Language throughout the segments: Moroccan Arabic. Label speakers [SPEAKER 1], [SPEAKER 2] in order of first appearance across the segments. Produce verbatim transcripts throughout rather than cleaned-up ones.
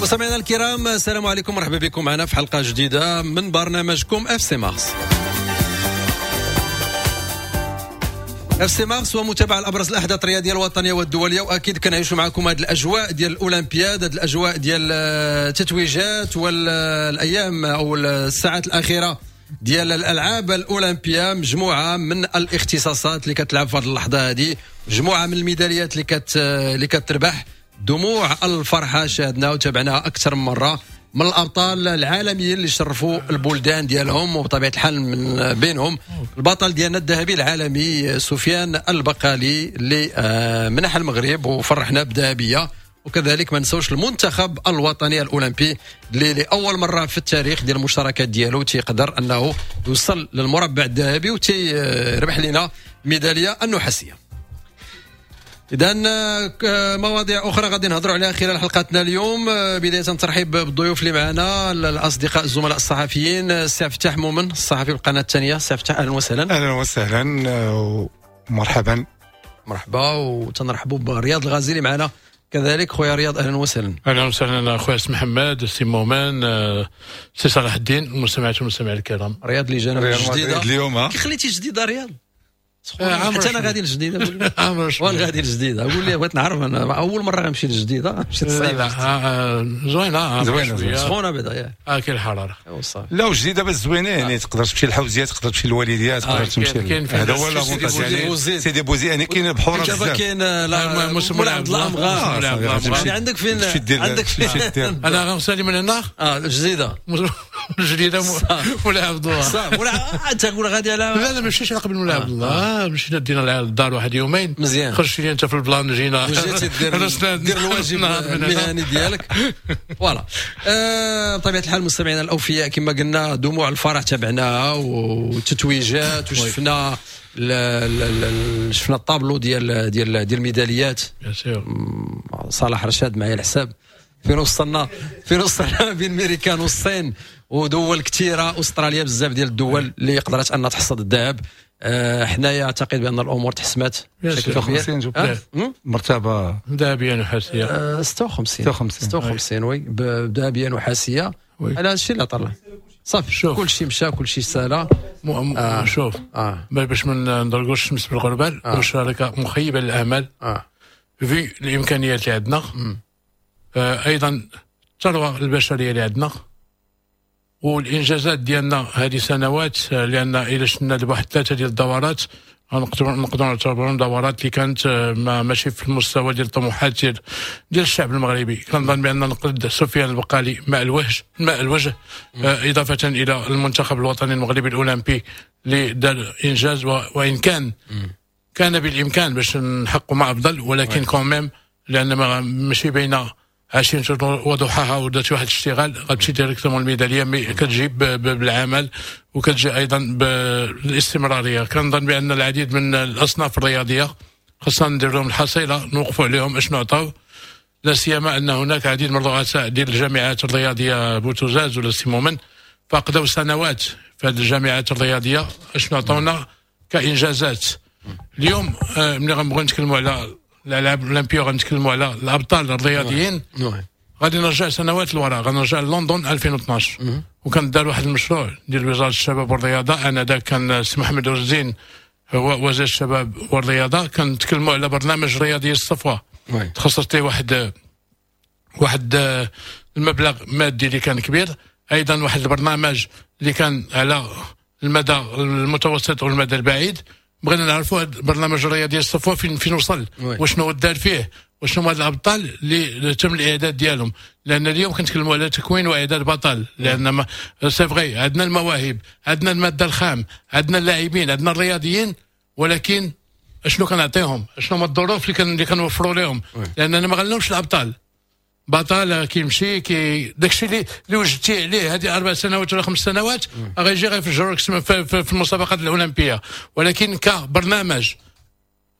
[SPEAKER 1] مستمعينا الكرام، السلام عليكم، مرحبا بكم معنا في حلقة جديدة من برنامجكم اف سي مارس. اف سي مارس ومتابعة لابرز الاحداث الرياضية الوطنية والدوليه، واكيد كنعيشوا معكم هذه الاجواء ديال الاولمبياد، هذه الاجواء ديال التتويجات والايام او الساعات الاخيرة ديال الالعاب الاولمبية. مجموعة من الاختصاصات اللي كتلعب في هذه اللحظة هذه، مجموعة من الميداليات اللي كت اللي كتربح. دموع الفرحة شاهدناها وتابعناها اكثر من مرة من الابطال العالميين اللي شرفوا البلدان ديالهم، وبطبيعة الحال من بينهم البطل ديالنا الذهبي العالمي سفيان البقالي اللي منح المغرب وفرحنا بذهبيه. وكذلك ما نساوش المنتخب الوطني الاولمبي اللي لاول مرة في التاريخ ديال المشاركات ديالو تيقدر انه يوصل للمربع الذهبي وتيربح لنا ميدالية النحاسيه. اذا مواضيع اخرى غادي نهضروا عليها خلال حلقتنا اليوم. بداية ترحيب بالضيوف اللي معنا، الاصدقاء الزملاء الصحفيين، السي فتاح مومن الصحفي بالقناة الثانية. السي فتاح اهلا وسهلا.
[SPEAKER 2] اهلا وسهلا ومرحبا.
[SPEAKER 1] مرحبا. وتنرحبوا برياض الغازي اللي معنا كذلك. خويا رياض اهلا وسهلا.
[SPEAKER 3] اهلا وسهلا اخويا سي محمد، سي مومن، سي صلاح الدين، المستمعات والمستمعين الكرام.
[SPEAKER 1] رياض اللي جانا الجديدة
[SPEAKER 2] اليوم.
[SPEAKER 1] كي خليتي جديدة رياض؟ حتى انا غادي للجديده. وين غادي للجديده؟ قول لي، بغيت نعرف، انا اول مرة غنمشي للجديده. مشيت
[SPEAKER 3] صعيب. زوينة
[SPEAKER 2] زوينة
[SPEAKER 1] سخونة بعدا.
[SPEAKER 3] اه كاين الحرارة.
[SPEAKER 2] لا وجديدة بس زوينة، يعني تقدر تمشي للحوزيه، تقدر تمشي للوالديه، تقدر تمشي. هذا هو l'avantage، يعني سيدي بوزيد يعني كاين بحوره بزاف.
[SPEAKER 1] دابا كاين مولاي عبد الله امغار، يعني عندك فين، عندك فين.
[SPEAKER 3] انا غنسالي من هنا.
[SPEAKER 1] اه الجديدة
[SPEAKER 3] الجديدة مولاي عبد الله.
[SPEAKER 1] صافي ولا انت قول غادي على.
[SPEAKER 3] لا لا ماشي على قبل مولاي عبد الله، مشينا دينا للدار واحد يومين
[SPEAKER 1] مزيان،
[SPEAKER 3] خرجت لي انت في ال plan، جينا
[SPEAKER 1] وجيتي دير دير الواجب المهني ديالك. voilà. بطبيعة الحال مستمعينا الاوفياء كما قلنا دموع الفرح تابعناها والتتويجات، وشفنا شفنا الطابلو ديال ديال ديال الميداليات. صلاح رشاد معايا الحساب فين وصلنا، فين وصلنا بين الميريكان والصين ودول كثيرة، استراليا، بزاف ديال الدول اللي قدرت ان تحصد الذهب. أه حنايا اعتقد بان الامور تحسمات
[SPEAKER 2] بشكل كبير. مرتبه
[SPEAKER 3] ذهبية نحاسيه.
[SPEAKER 1] أه ستة وخمسين ستة وخمسين oui، ذهبية نحاسيه. على هذا الشيء اللي طلع صافي، كل شيء مشى، كل شيء سالا.
[SPEAKER 3] آه. شوف آه. باش ما ندرقوش الشمس بالغربال، آه. مشاركة مخيبه للامال آه. في الامكانيات اللي عندنا، آه ايضا الثروة البشرية اللي عندنا والانجازات ديالنا هذه سنوات. لان الى شفنا دابا واحد ثلاثة ديال الدورات نقدروا نقدروا نعتبرهم دورات اللي كانت ما ماشي في المستوى ديال الطموحات ديال ديال الشعب المغربي. كنظن بان نقد سفيان البقالي ماء الوجه ماء الوجه اضافه الى المنتخب الوطني المغربي الاولمبي اللي دار انجاز، وان كان كان بالامكان باش نحققوا ما افضل، ولكن quand même لان ماشي بين عشرين وضحاها ودرت واحد الاشتغال غتمشي directement الميداليه، mais كتجي بالعمل وكتجي ايضا بالاستمراريه. كنظن بان العديد من الاصناف الرياضية خاصنا ندير لهم الحصيلة، نوقفوا عليهم اشنو عطاو، لا سيما ان هناك عديد من الرؤساء ديال الجامعات الرياضية بوتوزاز ولا سيمومن فقدوا سنوات في هذه الجامعات الرياضية اشنو عطاونا كانجازات. اليوم ملي غنبغيو نتكلموا على الالعاب الاولمبية غنتكلموا على الابطال الرياضيين، غادي نرجع سنوات للوراء، غنرجع للندن ألفين واثناش، وكان دار واحد المشروع ديال وزارة الشباب والرياضة. انذاك كان السي محمد الزين هو وزير الشباب والرياضة، كنتكلموا على برنامج رياضي الصفوة، تخصصت ليه واحد واحد المبلغ مادي اللي كان كبير، ايضا واحد البرنامج اللي كان على المدى المتوسط والمدى البعيد. بغينا نعرفوا هذا البرنامج الرياضي الصفوة فين فين وصل، وشنو دار فيه، وشنو هما الابطال اللي تم الاعداد ديالهم. لان اليوم كنتكلموا على تكوين واعداد بطل، لان c'est vrai عندنا المواهب، عندنا المادة الخام، عندنا اللاعبين، عندنا الرياضيين، ولكن اشنو كنعطيهم، اشنو هما الظروف اللي اللي كنوفروا لهم. لاننا ما غنلومش الابطال، بطل كيمشي كي داكشي اللي اللي وجدتي عليه هذه اربع سنوات ولا خمس سنوات غيجي غيفجرك في, في, في المسابقات الاولمبية. ولكن كبرنامج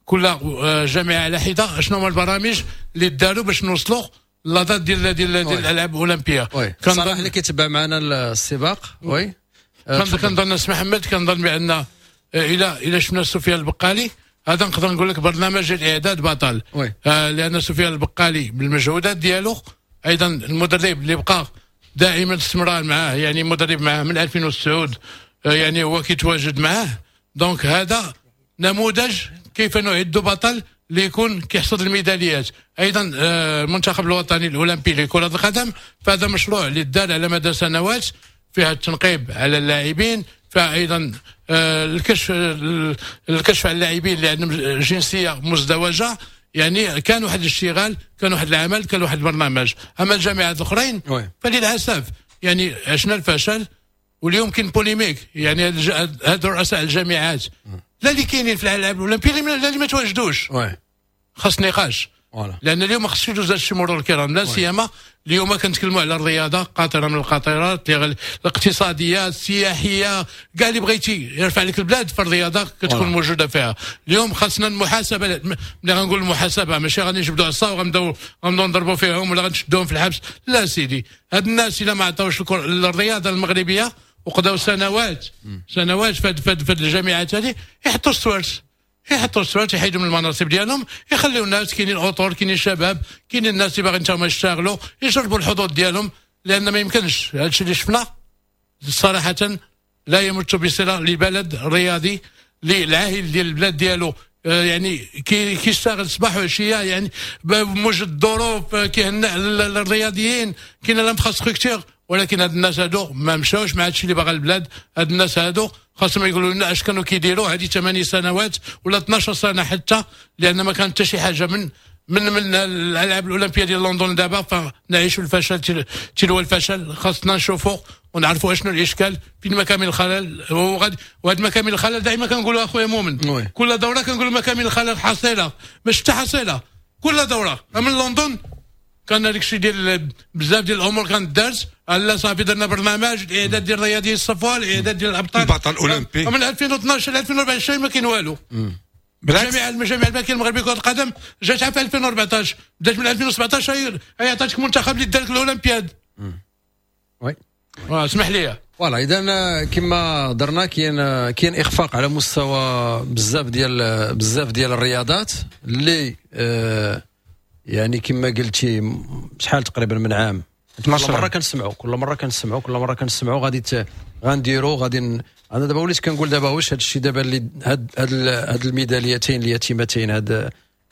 [SPEAKER 3] كل جامعه على حده، شنو هما البرامج اللي داروا باش نوصلوا la date ديال ديال ديال الالعاب الاولمبية.
[SPEAKER 1] صراحة اللي كيتبع معنا السباق oui
[SPEAKER 3] كنظن سي محمد، كنظن بان الى الى شفنا سفيان البقالي هذا نقدر نقول لك برنامج الاعداد بطل، آه لان سفيان البقالي بالمجهودات ديالو ايضا المدرب اللي بقى دائما الاستمرار معاه، يعني مدرب معاه من ألفين وتسعة يعني هو كيتواجد معاه. donc هذا نموذج كيف نعد بطل اللي يكون كيحصد الميداليات. ايضا المنتخب الوطني الاولمبي لكرة القدم، فهذا مشروع اللي دار على مدى سنوات، فيها التنقيب على اللاعبين، فايضا الكشف الكشف على اللاعبين اللي عندهم جنسية مزدوجة. يعني كان واحد الاشتغال، كان واحد العمل، كان واحد البرنامج. اما الجامعات الاخرين فللاسف يعني عشنا الفشل، واليوم كاين polémique. يعني هاد رؤساء الجامعات لا اللي كاينين في الالعاب الاولمبية لا اللي ما تواجدوش، خاص نقاش. لان اليوم ما خصش يدوز هادشي مرور الكرام، لا سيما اليوم كنتكلموا على الرياضة قاطره من القاطرات الاقتصادية السياحية، كاع اللي بغيتي يرفع لك البلاد في الرياضة كتكون موجودة فيها. اليوم خاصنا المحاسبة، ملي غنقول المحاسبة ماشي غادي نجبدوا عصا وغنبداو غنبداو نضربوا فيهم ولا غنشدوهم في الحبس، لا سيدي. هاد الناس الا ما عطاوش الرياضة المغربية وقضاو سنوات سنوات في هاد الجامعات هذه، يحطوا السوارت، يحطوا السوارت، يحيدوا من المناصب ديالهم، يخليو الناس. كاينين اطر، كاينين شباب، كاينين الناس اللي باغيين تاهما يشتغلوا، يجربوا الحظوظ ديالهم. لان ما يمكنش هادشي اللي شفنا صراحة لا يمت بصله لبلد رياضي للعاهل ديال البلاد ديالو، يعني كيشتغل صباح وعشية، يعني بموجب الظروف كيهنئ الرياضيين، كاين l'infrastructure. ولكن هاد الناس هادو ما مشاوش مع هادشي اللي باغا البلاد. هاد الناس هادو خاصهم يقولوا لنا اش كانوا كيديروا هذه ثمانية سنوات ولا اثناش سنة حتى، لان ما كانت حتى شي حاجة من من من الالعاب الاولمبية ديال لندن. دابا فنعيشوا الفشل تلو الفشل. خاصنا نشوفوا ونعرفوا اشنو الاشكال، فين مكامن الخلل. وغادي وهاد مكامن الخلل دائما كنقولوا اخويا مؤمن، كل دوره كنقولوا مكامن الخلل حصيله، ماشي حتى حصيله، كل دوره. من لندن كان هذاك الشيء ديال بزاف ديال الامور كانت دارت، لا صافي درنا برنامج الاعداد ديال الرياضيين الصفوة، الاعداد ديال الابطال،
[SPEAKER 2] البطل الاولمبي.
[SPEAKER 3] من ألفين واثناش ل ألفين وأربعة وعشرين ما كاين والو. بالعكس الجامعة الجامعة الملكية المغربية لكرة القدم جات في ألفين وأربعطاش، بدات من ألفين وسبعطاش هي عطاتك منتخب اللي دار لك الاولمبياد.
[SPEAKER 1] oui
[SPEAKER 3] اسمح لي.
[SPEAKER 1] voilà، اذا كما درنا كاين كاين اخفاق على مستوى بزاف ديال بزاف ديال الرياضات اللي آه يعني كما قلتي شحال تقريبا من عام، كل مرة كنسمعوا كل مرة كنسمعوا كل مرة كنسمعوا غادي غنديروا غادي. انا دابا وليت كنقول دابا واش هذا الشيء دابا اللي هاد هاد هاد الميداليتين اليتيمتين، هاد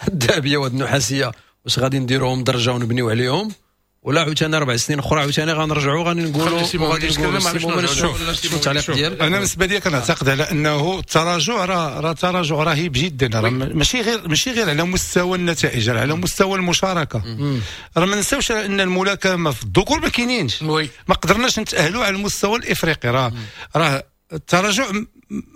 [SPEAKER 1] الذهبية وهاد النحاسيه، واش غادي نديروهم درجه ونبنيو عليهم، ولا عاوتاني اربع سنين اخرى عاوتاني غنرجعوا غادي نقولوا غادي نقولوا التعليق ديالك.
[SPEAKER 2] انا بالنسبة لي كنعتقد على انه التراجع راه راه تراجع رهيب جدا، راه ماشي غير ماشي غير على مستوى النتائج، راه على مستوى المشاركة. راه ما ننساوش ان الملاكمة في الذكور ما كاينينش، ما قدرناش نتاهلوا على المستوى الافريقي. راه راه التراجع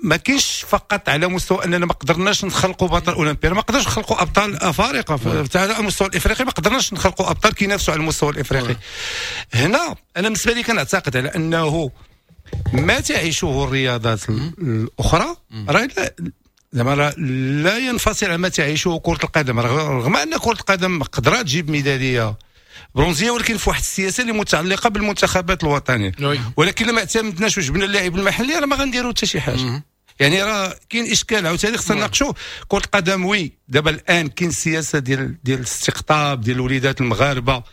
[SPEAKER 2] ما كاينش فقط على مستوى اننا ما قدرناش نخلقوا بطل اولمبي، ما قدرناش نخلقوا ابطال افارقه على المستوى الافريقي، ما قدرناش نخلقوا ابطال كينافسوا على المستوى الافريقي. هنا انا بالنسبة لي كنعتقد على انه ما تعيشه الرياضات الاخرى راه زعما لا ينفصل عما تعيشه كره القدم، رغم ان كره القدم قدرات تجيب ميدالية برونزيه، ولكن في واحد السياسة اللي متعلقه بالمنتخبات الوطنية. ولكن لما اعتمدناش وجبنا اللاعب المحلي راه ما غنديروا حتى شي حاجة. يعني راه كاين اشكال عاوتاني خصنا نناقشوه. كره القدم oui دابا الان كاين السياسة ديال ديال الاستقطاب ديال الوليدات المغاربة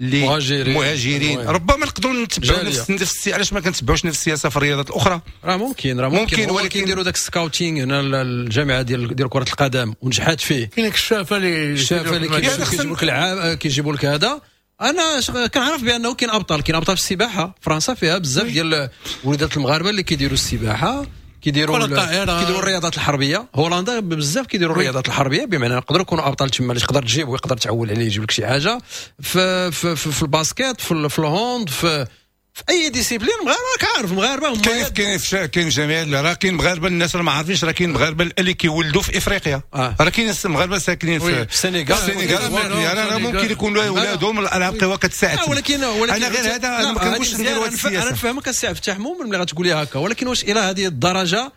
[SPEAKER 2] اللي مهاجرين, مهاجرين. ربما نقدروا نتبعوا نفس نفس علاش ما كنتبعوش نفس السياسة في الرياضات الاخرى؟
[SPEAKER 1] راه ممكن راه ممكن, ممكن ولكن نديروا داك ال scouting هنا الجامعة ديال ديال كره القدم ونجحات فيه.
[SPEAKER 3] كاين الشافه اللي
[SPEAKER 1] الشافه اللي كيجيبوا لك العاب كيجيبوا لك هذا. انا كنعرف بانه كاين ابطال، كاين ابطال في السباحة. فرنسا فيها بزاف ديال وليدات المغاربة اللي كيديروا السباحة، كيديروا كيديروا الرياضات الحربية. هولندا بزاف كيديروا الرياضات الحربية، بمعنى نقدروا يكونوا ابطال تما اللي تقدر تجيب ويقدر تعول عليه يجيب لك شي حاجة في في في, في ال basket، في, في ال hand، في في اي discipline. المغاربة راك عارف المغاربة هما
[SPEAKER 2] كاين كاين كاين جميع راه كاين مغاربة الناس راه ما عارفينش، راه كاين مغاربة اللي كيولدوا في افريقيا، آه. راه كاين مغاربة ساكنين في
[SPEAKER 1] السنغال،
[SPEAKER 2] السنغال راه ممكن يكونوا اولادهم الالعاب قوى كتساعد.
[SPEAKER 1] آه ولكن ولكن
[SPEAKER 2] انا غير هذا انا ما كنقولش نديروا هذه السياسة.
[SPEAKER 1] انا نفهمك السي عبد الفتاح مومن ملي غتقول لي هكا، ولكن واش الى هذه الدرجة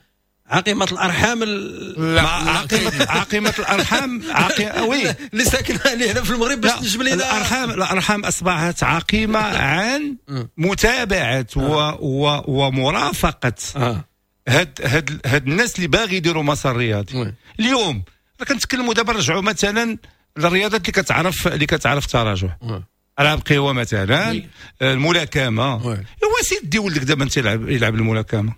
[SPEAKER 1] عقيمة الارحام
[SPEAKER 2] ال... عقيمة عقيمة الارحام عقي... oui
[SPEAKER 1] اللي ساكنة اللي هنا في المغرب باش تجيب لنا
[SPEAKER 2] الارحام. الارحام اصبحت عقيمة عن متابعه و... و... ومرافقة هاد هاد هاد الناس اللي باغي يديروا مسار رياضي. اليوم راه كنتكلموا دابا رجعوا مثلا للرياضات اللي كتعرف اللي كتعرف تراجع. العاب قوى مثلا، الملاكمة. هو سيدي ولدك دابا انت يلعب يلعب الملاكمة،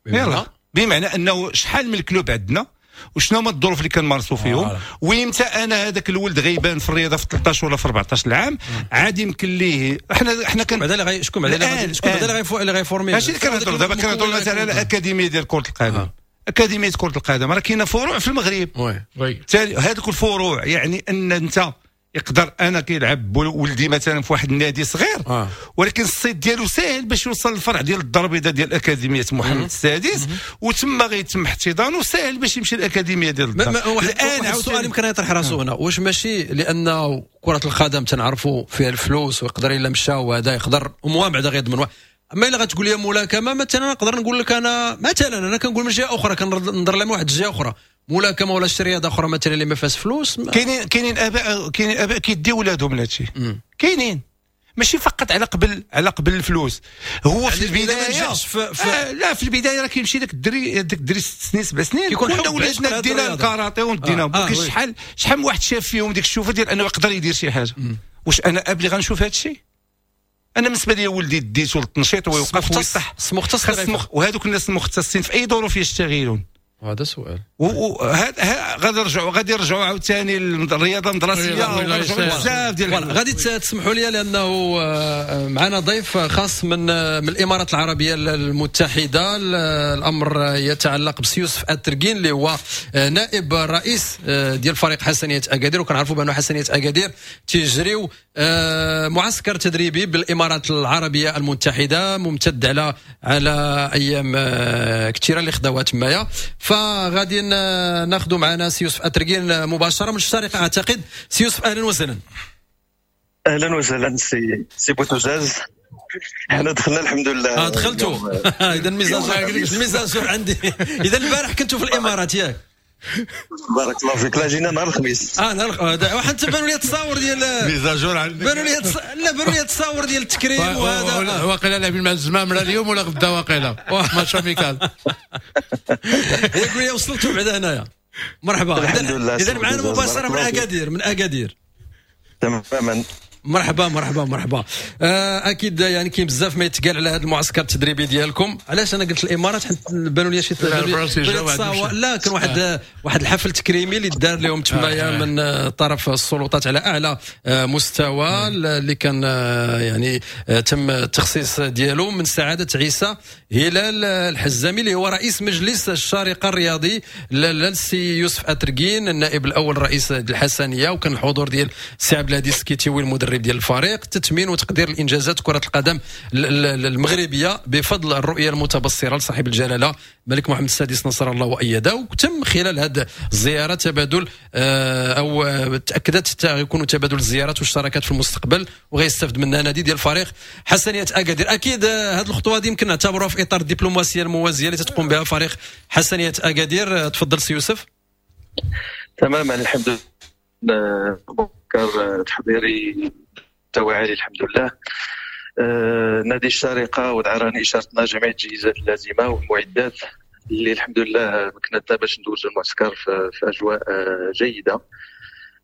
[SPEAKER 2] يلا بمعنى انه شحال من ال club عندنا وشنو هما الظروف اللي كنمارسوا فيهم، ويمتى انا هذاك الولد غيبان في الرياضة في ثلاثطاش ولا في أربعطاش العام عاد يمكن ليه. حنا حنا كان
[SPEAKER 1] بعدا اللي شكون بعدا شكون بعدا اللي غي former؟
[SPEAKER 2] ماشي اللي كنهضروا دابا، كنهضروا مثلا على اكاديمية ديال كره القدم. آه. اكاديمية كره القدم راه كاينه فروع في المغرب.
[SPEAKER 3] oui
[SPEAKER 2] هذوك الفروع يعني ان انت يقدر انا كيلعب ولدي مثلا في واحد النادي صغير، آه. ولكن الصيت ديالو ساهل باش يوصل للفرع ديال الدار البيضاء ديال اكاديمية محمد السادس، وتما غيتم احتضانه، ساهل باش يمشي الاكاديمية ديال الدار.
[SPEAKER 1] الان السؤال يمكن يطرح راسه هنا، واش ماشي لانه كره القدم تنعرفوا فيها الفلوس ويقدر الا مشى وهذا يقدر وموا بعدا غيضمن، اما الا غتقول لي ملاكمة مثلا نقدر نقول لك انا مثلا انا كنقول من جهة اخرى، كننظر لها من واحد الجهة اخرى، ملاكمة ولا شي رياضة اخرى مثلا اللي ما فيهاش فلوس.
[SPEAKER 2] كاينين كاينين اباء كاينين اباء كيديو ولادهم لهادشي، كاينين ماشي فقط على قبل على قبل الفلوس. هو يعني في البداية في في آه لا في البداية راه كيمشي داك الدري داك الدري ست سنين سبع سنين كنا ولادنا دينا الكاراتيه ودينا آه. آه شحال شحال من واحد شاف فيهم ديك الشوفه ديال انه يقدر يدير شي حاجة. واش انا اب اللي غنشوف هذا الشيء؟ انا بالنسبة لي ولدي ديتو للتنشيط ويوقف ويصح
[SPEAKER 1] مختص،
[SPEAKER 2] وهذوك الناس المختصين في اي ظروف يشتغلون؟
[SPEAKER 1] هذا سؤال.
[SPEAKER 2] وهذا غادي نرجعوا غادي نرجعوا عاوتاني للرياضة المدرسية بزاف ديال.
[SPEAKER 1] غادي تسمحوا لي لانه معنا ضيف خاص من من الامارات العربية المتحدة. الامر يتعلق بسي يوسف التركين اللي هو نائب الرئيس ديال فريق حسنيه اكادير، وكنعرفوا بانه حسنيه اكادير تيجريو معسكر تدريبي بالامارات العربية المتحدة ممتد على على ايام كثيرة اللي خداوها تمايا. فغادي ناخذ معنا سي يوسف التركين مباشرة من الشارقة اعتقد. سي يوسف اهلا وسهلا.
[SPEAKER 4] اهلا وسهلا سي سي بوتوزاز. حنا دخلنا الحمد لله.
[SPEAKER 1] اه دخلتوا. اذا ال mise à jour ال mise à jour عندي. اذا البارح كنتوا في الامارات ياك؟
[SPEAKER 4] بارك الله فيك. لا جينا نهار الخميس.
[SPEAKER 1] اه نهار الخميس. وحتى بانوا لي التصاور ديال
[SPEAKER 2] mise à jour عندك،
[SPEAKER 1] بانوا لي لا بانوا لي التصاور ديال التكريم وهذا.
[SPEAKER 3] واقيلا لاعبين مع الزمام لا اليوم ولا غدا واقيلا match amical.
[SPEAKER 1] يقول لي وصلتوا بعدا هنايا. مرحبا.
[SPEAKER 4] الحمد لله.
[SPEAKER 1] اذا معنا مباشرة من اكادير، من اكادير.
[SPEAKER 4] تماما.
[SPEAKER 1] مرحبا مرحبا مرحبا. اكيد يعني كاين بزاف ما يتقال على هذا المعسكر التدريبي ديالكم. علاش انا قلت الامارات؟ حيت بانوا لي شي لا كان واحد واحد الحفل تكريمي اللي دار لهم تمايا من طرف السلطات على اعلى مستوى، اللي كان يعني تم التخصيص ديالو من سعادة عيسى هلال الحزامي اللي هو رئيس مجلس الشارقة الرياضي للسي يوسف التركين النائب الاول رئيس الحسنيه، وكان الحضور ديال السي عبد الهادي السكيتيوي المدرب ديال الفريق. تثمين وتقدير الانجازات كره القدم المغربية بفضل الرؤية المتبصره لصاحب الجلاله الملك محمد السادس نصر الله وايده. وتم خلال هذه الزيارة تبادل او تاكدت يكون تبادل الزيارات والشراكات في المستقبل، وغيستافد منها نادي ديال الفريق حسنيه اكادير. اكيد هذه الخطوة هذه يمكن نعتبروها في اطار الدبلوماسية الموازيه اللي تتقوم بها فريق حسنيه اكادير. تفضل سي يوسف.
[SPEAKER 4] تماما الحمد لله، معسكر تحضيري مستوى عالي الحمد لله. آه، نادي الشارقة ودعراني اشارتنا جميع التجهيزات اللازمة والمعدات اللي الحمد لله مكنتنا باش ندوزو المعسكر في, في اجواء آه، جيدة.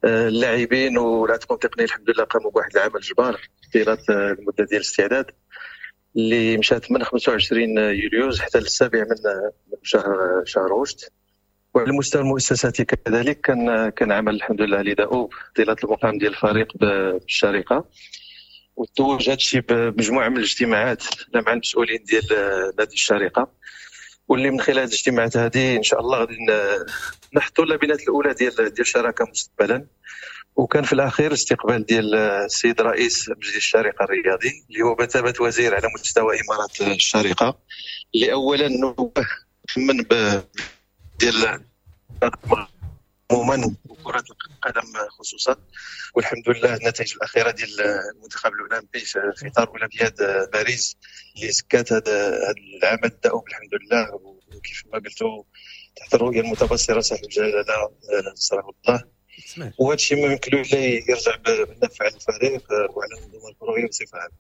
[SPEAKER 4] آه، اللاعبين والعتقون التقني الحمد لله قاموا بواحد العمل جبار طيلة المدة ديال الاستعداد اللي مشات من خمسة وعشرين يوليوز حتى للسابع من شهر شهر غشت. وعلى المستوى المؤسساتي كذلك كان كان عمل الحمد لله لدؤوب طيلة المقام ديال الفريق بالشارقه، وتوج هذا الشيء بمجموعه من الاجتماعات مع المسؤولين ديال نادي الشارقة، واللي من خلال الاجتماعات هذه ان شاء الله غادي نحطوا اللبنات الاولى ديال ديال الشراكة مستقبلا. وكان في الاخير استقبال ديال السيد رئيس مجلس الشارقة الرياضي اللي هو بثابه وزير على مستوى امارات الشارقة، اللي اولا نوه من ديال عموما وكرة القدم خصوصا. والحمد لله النتائج الأخيرة ديال المنتخب الأولمبي في إطار أولمبياد باريس اللي سكات هذا العمل الدؤوب الحمد لله، وكيف ما قلتوا تحت الرؤية المتبصرة صاحب الجلالة نصره الله. وهذا الشيء ما يمكن له إلا يرجع بالنفع على الفريق وعلى المنظومة الكروية بصفة عامة.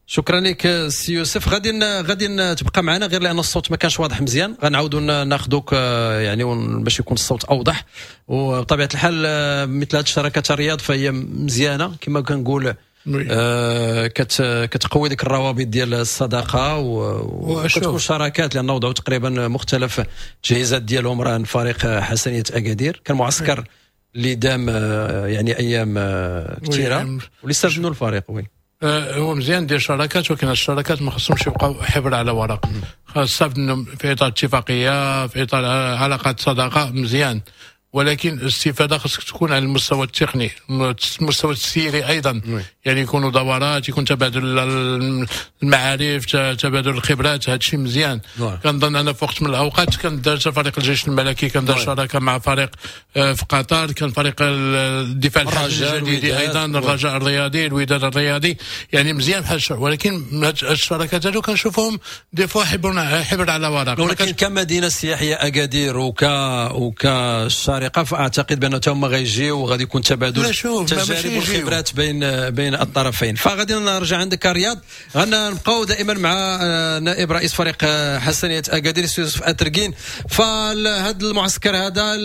[SPEAKER 1] شكرا لك سي يوسف. غادي غادي تبقى معنا غير لان الصوت ما كانش واضح مزيان، غنعاودوا ناخذوك يعني باش يكون الصوت اوضح. وبطبيعة الحال مثل هذه الشراكات الرياض فهي مزيانه كما كنقول، آه كت كتقوي ديك الروابط ديال الصداقة وكتكون شراكات، لان وضعوا تقريبا مختلف التجهيزات ديالهم. راه فريق حسنيه اكادير كان معسكر اللي دام يعني ايام كثيرة واللي استفاد منه الفريق. oui
[SPEAKER 3] هو مزيان دير شراكات، ولكن الشراكات ما خصهمش يبقاو حبر على ورق، خاص منهم في اطار اتفاقية، في اطار علاقات صداقه مزيان، ولكن الاستفادة خاصك تكون على المستوى التقني، المستوى التسييري ايضا. يعني يكونوا دورات، يكون تبادل المعارف، تبادل الخبرات، هذا الشيء مزيان. كنظن انا في وقت من الاوقات كان دار فريق الجيش الملكي، كان دار شراكة مع فريق في قطر، كان فريق الدفاع الحسني الجديدي ايضا، الرجاء الرياضي، الوداد الرياضي، يعني مزيان بحال الشر. ولكن الشراكات هذو كنشوفهم des fois حبر حبر على ورق.
[SPEAKER 1] ولكن كمدينه سياحية اكادير وك وكالشارقه فاعتقد بان هما غيجيو وغادي يكون تبادل تجارب والخبرات بين بين الطرفين. فغادي نرجع عندك رياض، غنبقاو دائما مع نائب رئيس فريق حسنيه اكادير يوسف اتركين. فهذا المعسكر هذا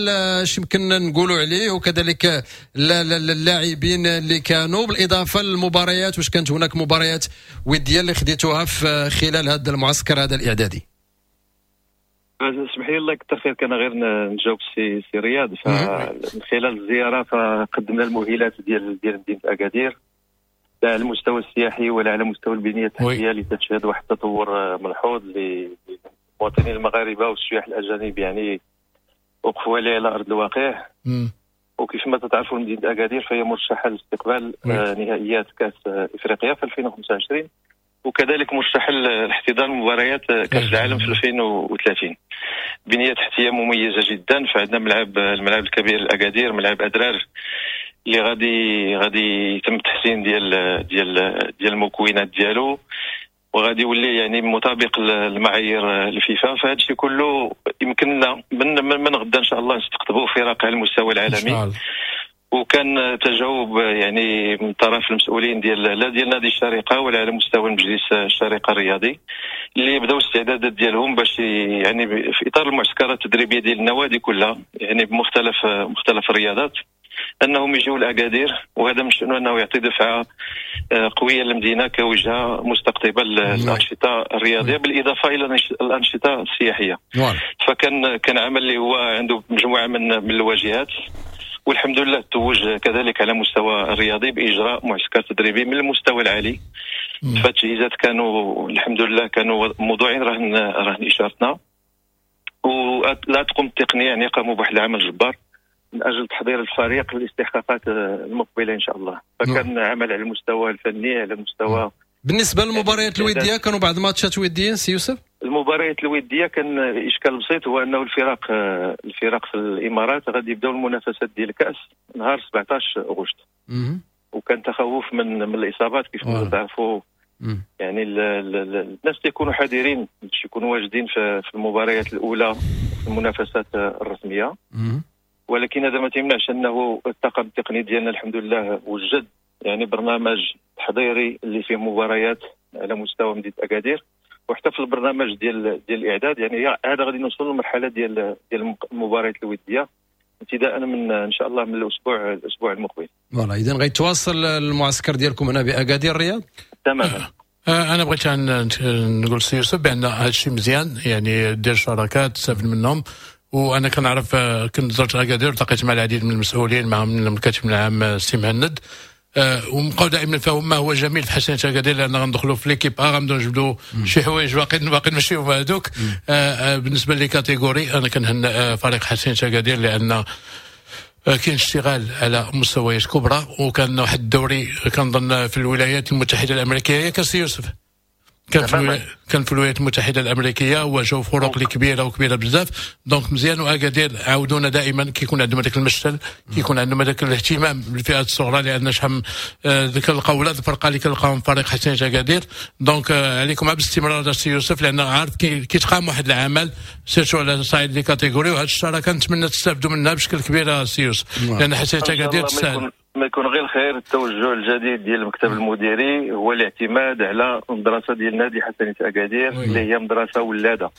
[SPEAKER 1] اش يمكن نقولوا عليه، وكذلك اللاعبين اللي كانوا، بالاضافة للمباريات، واش كانت هناك مباريات وديه اللي خديتوها في خلال هذا المعسكر هذا الاعدادي؟
[SPEAKER 4] اسمح لي الله يكثر خيرك، انا غير نجاوب سي سي رياض. فمن خلال الزيارة فقدمنا المؤهلات ديال ديال مدينة اكادير، لا على المستوى السياحي ولا على مستوى البنية التحتية اللي تشهد واحد التطور ملحوظ للمواطنين المغاربة والسياح الاجانب، يعني وقفوا عليه على ارض الواقع. وكيف ما تتعرفوا مدينة اكادير فهي مرشحة لاستقبال نهائيات كاس افريقيا في ألفين وخمسة وعشرين، وكذلك مرشحة لاحتضان مباريات كاس العالم في ألفين وثلاثين. بنيه تحتيه مميزة جدا، فعندنا ملعب الملعب الكبير لاكادير، ملعب ادرار اللي غادي غادي يتم التحسين ديال ديال ديال المكونات ديالو، وغادي يولي يعني مطابق للمعايير الفيفا. فهذا الشيء كله يمكننا من من غدا ان شاء الله نستقطبوا فرق على المستوى العالمي. وكان تجاوب يعني من طرف المسؤولين ديال لا ديال نادي الشارقة ولا على مستوى مجلس الشارقة الرياضي، اللي بداو الاستعدادات ديالهم باش يعني في اطار المعسكرات التدريبية ديال النوادي كلها، يعني بمختلف مختلف الرياضات، انهم يجيو لاكادير. وهذا من شأنه انه يعطي دفعه قوية للمدينة كوجهه مستقطبه للانشطه الرياضية، بالاضافة الى الانشطة السياحية. فكان كان عمل اللي هو عنده مجموعة من من الواجهات، والحمد لله توج كذلك على مستوى الرياضي باجراء معسكر تدريبي من المستوى العالي. فالتجهيزات كانوا الحمد لله كانوا موضوعين رهن رهن اشارتنا، ولا تقوم التقنية يعني قاموا بواحد العمل جبار من اجل تحضير الفريق للاستحقاقات المقبلة ان شاء الله. فكان عمل على المستوى الفني، على المستوى.
[SPEAKER 1] بالنسبة للمباريات الودية كانوا بعض الماتشات وديين سي يوسف؟
[SPEAKER 4] المباريات الودية كان اشكال بسيط، هو انه الفرق الفرق في الامارات غادي يبداو المنافسات ديال الكاس نهار سبعطاش غشت، وكان تخوف من من الاصابات كيف ما تعرفوا. يعني ال ال الناس تيكونوا حذرين باش يكونوا واجدين في, في المباريات الاولى في المنافسات الرسمية. ولكن هذا ما تيمنعش انه الطاقم التقني ديالنا الحمد لله وجد يعني برنامج تحضيري اللي فيه مباريات على مستوى مدينة اكادير، وحتى في البرنامج ديال ديال الاعداد يعني هذا غادي نوصل للمرحلة ديال ديال المباريات الودية ابتداء من ان شاء الله من الاسبوع الاسبوع المقبل.
[SPEAKER 1] voilà، اذا غيتواصل المعسكر ديالكم هنا باكادير الرياض؟
[SPEAKER 4] تماما.
[SPEAKER 3] انا بغيت نقول سي يوسف بان هذا الشيء مزيان، يعني دير شراكات تستافد منهم. وانا كنعرف كنت زرت اكادير التقيت مع العديد من المسؤولين، مع من الكاتب العام السي مهند، أه ومبقاو دائما فهم ما هو جميل في حسنيه اكادير، لان غندخلوا في l'équipe A غنبداو نجبدوا شي حوايج باقي باقي ماشي هما هذوك. أه أه بالنسبة les catégories انا كنهنئ فريق حسنيه اكادير لان كاين اشتغال على مستويات كبرى، وكان واحد الدوري كنظن في الولايات المتحدة الامريكية كاس يوسف، كان في كان في الولايات المتحدة الامريكية وجاو فرق اللي كبيرة وكبيره بزاف. donc مزيان، واكادير عاودونا دائما كيكون عندهم هذاك المشتل، كيكون عندهم هذاك الاهتمام بالفئات الصغرى، لان شحال كنلقاو ولاد الفرقة اللي كنلقاهم فريق حسنيه اكادير. donc عليكم باستمرار السي يوسف، لان عارف كيتقام واحد العمل surtout على صعيد les catégories، وهذه الشراكة نتمنى تستافدوا منها بشكل كبير السي يوسف، لان حسنيه اكادير تستاهل.
[SPEAKER 4] ما يكون غير الخير. التوجه الجديد ديال المكتب المديري هو الاعتماد على المدرسة ديال نادي حسنيه اكادير اللي هي مدرسه ولاده.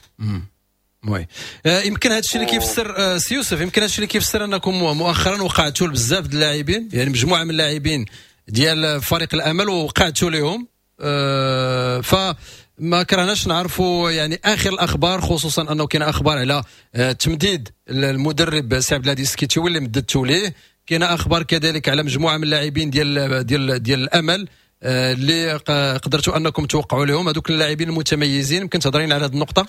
[SPEAKER 1] oui، آه يمكن هذا الشيء اللي كيفسر آه سي يوسف، يمكن هذا الشيء اللي كيفسر انكم مؤخرا وقعتوا بزاف ديال اللاعبين، يعني مجموعة من اللاعبين ديال فريق الامل وقعتوا لهم، آه فما كرهناش نعرفوا يعني اخر الاخبار، خصوصا انه كاين اخبار على آه تمديد المدرب سي عبد الهادي السكيتيوي اللي مددتوا ليه، كاين اخبار كذلك على مجموعة من اللاعبين ديال ديال ديال الامل آه اللي قدرتوا انكم توقعوا لهم هذوك اللاعبين المتميزين. يمكن تهضرين على هذه النقطة؟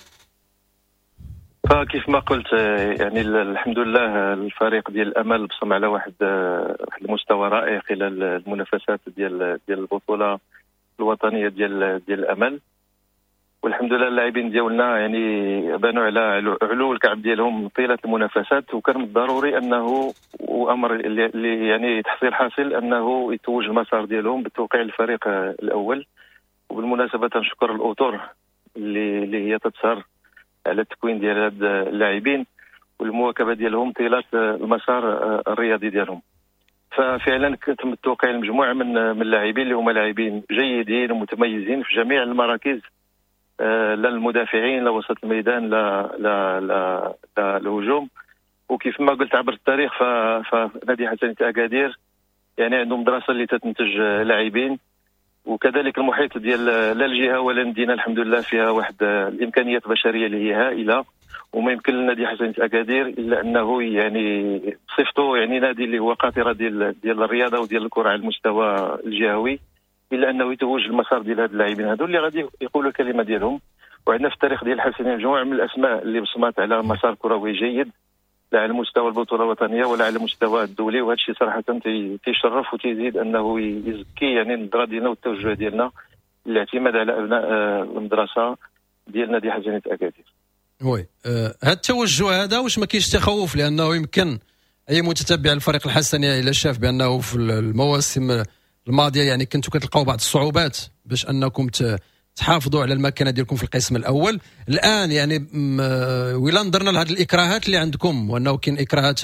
[SPEAKER 4] فكيف ما قلت يعني الحمد لله الفريق ديال الامل بصم على واحد واحد المستوى رائع خلال المنافسات ديال ديال البطولة الوطنية ديال ديال الامل، والحمد لله اللاعبين ديالنا يعني بانوا على علو الكعب ديالهم طيلة المنافسات، وكان من الضروري انه وامر اللي يعني تحصيل حاصل انه يتوج المسار ديالهم بالتوقيع للفريق الاول. وبالمناسبة تنشكر الاطر اللي اللي هي تتسهر على التكوين ديال هاد اللاعبين والمواكبه ديالهم طيلة المسار الرياضي ديالهم. ففعلا تم التوقيع لمجموعة من من اللاعبين اللي هما لاعبين جيدين ومتميزين في جميع المراكز، لا المدافعين لا وسط الميدان لا لا لا, لا الهجوم. وكيف ما قلت عبر التاريخ فنادي حسنيه اكادير يعني عندهم مدرسه اللي تتنتج لاعبين، وكذلك المحيط ديال لا الجهة ولا المدينة الحمد لله فيها واحد الامكانيات البشرية اللي هي هائلة، وما يمكن لنادي حسنيه اكادير الا انه يعني بصفته يعني نادي اللي هو قاطره ديال ديال الرياضة وديال الكره على المستوى الجهوي، الا انه يتوج المسار ديال هاد اللاعبين هادو اللي غادي يقولوا الكلمة ديالهم. وعندنا في التاريخ ديال الحسنيه مجموعة من الاسماء اللي بصمات على مسار كروي جيد، لا على مستوى البطولة الوطنية ولا على المستوى الدولي، وهذا الشيء صراحة تيشرف وتيزيد انه يزكي يعني النظرة ديالنا والتوجه ديالنا الاعتماد على ابناء المدرسة ديال نادي حسنيه اكادير.
[SPEAKER 1] oui، هذا التوجه هذا واش ما كاينش تخوف؟ لانه يمكن اي متتبع الفريق الحسنيه الا شاف بانه في المواسم الماضية يعني كنتوا كتلقاو بعض الصعوبات باش انكم تحافظوا على المكانة ديالكم في القسم الاول. الان يعني ولا نظرنا لهذه الاكراهات اللي عندكم، وانه كاين اكراهات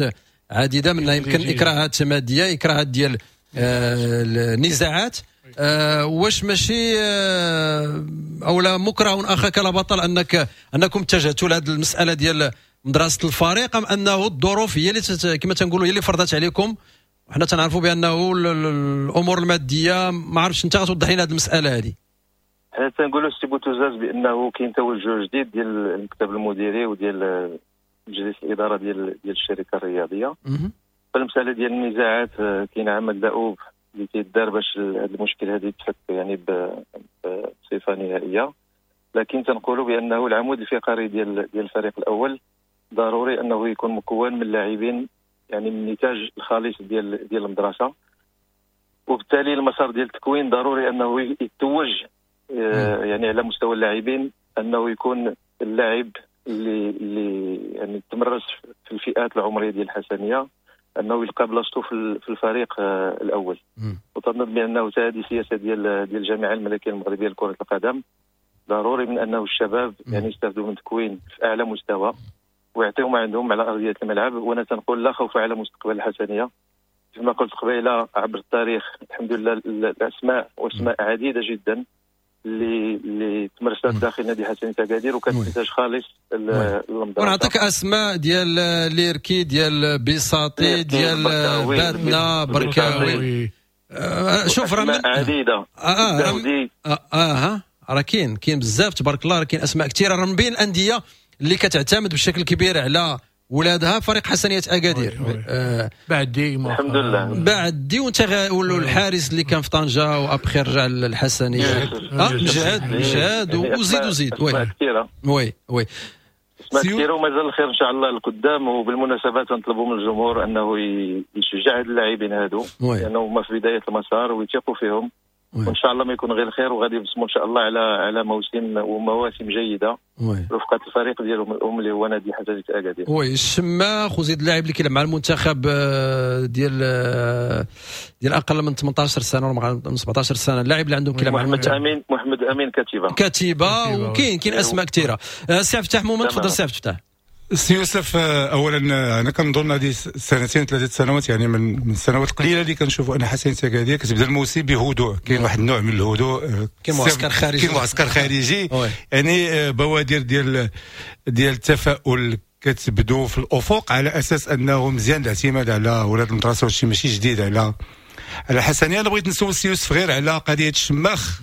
[SPEAKER 1] عديدة، منها يمكن اكراهات مادية، اكراهات ديال النزاعات، آه واش ماشي آه او لا مكره اخاك لا بطل انك انكم اتجهتوا لهذه المسالة ديال مدرسه الفريق، ام انه الظروف هي اللي كما تنقولوا هي اللي فرضت عليكم؟ وحنا تنعرفوا بانه الامور المادية، ما عرفتش انت غتوضح لنا هذه المسالة هذه.
[SPEAKER 4] حنا تنقولوا سي بوتوزاز بانه كاين توجه جديد ديال المكتب المديري وديال مجلس الادارة ديال ديال الشركة الرياضية. فالمسالة ديال النزاعات كاين عمل دؤوب اللي تيدار باش هذا المشكل هذا يتفك يعني بصفة نهائية، لكن تنقولوا بانه العمود الفقري ديال ديال الفريق الاول ضروري انه يكون مكون من لاعبين يعني من النتاج الخالص ديال ديال المدرسة، وبالتالي المسار ديال التكوين ضروري انه يتوج يعني على مستوى اللاعبين، انه يكون اللاعب اللي اللي يعني تمرس في الفئات العمرية ديال الحسنيه انه يلقى بلاصتو في الفريق الاول. وتنظن بانه هذه سياسة ديال ديال الجامعة الملكية المغربية لكرة القدم، ضروري من انه الشباب يعني يستافدوا من تكوين في اعلى مستوى ويعطيهم ما عندهم على ارضية الملعب. وانا تنقول لا خوف على مستقبل الحسنيه، كما قلت قبيلة عبر التاريخ الحمد لله الاسماء واسماء عديدة جدا اللي اللي تمرست داخل نادي حسنيه اكادير وكانت نتاج خالص للمدرسة.
[SPEAKER 1] ونعطيك اسماء ديال ليركي، ديال بيساطي، ديال باتنا، بركاوي، آه شوف راه
[SPEAKER 4] عديدة.
[SPEAKER 1] اه اه اه, آه راه كاين كاين بزاف تبارك الله، راه كاين اسماء كثيرة، راه من بين الاندية اللي كتعتمد بشكل كبير على ولادها فريق حسنيه اكادير.
[SPEAKER 3] آه بعد دي
[SPEAKER 4] الحمد لله
[SPEAKER 1] بعد دي وانت الحارس اللي كان في طنجه وابخي رجع للحسنيه، اه مجهد مجهد وزيد وزيد.
[SPEAKER 4] oui
[SPEAKER 1] oui oui
[SPEAKER 4] اسماء كثيرة ومازال الخير ان شاء الله لقدام. وبالمناسبة تنطلبوا من الجمهور انه يشجع هاد اللاعبين هادو لانه هما في بداية المسار ويثيقوا فيهم، وان شاء الله ما يكون غير الخير، وغادي يبصموا ان شاء الله على على موسم ومواسم جيدة رفقه الفريق ديالهم الام اللي هو نادي حسنيه اكادير.
[SPEAKER 1] oui الشماخ وزيد اللاعب اللي كيلعب مع المنتخب ديال ديال اقل من ثمنطاش سنة ولا من سبعطاش سنة، اللاعب اللي عندهم كيلعب مع
[SPEAKER 4] محمد امين، محمد امين كتيبة
[SPEAKER 1] كتيبة، وكاين كاين اسماء كثيرة. سي عبد الفتاح مومن، تفضل سي عبد الفتاح.
[SPEAKER 2] سي يوسف، اولا انا كنظن هذه سنتين ثلاثة سنوات، يعني من من السنوات القليلة اللي كنشوفوا ان حسنية اكادير كتبدا الموسم بهدوء، كاين واحد النوع من الهدوء،
[SPEAKER 1] كاين معسكر خارجي،
[SPEAKER 2] كاين معسكر خارجي، يعني بوادر ديال ديال التفاؤل كتبدو في الافق، على اساس انه مزيان الاعتماد على ولاد المدرسة، وهادشي ماشي جديد على على حسنيه. انا بغيت نسول سي يوسف غير على قضية الشماخ،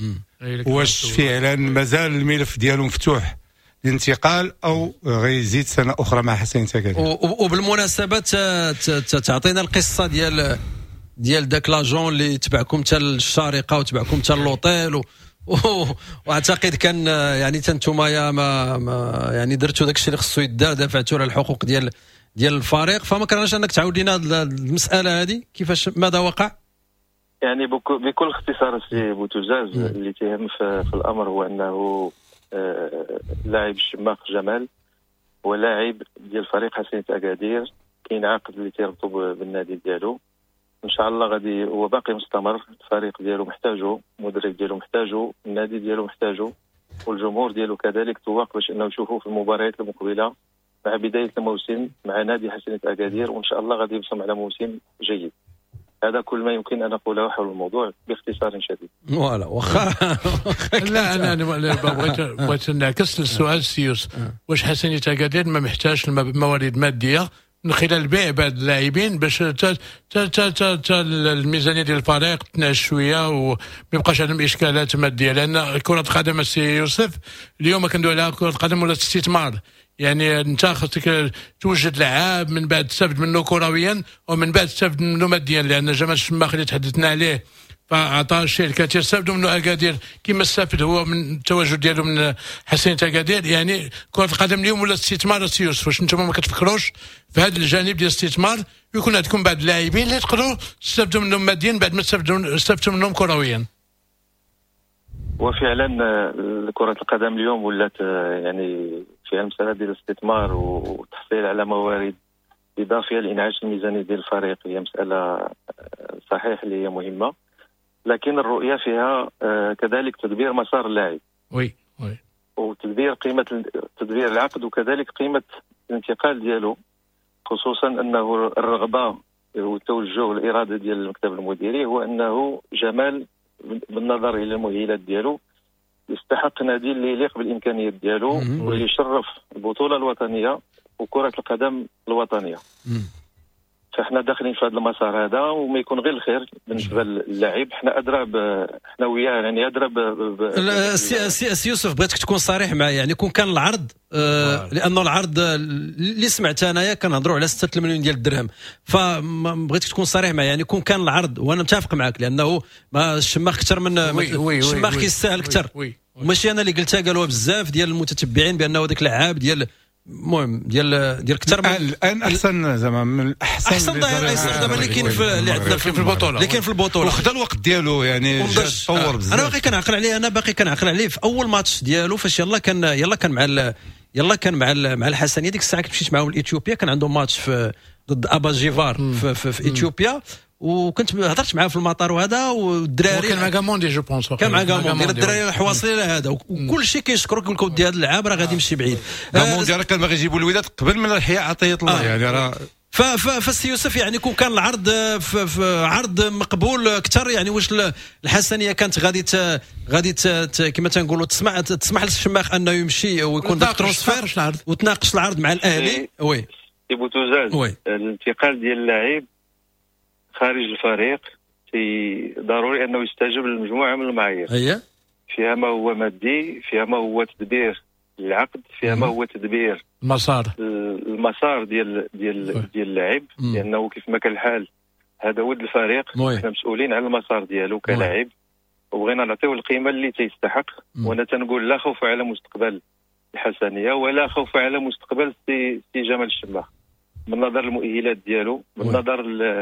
[SPEAKER 2] واش فعلا مازال الملف ديالو مفتوح الانتقال او غيزيد سنة اخرى مع حسنية اكادير؟
[SPEAKER 1] وبالمناسبة تعطينا القصة ديال ديال داك l'agent اللي تبعكم حتى للشارقه وتبعكم حتى l'hôtel و... واعتقد كان يعني انتم يا ما, ما يعني درتوا داك الشيء اللي خصو يدار، دافعتوا على الحقوق ديال ديال الفريق، فما كرهناش انك تعاود لنا المسالة هذه كيفاش ماذا وقع؟
[SPEAKER 4] يعني بكل اختصار سي بوتوزاز، اللي تهم في, في الامر هو انه لاعب الشماخ جمال هو لاعب ديال فريق حسنية اكادير، كاين عقد اللي تيربطو بالنادي ديالو، ان شاء الله غادي هو باقي مستمر، الفريق ديالو محتاجو، المدرب ديالو محتاجو، النادي ديالو محتاجو، والجمهور ديالو كذلك تواق باش انه يشوفوه في المباريات المقبلة مع بداية الموسم مع نادي حسنية اكادير، وان شاء الله غادي يبصم على موسم جيد. هذا كل ما يمكن ان اقوله حول الموضوع باختصار شديد.
[SPEAKER 1] voilà واخا
[SPEAKER 3] لا انا بغيت بغيت نعكس السؤال سي يوسف، واش حسنية اكادير ما محتاجش الموارد مادية من خلال بيع بعض اللاعبين باش تا تا تا تا الميزانية ديال الفريق تنعش شوية وما يبقاش عندهم اشكالات مادية؟ لان كره القدم السي يوسف اليوم كندوي على كره القدم ولا استثمار، يعني انت خاصك توجد لعاب من بعد تستافد منه كرويا ومن بعد تستافد منه ماديا، لان جمال الشماخ اللي تحدثنا عليه فاعطى الشيء الكثير، استافدوا منه اكادير كما استفد هو من التواجد ديالو من حسنية اكادير. يعني كره القدم اليوم ولا استثمار سي يوسف، واش انتم ما كتفكروش في هذا الجانب ديال الاستثمار يكون عندكم بعض اللاعبين اللي تقدروا تستافدوا منهم ماديا بعد ما تستافدوا منهم كرويا؟
[SPEAKER 4] وفعلا كرة القدم اليوم ولات يعني فيها المسألة ديال الاستثمار والتحصيل على موارد إضافية لإنعاش الميزانية ديال الفريق، هي مسألة صحيح اللي هي مهمة، لكن الرؤية فيها كذلك تدبير مسار اللاعب،
[SPEAKER 3] oui oui،
[SPEAKER 4] وتدبير قيمة تدبير العقد وكذلك قيمة الانتقال ديالو، خصوصا أنه الرغبة والتوجه والإرادة ديال المكتب المديري هو أنه جمال بالنظر الى المؤهلات ديالو يستحق نادي اللي يليق بالامكانيات ديالو واللي يشرف البطولة الوطنية وكره القدم الوطنية. فاحنا داخلين في هذا المسار هذا وما يكون غير الخير بالنسبة للاعب، حنا ادرى حنا وياه يعني ادرى ب
[SPEAKER 1] سي سي يوسف، بغيتك تكون صريح معايا، يعني كون كان العرض آه لانه العرض اللي سمعت انايا كنهضروا على ستة المليون ديال الدرهم، فبغيتك تكون صريح معايا، يعني كون كان العرض وانا متفق معك لانه ما الشماخ اكثر من الشماخ كيستاهل اكثر، وماشي انا اللي قلتها، قالوها بزاف ديال المتتبعين بانه ذاك اللاعب ديال المهم ديال ديال اكثر من
[SPEAKER 2] الان احسن زعما من احسن
[SPEAKER 1] احسن ظهير ايسر دابا اللي كاين في اللي عندنا
[SPEAKER 2] في البطولة،
[SPEAKER 1] اللي كاين في البطولة،
[SPEAKER 2] وخدا الوقت ديالو يعني تطور بزاف.
[SPEAKER 1] انا باقي كنعقل عليه، انا باقي كنعقل عليه في اول ماتش ديالو فاش يلا كان يلا كان مع يلا كان مع مع الحسنيه ديك الساعة كنت مشيت معاهم لاثيوبيا، كان عندهم ماتش في ضد ابا جيفار في, في, في اثيوبيا، وكنت هضرت معاه في المطار وهذا والدراري
[SPEAKER 3] كان مع غاموندي je pense،
[SPEAKER 1] كان مع غاموندي، الدراري حواصلين هذا وكل شيء كيشكرك يقول لك ودي هذا اللاعب راه غادي يمشي بعيد.
[SPEAKER 2] غاموندي راه كان باغي يجيبوا الوداد قبل من الحياة عطية الله، يعني راه
[SPEAKER 1] فالسي يوسف يعني كون كان العرض في عرض مقبول اكثر، يعني واش الحسنيه كانت غادي غادي كما تنقولوا تسمع تسمح للشماخ انه يمشي ويكون داك transfert وتناقش العرض مع الاهلي؟ oui
[SPEAKER 4] سي بوتوزاز، الانتقال ديال اللاعب خارج الفريق في ضروري انه يستجب لمجموعة من المعايير،
[SPEAKER 1] هي
[SPEAKER 4] فيها ما هو مادي، فيها ما هو تدبير العقد، فيها ما هو تدبير
[SPEAKER 3] المسار
[SPEAKER 4] المسار ديال ديال ديال اللاعب، لانه كيف ما كان الحال هذا ولد الفريق، حنا مسؤولين على المسار ديالو كلاعب وبغينا نعطيو القيمة اللي تيستحق. وانا تنقول لا خوف على مستقبل الحسنيه ولا خوف على مستقبل سي سي جمال الشماخ، بالنظر المؤهلات ديالو، بالنظر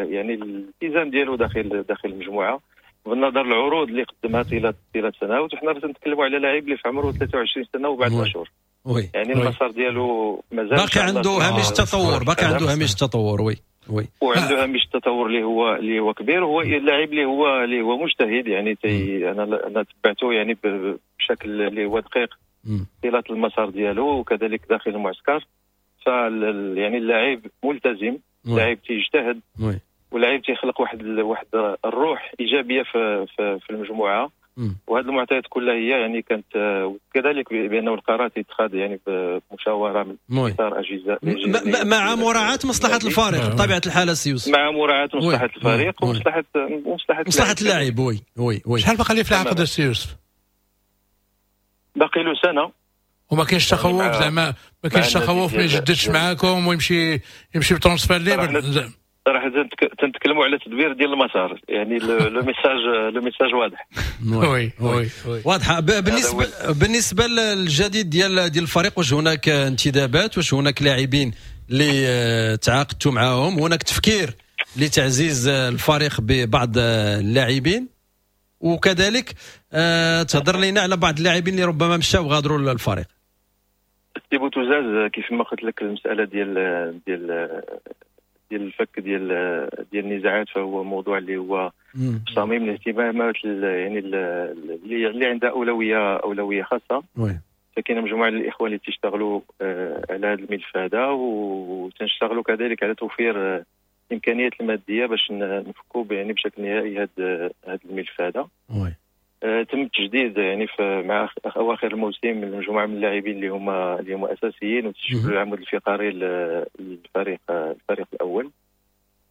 [SPEAKER 4] يعني الالتزام ديالو داخل داخل المجموعة، بالنظر العروض اللي قدمها طيلة طيلة سنوات. وحنا تنتكلموا على لاعب اللي في عمره ثلاثة وعشرين سنة وبعد اشهر،
[SPEAKER 1] oui
[SPEAKER 4] يعني المسار ديالو مازال
[SPEAKER 1] باقي عنده هامش تطور، باقي عنده هامش تطور، oui oui
[SPEAKER 4] وعنده هامش التطور اللي هو اللي هو كبير. هو اللاعب اللي هو اللي هو مجتهد، يعني تي انا انا تبعته يعني بشكل اللي هو دقيق طيلة المسار ديالو وكذلك داخل المعسكر. ف يعني اللاعب ملتزم، اللاعب تيجتهد، واللاعب تيخلق واحد واحد الروح ايجابية في في, في المجموعة. وهذه المعطيات كلها هي يعني كانت، وكذلك بانه القرار تيتخذ يعني بمشاوره من اطار اجهزة
[SPEAKER 1] مع مراعاة مصلحة الفريق بطبيعة الحال سي يوسف،
[SPEAKER 4] مع مراعاة مصلحة الفريق ومصلحه ومصلحه
[SPEAKER 1] مصلحة اللاعب. oui oui oui.
[SPEAKER 3] شحال باقي ليه في العقد سي يوسف؟
[SPEAKER 4] باقي له سنة.
[SPEAKER 3] وما كاينش تخوف زعما، ما كاينش تخوف ما يجددش معاكم ويمشي يمشي ب transfert libre؟
[SPEAKER 4] صراحة تنتكلموا على تدبير ديال المسار، يعني le message le message واضح.
[SPEAKER 3] oui oui
[SPEAKER 1] oui واضحة. بالنسبة بالنسبة للجديد ديال ديال الفريق، واش هناك انتدابات؟ واش هناك لاعبين اللي تعاقدتوا معاهم؟ هناك تفكير لتعزيز الفريق ببعض اللاعبين؟ وكذلك آه، تهضر لنا على بعض اللاعبين اللي ربما مشاو وغادروا الفريق.
[SPEAKER 4] سي بوتوزاز، كيف ما قلت لك، المسالة ديال ديال ديال الفك ديال ديال النزاعات فهو موضوع اللي هو صميم الاهتمامات، يعني اللي اللي عندها اولوية اولوية خاصة. فكاين مجموعة من الاخوان اللي تيشتغلوا آه، على هذا الملف هذا، وتنشتغلوا كذلك على توفير الامكانيات المادية باش نفكوا يعني بشكل نهائي هذا هذا الملف هذا. آه، تم التجديد يعني في مع اواخر الموسم من مجموعة من اللاعبين اللي هما اللي هما اساسيين وتشكلوا العمود الفقري للفريق الفريق الاول.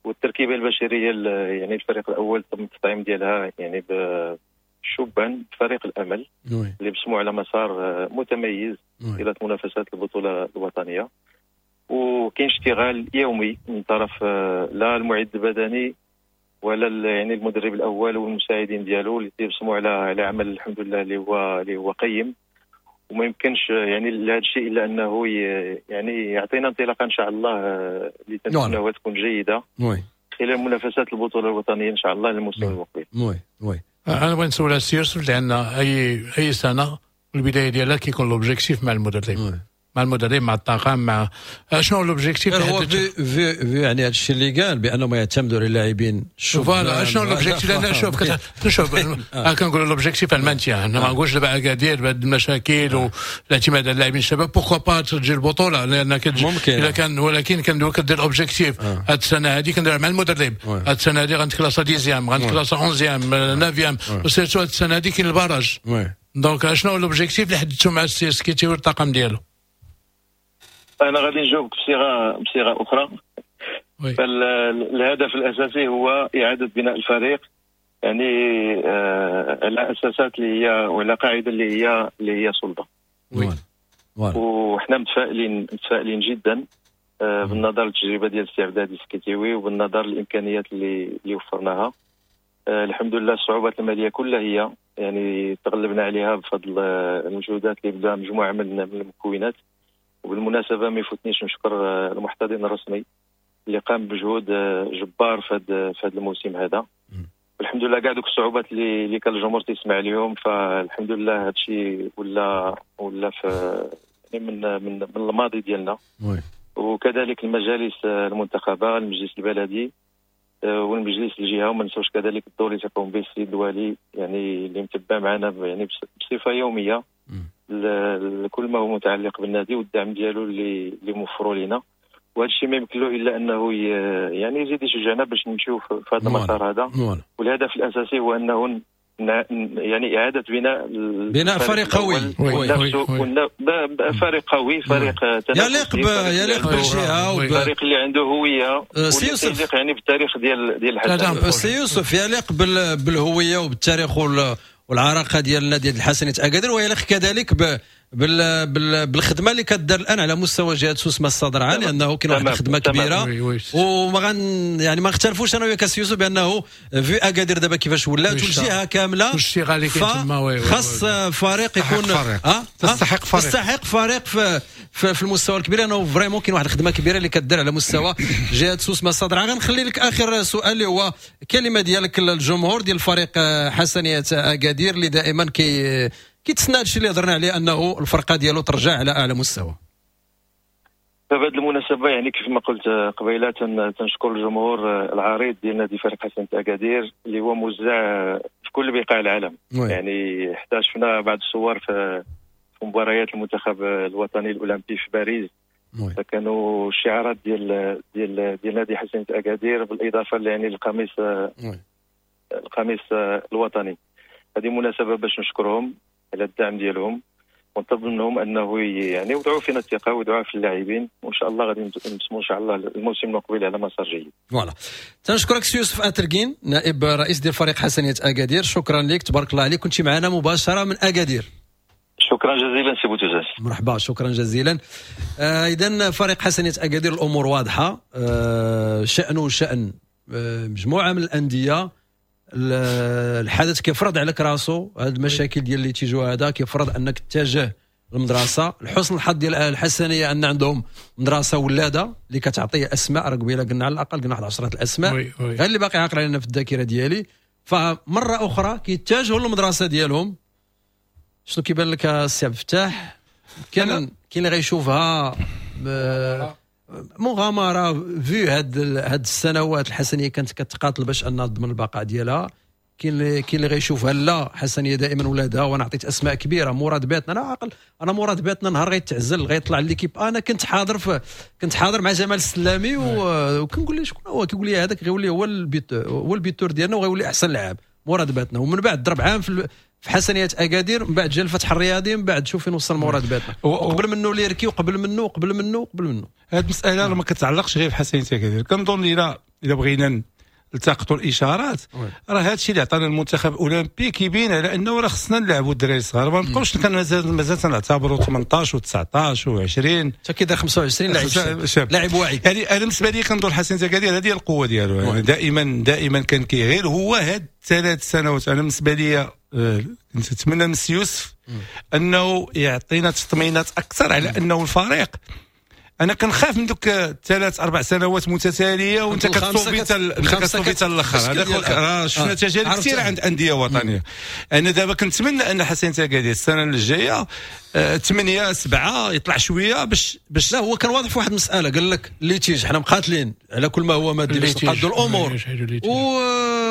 [SPEAKER 4] والتركيبه البشرية يعني الفريق الاول تم التطعيم ديالها يعني بشبان فريق الامل اللي بصموا على مسار متميز الى منافسات البطولة الوطنيه. وكاين اشتغال يومي من طرف آه، لا المعد البدني ولا يعني المدرب الاول والمساعدين ديالو اللي تيبصموا على على عمل الحمد لله اللي هو اللي هو قيم. وما يمكنش يعني لهذا الشيء الا انه يعني يعطينا انطلاقة ان شاء الله آه، اللي تنتمناوها تكون جيدة
[SPEAKER 1] oui
[SPEAKER 4] خلال منافسات البطولة الوطنية ان شاء الله الموسم المقبل.
[SPEAKER 1] oui oui.
[SPEAKER 3] انا بغيت نسول السي يوسف، لان اي اي سنة البداية ديالها كيكون l'objectif مع المدرب مع المدرب مع الطاقم، مع شنو هو l'objectif؟
[SPEAKER 1] هو vu vu vu يعني هذا الشيء اللي قال بانهم يعتمدوا على اللاعبين.
[SPEAKER 3] voilà، شنو l'objectif؟ لان شوف شوف، آه. كنقولوا l'objectif ال maintien، ما نقولش دابا اكادير بهاد المشاكل والاعتماد على اللاعبين الشباب pourquoi pas تجي البطوله، لان
[SPEAKER 1] ممكن
[SPEAKER 3] الا كان، ولكن كندير كدير objectif. هاد السنة هذه كندير مع المدرب، هاد السنة هذه غنتكلاسا dixième، غنتكلاسا onzième، neuvième، و surtout هاد السنة هذه كاين ال barrage. donc شنو هو l'objectif اللي حددتو مع السي سكيتي والطاقم ديالو؟
[SPEAKER 4] انا غادي نجاوبك بصيغه بصيغه اخرى. فالهدف الاساسي هو اعاده بناء الفريق يعني آه على اساسات اللي هي وعلى قاعدة اللي هي اللي هي صلبه. وحنا متفائلين متفائلين جدا آه بالنظر للتجربه ديال السي عبد الهادي السكيتيوي وبالنظر للامكانيات اللي اللي وفرناها. آه الحمد لله، الصعوبات المالية كلها هي يعني تغلبنا عليها بفضل المجهودات اللي بذلها مجموعة من المكونات. وبالمناسبة ما يفوتنيش نشكر المحتضن الرسمي اللي قام بمجهود جبار في هذا في هذا الموسم هذا. والحمد لله كاع دوك الصعوبات اللي اللي كان الجمهور تيسمع اليوم، فالحمد لله هذا الشيء ولا ولا في يعني من من من الماضي ديالنا. وكذلك المجالس المنتخبه، المجلس البلدي آه، والمجلس الجهة، وما نساوش كذلك الدور اللي تقوم به السيد الوالي، يعني اللي متبع معنا يعني بصفة يومية لكل ما هو متعلق بالنادي والدعم ديالو اللي اللي موفروا لنا. وهذا الشيء ما يمكن له الا انه يعني يزيد يشجعنا باش نمشيو في هذا المسار هذا. والهدف الاساسي هو انه يعني اعاده بناء
[SPEAKER 1] بناء فريق قوي.
[SPEAKER 4] فريق قوي، فريق
[SPEAKER 1] يليق يليق بالجهه.
[SPEAKER 4] فريق اللي عنده هويه.
[SPEAKER 1] سي يوسف.
[SPEAKER 4] يليق يعني بالتاريخ ديال ديال
[SPEAKER 1] الحسن. سي يوسف، يليق بالهوية وبالتاريخ والعراقه ديال النادي الحسنية اكادير، ويليق كذلك ب بال بال بالخدمة اللي كدار الان على مستوى جهة سوس ماسة درعه، لانه كاين واحد الخدمة كبيره. وما غن يعني ما نختلفوش انا وياك يوسف بانه vu اكادير دابا كيفاش ولات والجهة كامله، خاص فريق يكون
[SPEAKER 2] فريق. أه؟ تستحق فريق،
[SPEAKER 1] تستحق فريق في في, في المستوى الكبير، لانه vraiment كاين واحد الخدمة كبيرة اللي كدار على مستوى جهة سوس ماسة درعه. غنخلي لك اخر سؤال اللي هو كلمة ديالك للجمهور ديال الفريق حسنيه اكادير اللي دائما كي كيتسنى هادشي اللي هضرنا عليه، انه الفرقة ديالو ترجع على اعلى مستوى.
[SPEAKER 4] فبهذه المناسبة يعني كيف ما قلت قبيلة تنشكر الجمهور العريض ديال نادي فريق حسنية اكادير اللي هو موزع في كل بقاع العالم.
[SPEAKER 1] oui.
[SPEAKER 4] يعني حتى شفنا بعض الصور في في مباريات المنتخب الوطني الاولمبي في باريس. فكانوا الشعارات ديال ديال ديال نادي حسنيه اكادير، بالاضافة يعني للقميص القميص الوطني. هذه مناسبة باش نشكرهم على الدعم ديالهم، ونطلب منهم انه يعني يوضعوا فينا الثقة ويوضعوها في اللاعبين، وان شاء الله غادي نبسموا ان شاء الله الموسم المقبل على مسار جيد.
[SPEAKER 1] voilà، تنشكرك سي يوسف اتركين، نائب رئيس ديال فريق حسنيه اكادير، شكرا لك، تبارك الله عليك، كنت معنا مباشرة من اكادير.
[SPEAKER 4] شكرا جزيلا سي بوتوزاس.
[SPEAKER 1] مرحبا، شكرا جزيلا. آه اذا فريق حسنيه اكادير الامور واضحة، آه شانه شان آه مجموعة من الاندية. الحدث كيفرض عليك راسو هاد المشاكل ديال اللي تيجوا، هذا كيفرض انك تتجه للمدرسة. الحسن الحظ ديال الحسنيه ان عندهم مدرسه ولاده اللي كتعطي اسماء، راه قبيلة قلنا على الاقل قلنا واحد عشرة الاسماء غير اللي باقي عاقل علينا في الذاكرة ديالي. فمره اخرى كيتجهوا للمدرسة ديالهم. شنو كيبان لك السي عبد الفتاح؟ كان كاين اللي غيشوفها مغامرة vu هاد هاد السنوات الحسنيه كانت كتقاتل باش انها تضمن البقاء ديالها. كاين اللي كاين اللي غيشوفها لا، حسنيه دائما ولادها، وانا عطيت اسماء كبيرة، مراد باتنا، انا عاقل انا مراد باتنا نهار غيتعزل غيطلع l'équipe، انا كنت حاضر في كنت حاضر مع جمال السلامي وكنقول له شكون هو، كيقول لي هذاك غيولي هو ال buteur، هو ال buteur ديالنا وغيولي احسن لاعب مراد باتنا. ومن بعد ضرب عام في في حسنيه اكادير، من بعد جا الفتح الرياضي، من بعد شوف فين وصل مراد باتنا، وقبل منه ليركي، وقبل منه وقبل منه وقبل منه.
[SPEAKER 2] هذه المسالة ما كتعلقش غير بحسنيه اكادير، كنظن الى الى بغينا نلتقطوا الاشارات راه هذا الشيء اللي عطانا المنتخب الاولمبي كيبين على انه راه خصنا نلعبوا الدراري الصغار، ما نبقاوش كان مازال مازال تنعتبروا ثمنطاش وتسعطاش وعشرين
[SPEAKER 1] حتى كيدير خمسة وعشرين لاعب شاب لاعب واعي.
[SPEAKER 2] يعني انا بالنسبة لي كنظن حسنيه اكادير هذه هي القوة ديالو، يعني دائما دائما كان كيغير هو هاد ثلاث سنوات. انا بالنسبة لي كنت نتمنى من سي يوسف انه يعطينا تطمينات اكثر على انه الفريق، انا كنخاف من دوك ثلاث اربع سنوات متتالية وانت كتصوفي حتى كتصوفي حتى الاخر. هذاك راه شفنا تجارب كثيرة عند اندية وطنية. انا دابا كنتمنى ان حسنيه اكادير السنة الجاية ثمانية سبعة يطلع شوية باش باش
[SPEAKER 1] لا، هو كان واضح في واحد المسالة، قال لك litige حنا مقاتلين على كل ما هو مادي باش نقادوا الامور،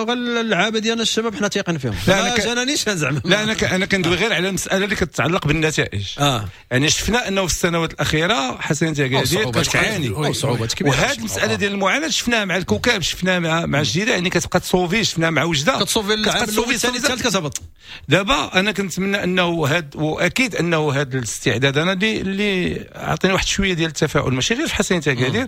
[SPEAKER 1] واللعابه ديالنا الشباب حنا تايقين فيهم. لا انا جانانيش زعما،
[SPEAKER 2] لا انا انا كندوي غير على المسالة اللي كتتعلق بالنتائج. آه. يعني شفنا انه في السنوات الاخيرة حسنيه اكادير كتعاني
[SPEAKER 1] صعوبات كبيرة،
[SPEAKER 2] وهذه المسالة ديال المعاناة شفناها مع الكوكب، شفناها مع مع الجيران، يعني كتبقى تصوفي، شفناها مع وجده
[SPEAKER 1] كتصوفي العام الاول الثاني الثالث كتهبط.
[SPEAKER 2] دابا انا كنتمنى انه هاد، واكيد انه هذا الاستعداد انا اللي اللي عطيني واحد شوية ديال التفاؤل ماشي غير في حسنيه اكادير،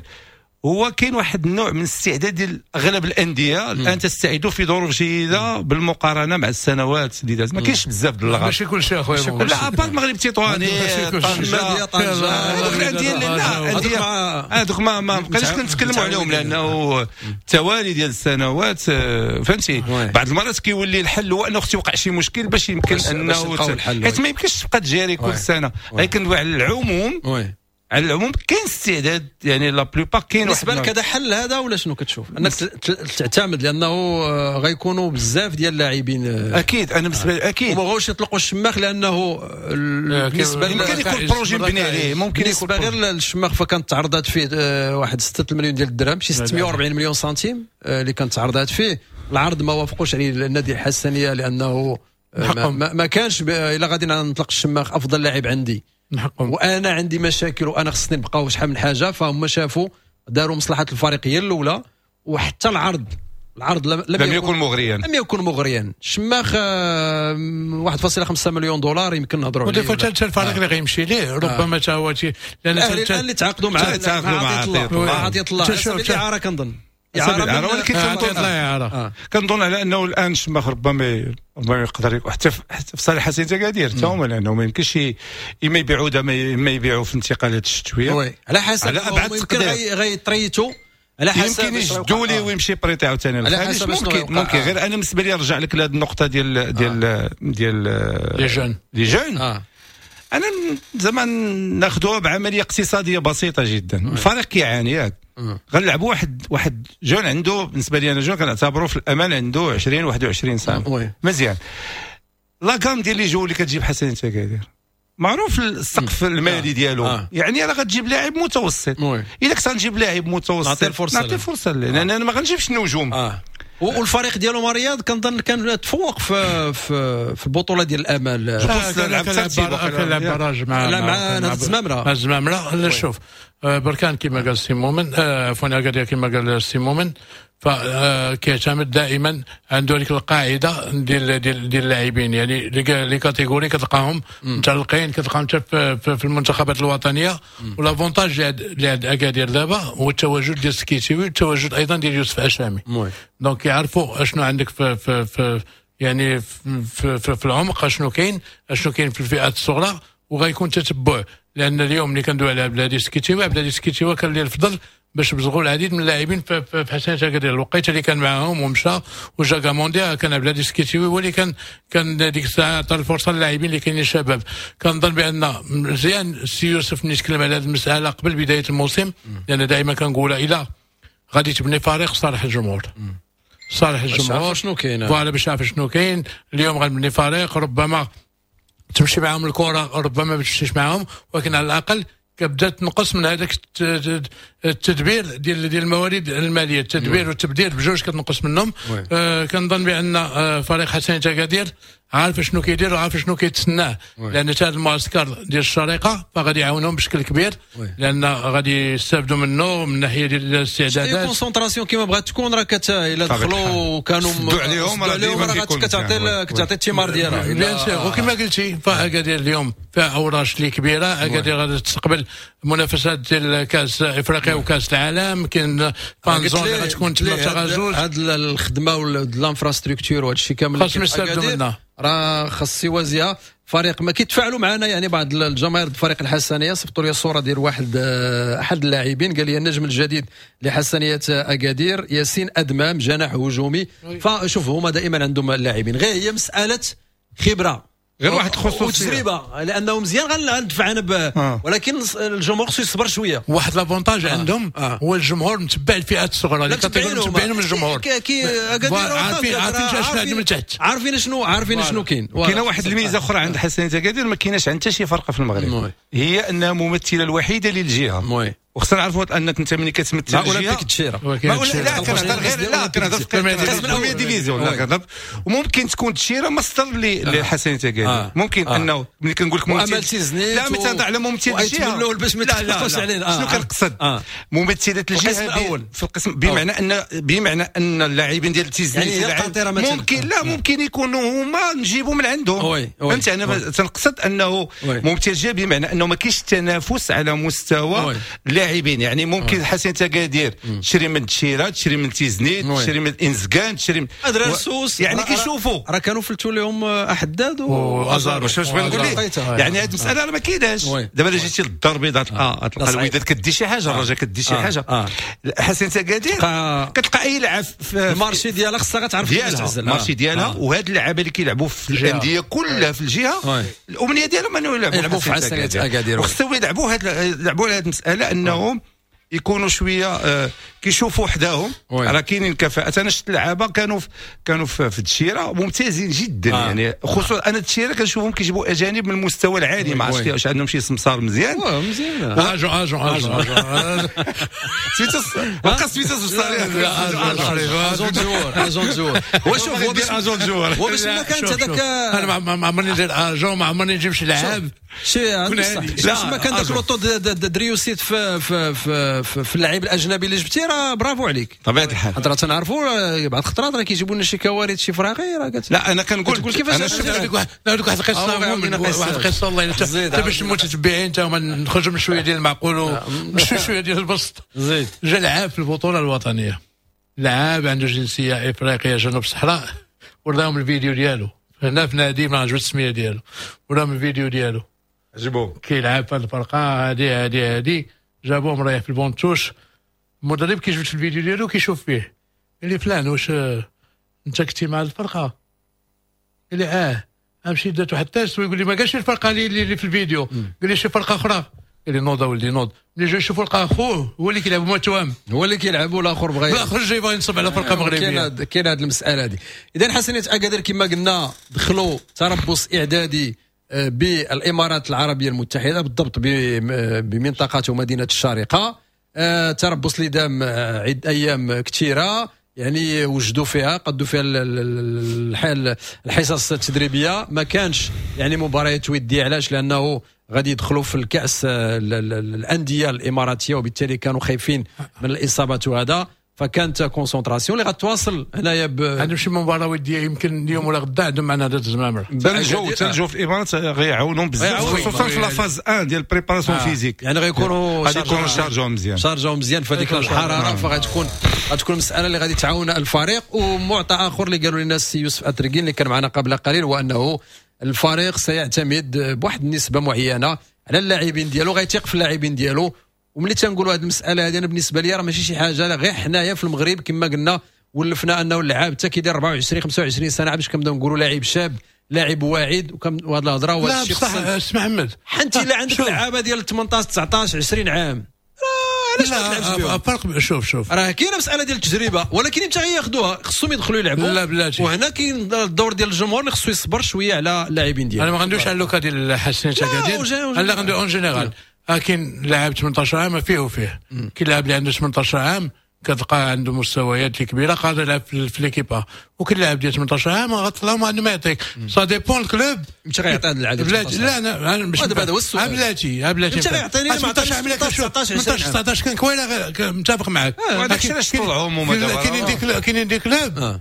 [SPEAKER 2] هو كاين واحد النوع من الاستعداد ديال اغلب الاندية الان تستعدوا في ظروف جيدة بالمقارنة مع السنوات اللي دازت. ما كاينش بزاف ديال اللغط،
[SPEAKER 3] ماشي كلشي اخويا،
[SPEAKER 2] لا à part المغرب التطواني،
[SPEAKER 1] طنجه، طنجه،
[SPEAKER 2] هذوك الاندية اللي لا هذوك ما ما بقيناش كنتكلموا عليهم لانه التوالي ديال السنوات فهمتي. بعض المرات كيولي الحل هو انه خص يوقع شي مشكل باش يمكن انه حيت ما يمكنش تبقى تجاري كل سنة. لكن على العموم على العموم كاين استعداد، يعني la plupart كاين.
[SPEAKER 1] بالنسبة لك هذا حل هذا ولا شنو كتشوف؟ انك تعتمد لانه غيكونوا بزاف ديال اللاعبين.
[SPEAKER 2] اكيد انا بالنسبة لي اكيد
[SPEAKER 1] وما بغاوش يطلقوا الشماخ لانه بالنسبة
[SPEAKER 2] يمكن يكون projet مبني عليه، ممكن
[SPEAKER 1] يكون غير الشماخ. فكانت تعرضات فيه واحد ستة مليون ديال الدرهم، شي ستمية وأربعين مليون سنتيم اللي كانت تعرضات فيه. العرض ما وافقوش عليه النادي الحسنيه لانه ما, ما كانش الا غادي نطلق الشماخ افضل لاعب عندي وانا عندي مشاكل وانا خصني نبقاو شحال من حاجة. فهم شافوا داروا مصلحة الفريق هي الاولى، وحتى العرض العرض لم,
[SPEAKER 2] لم يكن, يكن مغريا،
[SPEAKER 1] لم يكن مغريا. الشماخ واحد فاصلة خمسة مليون دولار يمكن نهضروا عليه.
[SPEAKER 3] ودي حتى الفريق اللي غيمشي ليه ربما حتى هو
[SPEAKER 1] لان الان اللي تعاقدوا مع
[SPEAKER 2] تعاقدوا مع
[SPEAKER 1] عطية الله الاعارة كنظن
[SPEAKER 2] اعاره، ولكن كنظن كنظن على انه الان الشماخ ربما ربما يقدر حتى في صالح حسنيه اكادير حتى هما، لانه ما يمكنش اما يبيعوا دابا اما يبيعوا في الانتقالات الشتوية
[SPEAKER 1] على حسب
[SPEAKER 2] على ابعد
[SPEAKER 1] تقدير غيطريتوا على حسب
[SPEAKER 2] يمكن يجدوا ليه ويمشي prêté عاوتاني للخارج. ممكن ممكن غير انا بالنسبة لي نرجع لك لهذه النقطة ديال ديال ديال
[SPEAKER 3] les jeunes
[SPEAKER 2] les jeunes. انا زعما ناخذوها بعملية اقتصادية بسيطة جدا. الفريق كيعاني ياك، غنلعبوا واحد واحد jeune عنده بالنسبة لي انا jeune كنعتبره في الامان عنده عشرين واحد وعشرين سنة مزيان. la gamme ديال les joueurs اللي كتجيب حسنيه اكادير معروف السقف المالي ديالو. آه. يعني راه غتجيب لاعب متوسط. الا كنت غنجيب لاعب متوسط
[SPEAKER 1] نعطيه الفرصة،
[SPEAKER 2] نعطيه فرصة لان انا ما غنجيبش النجوم. آه.
[SPEAKER 1] والفريق ديالو رياض كنظن كان تفوق في في, في البطولة ديال الامل.
[SPEAKER 3] لعب كان barrage مع
[SPEAKER 1] لا مع نهضة الزمامره.
[SPEAKER 3] الزمامره لا شوف بركان كما قال سي مومن، عفوا اكادير كما قال سي مومن، فكيعتمد دائما عنده هذيك القاعدة ديال ديال ديال اللاعبين، يعني les catégories كتلقاهم متعلقين، كتلقاهم حتى في, في المنتخبات الوطنية. و l'avantage اللي عند اكادير دابا هو التواجد ديال سكيتيوي والتواجد ايضا ديال يوسف اشامي. donc يعرفوا اشنو عندك في, في, في يعني في, في, في العمق، اشنو كاين، اشنو كاين في الفئات الصغرى، وغيكون تتبع. لان اليوم ملي كندوي على بلادي سكيتيوي، بلادي سكيتيوي كان ليه الفضل باش بزغوا العديد من اللاعبين في حسنية اكادير. الوقيته اللي كان معاهم ومشى وجا كامونديا كان بلادي سكيتيوي هو اللي كان كان ديك الساعة عطى الفرصة للاعبين اللي كاينين شباب. كنظن بان مزيان السي يوسف ملي تكلم على هذه المسالة قبل بداية الموسم، لان دائما كنقولها الى غادي تبني فريق صالح الجمهور، صالح الجمهور
[SPEAKER 1] شنو كاين،
[SPEAKER 3] voilà باش يعرف شنو كاين. اليوم غنبني فريق ربما تمشي معاهم الكره، ربما ما تمشيش معاهم، ولكن على الاقل كبدا تنقص من هذاك التدبير ديال ديال الموارد المالية، التدبير والتبدير بجوج كتنقص منهم. آه كنظن بان آه فريق حسنية اكادير عارف شنو كيدير وعارف شنو كيتسناه، لان هذا المعسكر ديال الشريقه فغادي يعاونهم بشكل كبير، لان غادي يستافدوا منه من ناحية ديال الاستعدادات.
[SPEAKER 1] concentration كيما بغات تكون راه كت الا دخلوا كانوا
[SPEAKER 2] سدوا عليهم
[SPEAKER 1] راه كتعطي كتعطي الثمار ديالها.
[SPEAKER 3] bien sûr، وكما قلتي فاكادير اليوم فيها اوراش اللي كبيرة، اكادير غادي تستقبل منافسات ديال كاس افريقيا وكاس العالم، كاين fan zone اللي غتكون تما في تغازوز.
[SPEAKER 1] هاد الخدمة و l'infrastructure وهذا الشيء كامل
[SPEAKER 3] خاصهم يستافدوا منها،
[SPEAKER 1] راه خاص يوازيها فريق. ما كيتفاعلوا معنا يعني بعض الجماهير الفريق الحسنيه، صيفطوا لي صوره ديال واحد احد اللاعبين، قال لي النجم الجديد لحسنيه اكادير ياسين ادمام جناح هجومي. فشوف هما دائما عندهم اللاعبين، غير هي مسالة خبره،
[SPEAKER 2] غير واحد الخصوصية
[SPEAKER 1] وتجربه، لانه مزيان غندفع انا ب... آه. ولكن الجمهور خصو يصبر شوية.
[SPEAKER 3] واحد l'avantage آه. عندهم آه. هو الجمهور متبع الفئات الصغرى اللي متبعينهم الجمهور،
[SPEAKER 1] كي
[SPEAKER 3] عارفين عارفين شنو عندهم من تحت،
[SPEAKER 1] عارفين شنو عارفين شنو كاين.
[SPEAKER 2] كاينه واحد الميزة اخرى عند حسنية اكادير ما كايناش عند حتى شي فرقه في المغرب، هي انها ممثلة الوحيدة للجهة. وخصنا نعرفوا انك انت ملي كتمثل
[SPEAKER 1] الجهة اولمبيك الدشيره،
[SPEAKER 2] لا كنهضر غير لا كنهضر في première division، لا كنهضر وممكن تكون الدشيره مصدر لحسنية اكادير. ممكن انه ملي كنقول لك
[SPEAKER 1] ممثل،
[SPEAKER 2] لا ملي تهضر على ممثل الجهة
[SPEAKER 1] باش ما تفقش علينا.
[SPEAKER 2] شنو كنقصد؟ ممثلة الجهة في القسم، بمعنى ان بمعنى ان اللاعبين ديال تيزنيت ممكن لا ممكن يكونوا هما نجيبوا من عندهم، فهمتي؟ انا تنقصد انه ممثل الجهة بمعنى انه ما كاينش تنافس على مستوى اللاعبين، يعني ممكن حسنية اكادير تشري من الدشيره، تشري من تيزنيت، تشري من انزكان، تشري من
[SPEAKER 1] ادرسوس،
[SPEAKER 2] يعني كيشوفوا
[SPEAKER 1] راه كانوا فلتوا لهم احداد
[SPEAKER 2] وازار. واش بغيت نقول لك؟ يعني هذه المسالة راه ما كايناش دابا. الا جيتي للدار البيضاء تلقى تلقى الوداد كدي شي حاجة، الرجاء كدي شي حاجة، حسنية اكادير كتلقى اي لعب
[SPEAKER 1] في ال marché ديالها خصها غتعرف
[SPEAKER 2] كيفاش تعزل ال marché ديالها. وهاد اللعابه اللي كيلعبوا في الاندية كلها في الجهة، الامنية ديالهم انه
[SPEAKER 1] يلعبوا في حسنية اكادير،
[SPEAKER 2] وخصهم يلعبوا هاد يلعبوا على هاد المسالة انهم يكونوا شوية آه كيشوفوا حداهم راه كاينين كفاءات. انا شفت لعابه كانوا في كانوا في الدشيره ممتازين جدا، آه. يعني خصوصا انا الدشيره كنشوفهم كيجيبوا اجانب من المستوى العالي، ما عرفتش واش عندهم شي سمسار مزيان.
[SPEAKER 1] مزيان
[SPEAKER 3] agent agent agent
[SPEAKER 2] سميتو بقى سميتو سمسار
[SPEAKER 1] agent joueur agent joueur. هو شوف هو
[SPEAKER 2] agent joueur،
[SPEAKER 1] هو باش ما كانت هذاك
[SPEAKER 3] انا ما عمرني ندير agent، ما عمرني نجيب شي لعاب
[SPEAKER 1] شي باش ما كان داك le taux de réussite في في في في اللاعب الاجنبي اللي جبتي راه برافو عليك.
[SPEAKER 2] طبيعة الحال
[SPEAKER 1] راه تنعرفوا بعض الخطرات راه كيجيبوا لنا شي كوارث شي فراغي راه
[SPEAKER 2] لا انا كنقول
[SPEAKER 1] كيفاش
[SPEAKER 3] انا شفت واحد نعاود واحد القصة، واحد القصة والله حتى باش المتتبعين تا هما نخرجوا من شوية ديال المعقول وشوية شوية ديال البسط.
[SPEAKER 1] زيد
[SPEAKER 3] جا لعاب في البطولة الوطنية، لعاب عنده جنسية افريقية جنوب الصحراء، وراهم الفيديو ديالو هنا في نادي ما عجبت السمية ديالو، وراهم الفيديو ديالو
[SPEAKER 2] عجبو
[SPEAKER 3] كيلعب في الفرقة هادي هادي هادي، جابوه مريح في ال banc de touche. المدرب كيجبد في الفيديو ديالو كيشوف فيه، قال لي فلان واش انت كنتي مع الفرقة؟ قال لي اه. امشي درت واحد ال test ويقول لي ما قالش الفرقة اللي, اللي في الفيديو، قال لي شي فرقه اخرى. قال لي نوض اولدي نوض. ملي جا يشوفوا لقى اخوه هو اللي كيلعب هما توام،
[SPEAKER 1] هو اللي كيلعب والاخر بغى
[SPEAKER 3] الاخر جاي بغى ينصب على فرقه مغربية.
[SPEAKER 1] كاين هذه المسالة هذه. اذا حسنية اكادير كما قلنا دخلوا تربص اعدادي بالامارات العربية المتحدة، بالضبط بمنطقة ومدينة الشارقة، تربص اللي دام عده ايام كثيرة. يعني وجدوا فيها، قدوا فيها الحال الحصص التدريبية. ما كانش يعني مباريات وديه. علاش؟ لانه غادي يدخلوا في الكاس الاندية الاماراتيه، وبالتالي كانوا خايفين من الاصابات وهذا، فكانت concentration اللي غتواصل هنايا ب
[SPEAKER 3] عندهم شي مباراة وديه يمكن اليوم ولا غدا عندهم معنا هذا الزمامر.
[SPEAKER 2] الجو الجو في الامارات غيعاونهم بزاف، خصوصا في la phase واحد ديال préparation physique.
[SPEAKER 1] يعني غيكونوا
[SPEAKER 2] غادي يكونوا شارجاو مزيان،
[SPEAKER 1] شارجاو مزيان في هذيك الحراره، فغتكون غتكون مسالة اللي غادي تعاون الفريق. ومعطى اخر اللي قالوا لنا السي يوسف اتركين اللي كان معنا قبل قليل، هو انه الفريق سيعتمد بواحد النسبة معينة على اللاعبين ديالو، غيثيق في اللاعبين ديالو. وملي تنقولوا هذه المسالة هذه، انا بالنسبة لي راه ماشي شي حاجه، غير حنايا في المغرب كما قلنا ولفنا انه اللاعب حتى كيدير أربعة وعشرين خمسة وعشرين سنة باش كنبداو نقولوا لاعب شاب، لاعب واعد، وكم وهذه الهضرة.
[SPEAKER 3] وهذا الشيء بصح اسمع محمد،
[SPEAKER 1] حنت الا عندك لعابه ديال ثمنطاش تسعطاش عشرين عام علاش ما تلعبش بهم؟
[SPEAKER 3] فرق. شوف شوف
[SPEAKER 1] راه كاينه مسالة ديال التجربة، ولكن امتى غياخذوها؟ خصهم يدخلوا يلعبوا.
[SPEAKER 3] لا بلاتي،
[SPEAKER 1] وهنا كاين الدور ديال الجمهور اللي خصو يصبر شوية على اللاعبين ديالو.
[SPEAKER 3] انا ما غندويش على le cas ديال حسين تاكادير، لا غندوي en général. كاين لاعب ثمنطاش عام فيه وفيه، كاين لاعب اللي عنده ثمنطاش عام كتلقى عنده مستويات اللي كبيرة قادر يلعب في l'équipe A، وكاين لاعب ديال ثمنطاش عام غتطلع ما عنده ما يعطيك. ça dépend ال club
[SPEAKER 1] مش غيعطي هذا العدد.
[SPEAKER 3] بلاتي لا انا مش
[SPEAKER 1] هذا هو السؤال.
[SPEAKER 3] بلاتي بلاتي
[SPEAKER 1] انت غيعطيني
[SPEAKER 3] ثمنطاش ثمنطاش تسعطاش كان كويله متفق معاك.
[SPEAKER 2] وهذاك الشيء علاش طلعوا هما دابا؟
[SPEAKER 3] كاينين des كاينين des clubs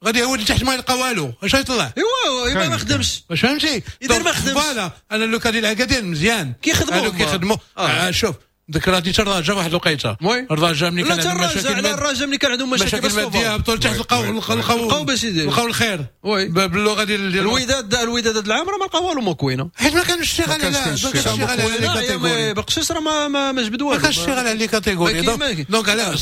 [SPEAKER 3] غادي هو اللي تحت ما يلقى والو، اش غيطلع؟
[SPEAKER 1] ايوا ايوا ما خدمش،
[SPEAKER 3] واش فهمتي؟
[SPEAKER 1] يدير ما خدمش.
[SPEAKER 3] voilà انا le cas ديال اكادير مزيان
[SPEAKER 1] كيخدموا
[SPEAKER 3] كيخدموا. آه شوف ذكراتني حتى الرجاء واحد الوقيته، الرجاء ملي كان عندهم مشاكل،
[SPEAKER 1] الرجاء ملي كان عندهم مشاكل
[SPEAKER 3] مادية هبطوا لتحت لقاو لقاو
[SPEAKER 1] باش
[SPEAKER 3] لقاو الخير باللغة ديال
[SPEAKER 1] الوداد. الوداد هذا العام راه ما لقاو والو موكوينه،
[SPEAKER 3] حيت ما كانش الشغل على ما
[SPEAKER 1] كانش الشغل على بقشيش راه ما ما جبد والو،
[SPEAKER 3] ما كانش الشغل على les catégories. donc على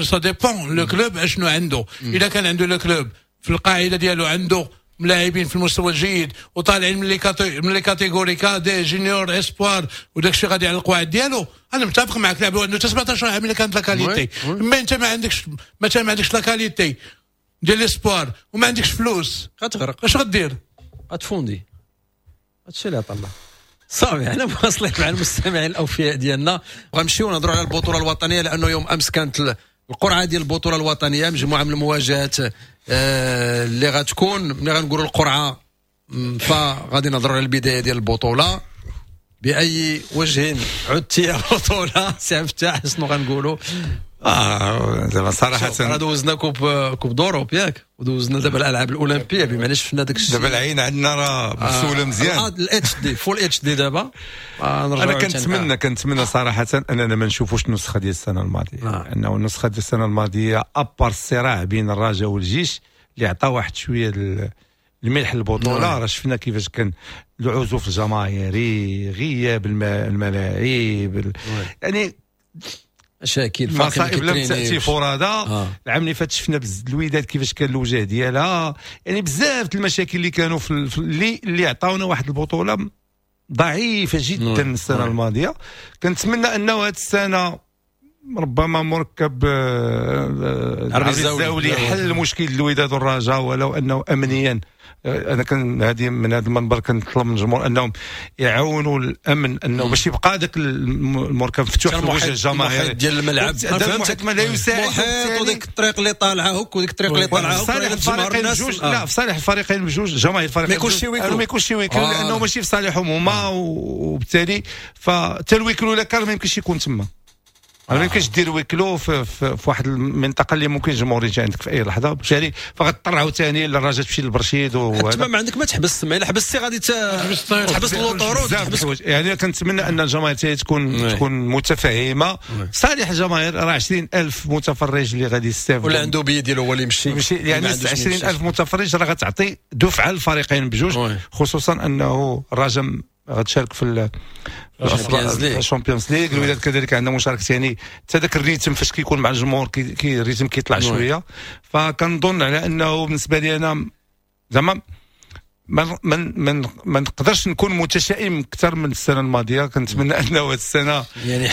[SPEAKER 3] ça dépend le club اشنو عنده. اذا كان عنده le club في القاعدة ديالو عنده لاعبين في المستوى الجيد وطالعين من les من les catégories cadets juniors espoirs وداك الشيء غادي على القواعد ديالو، انا متفق معك. لعبوا عنده سبعطاش عام الا كانت la qualité، mais انت ما عندكش مثلا ما عندكش la qualité ديال l'espoir وما عندكش فلوس،
[SPEAKER 1] غتغرق.
[SPEAKER 3] اش غدير؟
[SPEAKER 1] غتفوندي. هادشي اللي عطا الله. صافي احنا مواصلين مع المستمعين الاوفياء ديالنا، وغنمشيو نهضروا على البطولة الوطنية، لانه يوم امس كانت القرعة ديال البطولة الوطنية، مجموعة من المواجهات آه اللي غتكون. ملي غنقولوا القرعة فغادي نهضروا على البداية ديال البطولة. باي وجه عدت يا بطوله سي فتاح؟ شنو غنقولوا؟
[SPEAKER 2] اه زعما صراحة
[SPEAKER 1] راه دوزنا coupe coupe d'Europe ياك، ودوزنا دابا الالعاب الاولمبية، بمعنى شفنا داك الشيء.
[SPEAKER 2] دابا العين عندنا راه مسؤولة مزيان،
[SPEAKER 1] ال HD full HD دابا.
[SPEAKER 2] انا كنتمنى كنتمنى صراحة اننا ما نشوفوش النسخة ديال السنة الماضية، آه. انه النسخة ديال السنة الماضية à part الصراع بين الرجاء والجيش اللي عطى واحد شوية الملح للبطولة، راه شفنا كيفاش كان العزوف الجماهيري، غياب الملاعب، يعني
[SPEAKER 1] مشاكل،
[SPEAKER 2] مصائب لم تاتي فرادى. آه. العام اللي فات شفنا بز الوداد كيفاش كان الوجه ديالها، يعني بزاف المشاكل اللي كانوا في اللي اللي عطاونا واحد البطولة ضعيفة جدا السنة نعم. الماضية. كنتمنى انه هذه السنة ربما مركب العربي الزاولي يحل مشكل الوداد والرجاء، ولو انه امنيا انا كان هذه من هذا المنبر كنطلب من الجمهور انهم يعاونوا الامن انه باش يبقى ذاك المركب مفتوح في وجه الجماهير
[SPEAKER 1] ديال الملعب.
[SPEAKER 2] فهمتك، ما لا يساعد
[SPEAKER 1] محيط وديك الطريق اللي طالعه هك وديك الطريق اللي طالعه
[SPEAKER 2] هك. صالح الفريقين بجوج، لا في صالح الفريقين بجوج، جماهير الفريقين
[SPEAKER 1] ما يكونش huis clos،
[SPEAKER 2] ما يكونش huis clos لانه ماشي في صالحهم هما، وبالتالي فحتى ال huis clos لا كان ما يمكنش يكون تما. ما يمكنش دير huis clos في, في, في واحد المنطقة اللي ممكن الجمهور يجي عندك في اي لحظة، بالتالي فغتضطر عاوتاني للرجاء تمشي للبرشيد.
[SPEAKER 1] تما ما عندك ما تحبس، ما الا حبستي غادي تحبس l'autoroute.
[SPEAKER 2] تحبس. يعني كنتمنى ان الجماهير تكون تكون متفاهمه. صالح الجماهير راه عشرين ألف متفرج اللي غادي يستافدوا،
[SPEAKER 1] ولا عنده بي ديالو هو اللي يمشي،
[SPEAKER 2] يعني عشرين ألف متفرج راه غتعطي دفعه للفريقين بجوج، خصوصا انه الرجاء غتشارك في ال Champions League، الوداد كذلك عندها مشاركة، يعني حتى ذاك ال rythme فاش كيكون مع الجمهور كي ال rythme كيطلع شوية. فكنظن على انه بالنسبة لي انا زعما ما ما ما نقدرش نكون متشائم اكثر من السنة الماضية. كنتمنى انه هذه السنة
[SPEAKER 1] يعني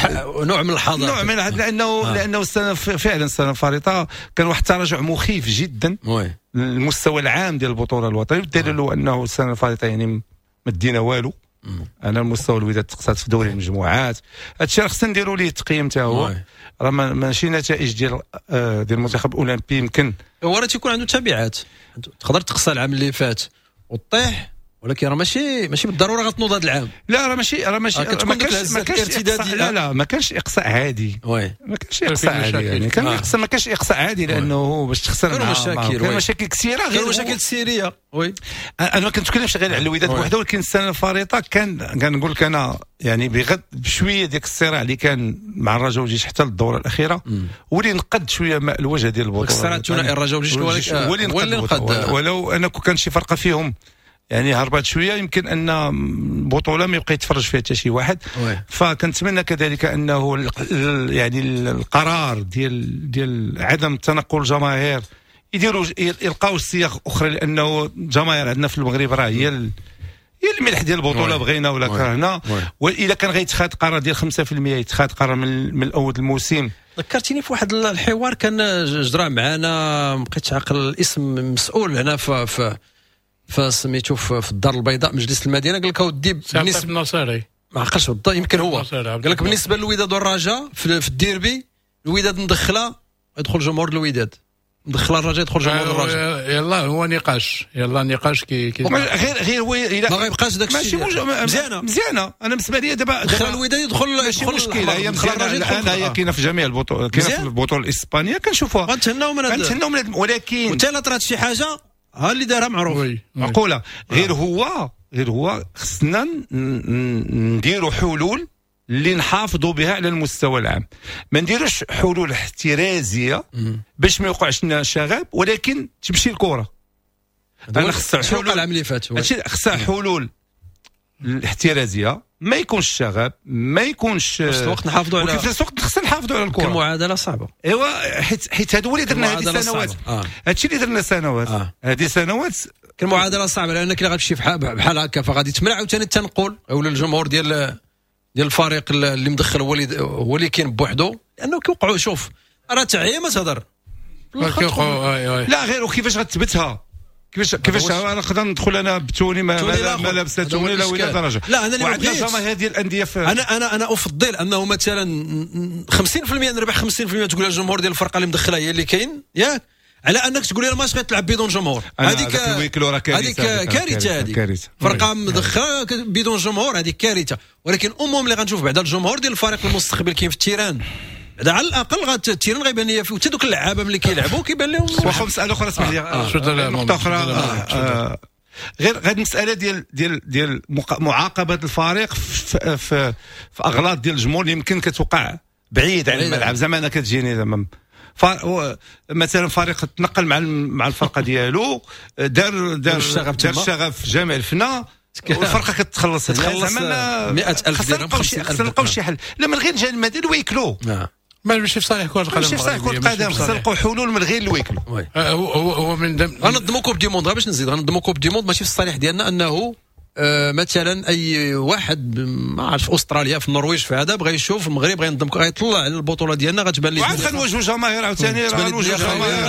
[SPEAKER 1] نوع من الحذر،
[SPEAKER 2] نوع من الحذر، لانه آه. لانه السنة فعلا السنة الفارطه كان واحد التراجع مخيف جدا المستوى العام ديال البطولة الوطنية، والدليل انه السنة الفارطه يعني ما دينا والو. انا المستوى الوداد تقصات في دوري المجموعات، هادشي راه خصنا نديروا ليه التقييم حتى هو، راه ماشي نتائج ديال ديال المنتخب الاولمبي يمكن
[SPEAKER 1] هو راه تيكون عنده تبعات، تقدر تقصى العام اللي فات وطيح، ولكن راه ماشي ماشي بالضرورة غتنوض هذا العام.
[SPEAKER 2] لا راه ماشي راه ماشي ما كانش ما كانش لا لا ما كانش اقصاء عادي.
[SPEAKER 1] oui
[SPEAKER 2] ما كانش اقصاء عادي يعني كان اقصاء ما كانش اقصاء عادي لانه باش تخسر
[SPEAKER 1] كانوا مشاكل
[SPEAKER 2] كانوا مشاكل كثيرة،
[SPEAKER 1] غير مشاكل سيريه. oui
[SPEAKER 2] انا ما كنتكلمش غير على الوداد بوحده، ولكن السنة الفارطه كان كنقول لك انا يعني بغد بشوية ديك الصراع اللي كان مع الرجاء والجيش حتى للدورة الاخيرة ولي نقد شوية الوجه ديال البطولة.
[SPEAKER 1] الصراع الثنائي الرجاء والجيش
[SPEAKER 2] هو اللي نقد، ولو انا كان شي فرقه فيهم يعني هربات شوية يمكن ان البطولة ما يبقى يتفرج فيها حتى شي واحد. فكنتمنى كذلك انه يعني القرار ديال ديال عدم تنقل الجماهير يديروا يلقاو صيغ اخرى، لانه الجماهير عندنا في المغرب راه هي هي الملح ديال البطولة بغينا ولا كرهنا. واذا كان غيتخاد قرار ديال خمسة في المية يتخاد قرار من, من الاول الموسم.
[SPEAKER 1] ذكرتيني في واحد الحوار كان جرى معنا، ما بقيتش عاقل الاسم، مسؤول هنا في في فسميتو في الدار البيضاء مجلس المدينة، قال لك اودي
[SPEAKER 3] بالنسبة النصيري
[SPEAKER 1] ما عقلش بالضبط يمكن هو قال لك بالنسبة للوداد والرجاء في, في الديربي الوداد مدخله يدخل جمهور الوداد، مدخله الرجاء يدخل جمهور الرجاء.
[SPEAKER 3] يلا هو نقاش، يلا نقاش كي, كي
[SPEAKER 2] غير غير هو
[SPEAKER 1] ما غيبقاش داك الشيء
[SPEAKER 2] مزيانه مزيانه. انا بالنسبة لي دابا
[SPEAKER 1] دخل الوداد يدخل
[SPEAKER 2] ماشي مشكلة، هي مزيانه الان، هي كاينه في جميع البطولات، كاينه في البطولة الاسبانية كنشوفوها
[SPEAKER 1] غنتهناو من هذا
[SPEAKER 2] غنتهناو من، ولكن
[SPEAKER 1] وحتى لا طرات شي حاجة ها اللي دارها معروف
[SPEAKER 2] معقولة. غير هو غير هو خصنا نديروا حلول اللي نحافظوا بها على المستوى العام، ما نديروش حلول احترازيه باش ما يوقعش لنا شغب، ولكن تمشي الكره. انا خصها حلول
[SPEAKER 1] العام اللي فات،
[SPEAKER 2] خصها حلول الاحترازية، ما يكونش الشغب، ما يكونش
[SPEAKER 1] في نفس الوقت نحافظوا على،
[SPEAKER 2] في نفس الوقت خصنا نحافظوا على الكره.
[SPEAKER 1] المعادلة صعبة.
[SPEAKER 2] ايوا حيت حيت هادو اللي درنا هذه السنوات، آه. هادشي اللي درنا سنوات، آه. هذه سنوات
[SPEAKER 1] المعادلة صعبة، لانك الا غتمشي بحال هكا فغادي تمنع عاوتاني التنقل او الجمهور ديال ديال الفريق اللي مدخل هو اللي هو اللي كاين بوحدو، لانه كيوقعوا. شوف راه تعيا ما تهضر
[SPEAKER 2] لا غير وكيفاش غتثبتها، كيفاش كيفاش انا نقدر ندخل انا بتوني ما ما لابسه توني لا ولا درجه.
[SPEAKER 1] لا انا اللي
[SPEAKER 2] وعندنا جماهير ديال الاندية في
[SPEAKER 1] انا انا انا افضل انه مثلا خمسين في المية نربح خمسين في المية تقول الجمهور ديال الفرقة اللي مدخله هي اللي كاين، ياك، على انك تقول لي الماتش غتلعب بدون جمهور. هذيك هذيك كارثة، هذيك فرقه مدخله بدون جمهور هذيك كارثة. ولكن امهم اللي غنشوف بعدا الجمهور ديال الفريق المستقبل كاين في ال terrain، بعدا على الاقل غات ال terrain غيبان ليا فيه حتى دوك اللعابه ملي كيلعبوا كيبان لهم.
[SPEAKER 2] واخا مسالة اخرى اسمح لي، نقطة اخرى غير غير المسالة ديال ديال ديال معاقبة الفريق في في, في اغلاط ديال الجمهور اللي يمكن كتوقع بعيد عن الملعب. زعما انا كتجيني زعما مثلا فريق تنقل مع مع الفرقة ديالو، دار دار الشغف دار الشغف في جامع الفنا، والفرقة كتخلص
[SPEAKER 1] تخلص مئة ألف درهم،
[SPEAKER 2] خصنا نلقاو شي حل. لا من غير جانب المادي الويكلو،
[SPEAKER 3] ماشي في صالح كره القدم،
[SPEAKER 2] ماشي في صالح كره القدم، خصنا نلقاو حلول من غير الويكلو.
[SPEAKER 3] هو هو من
[SPEAKER 1] غنظموا coupe du monde، باش نزيد غنظموا coupe du monde ماشي في الصالح ديالنا انه آه مثلا اي واحد ما عرف في استراليا في النرويج في هذا بغى يشوف المغرب غينضم غيطلع على البطولة ديالنا غتبان ليه.
[SPEAKER 2] وعاد غنواجهوا جماهير عاوتاني، راه غنواجهوا جماهير،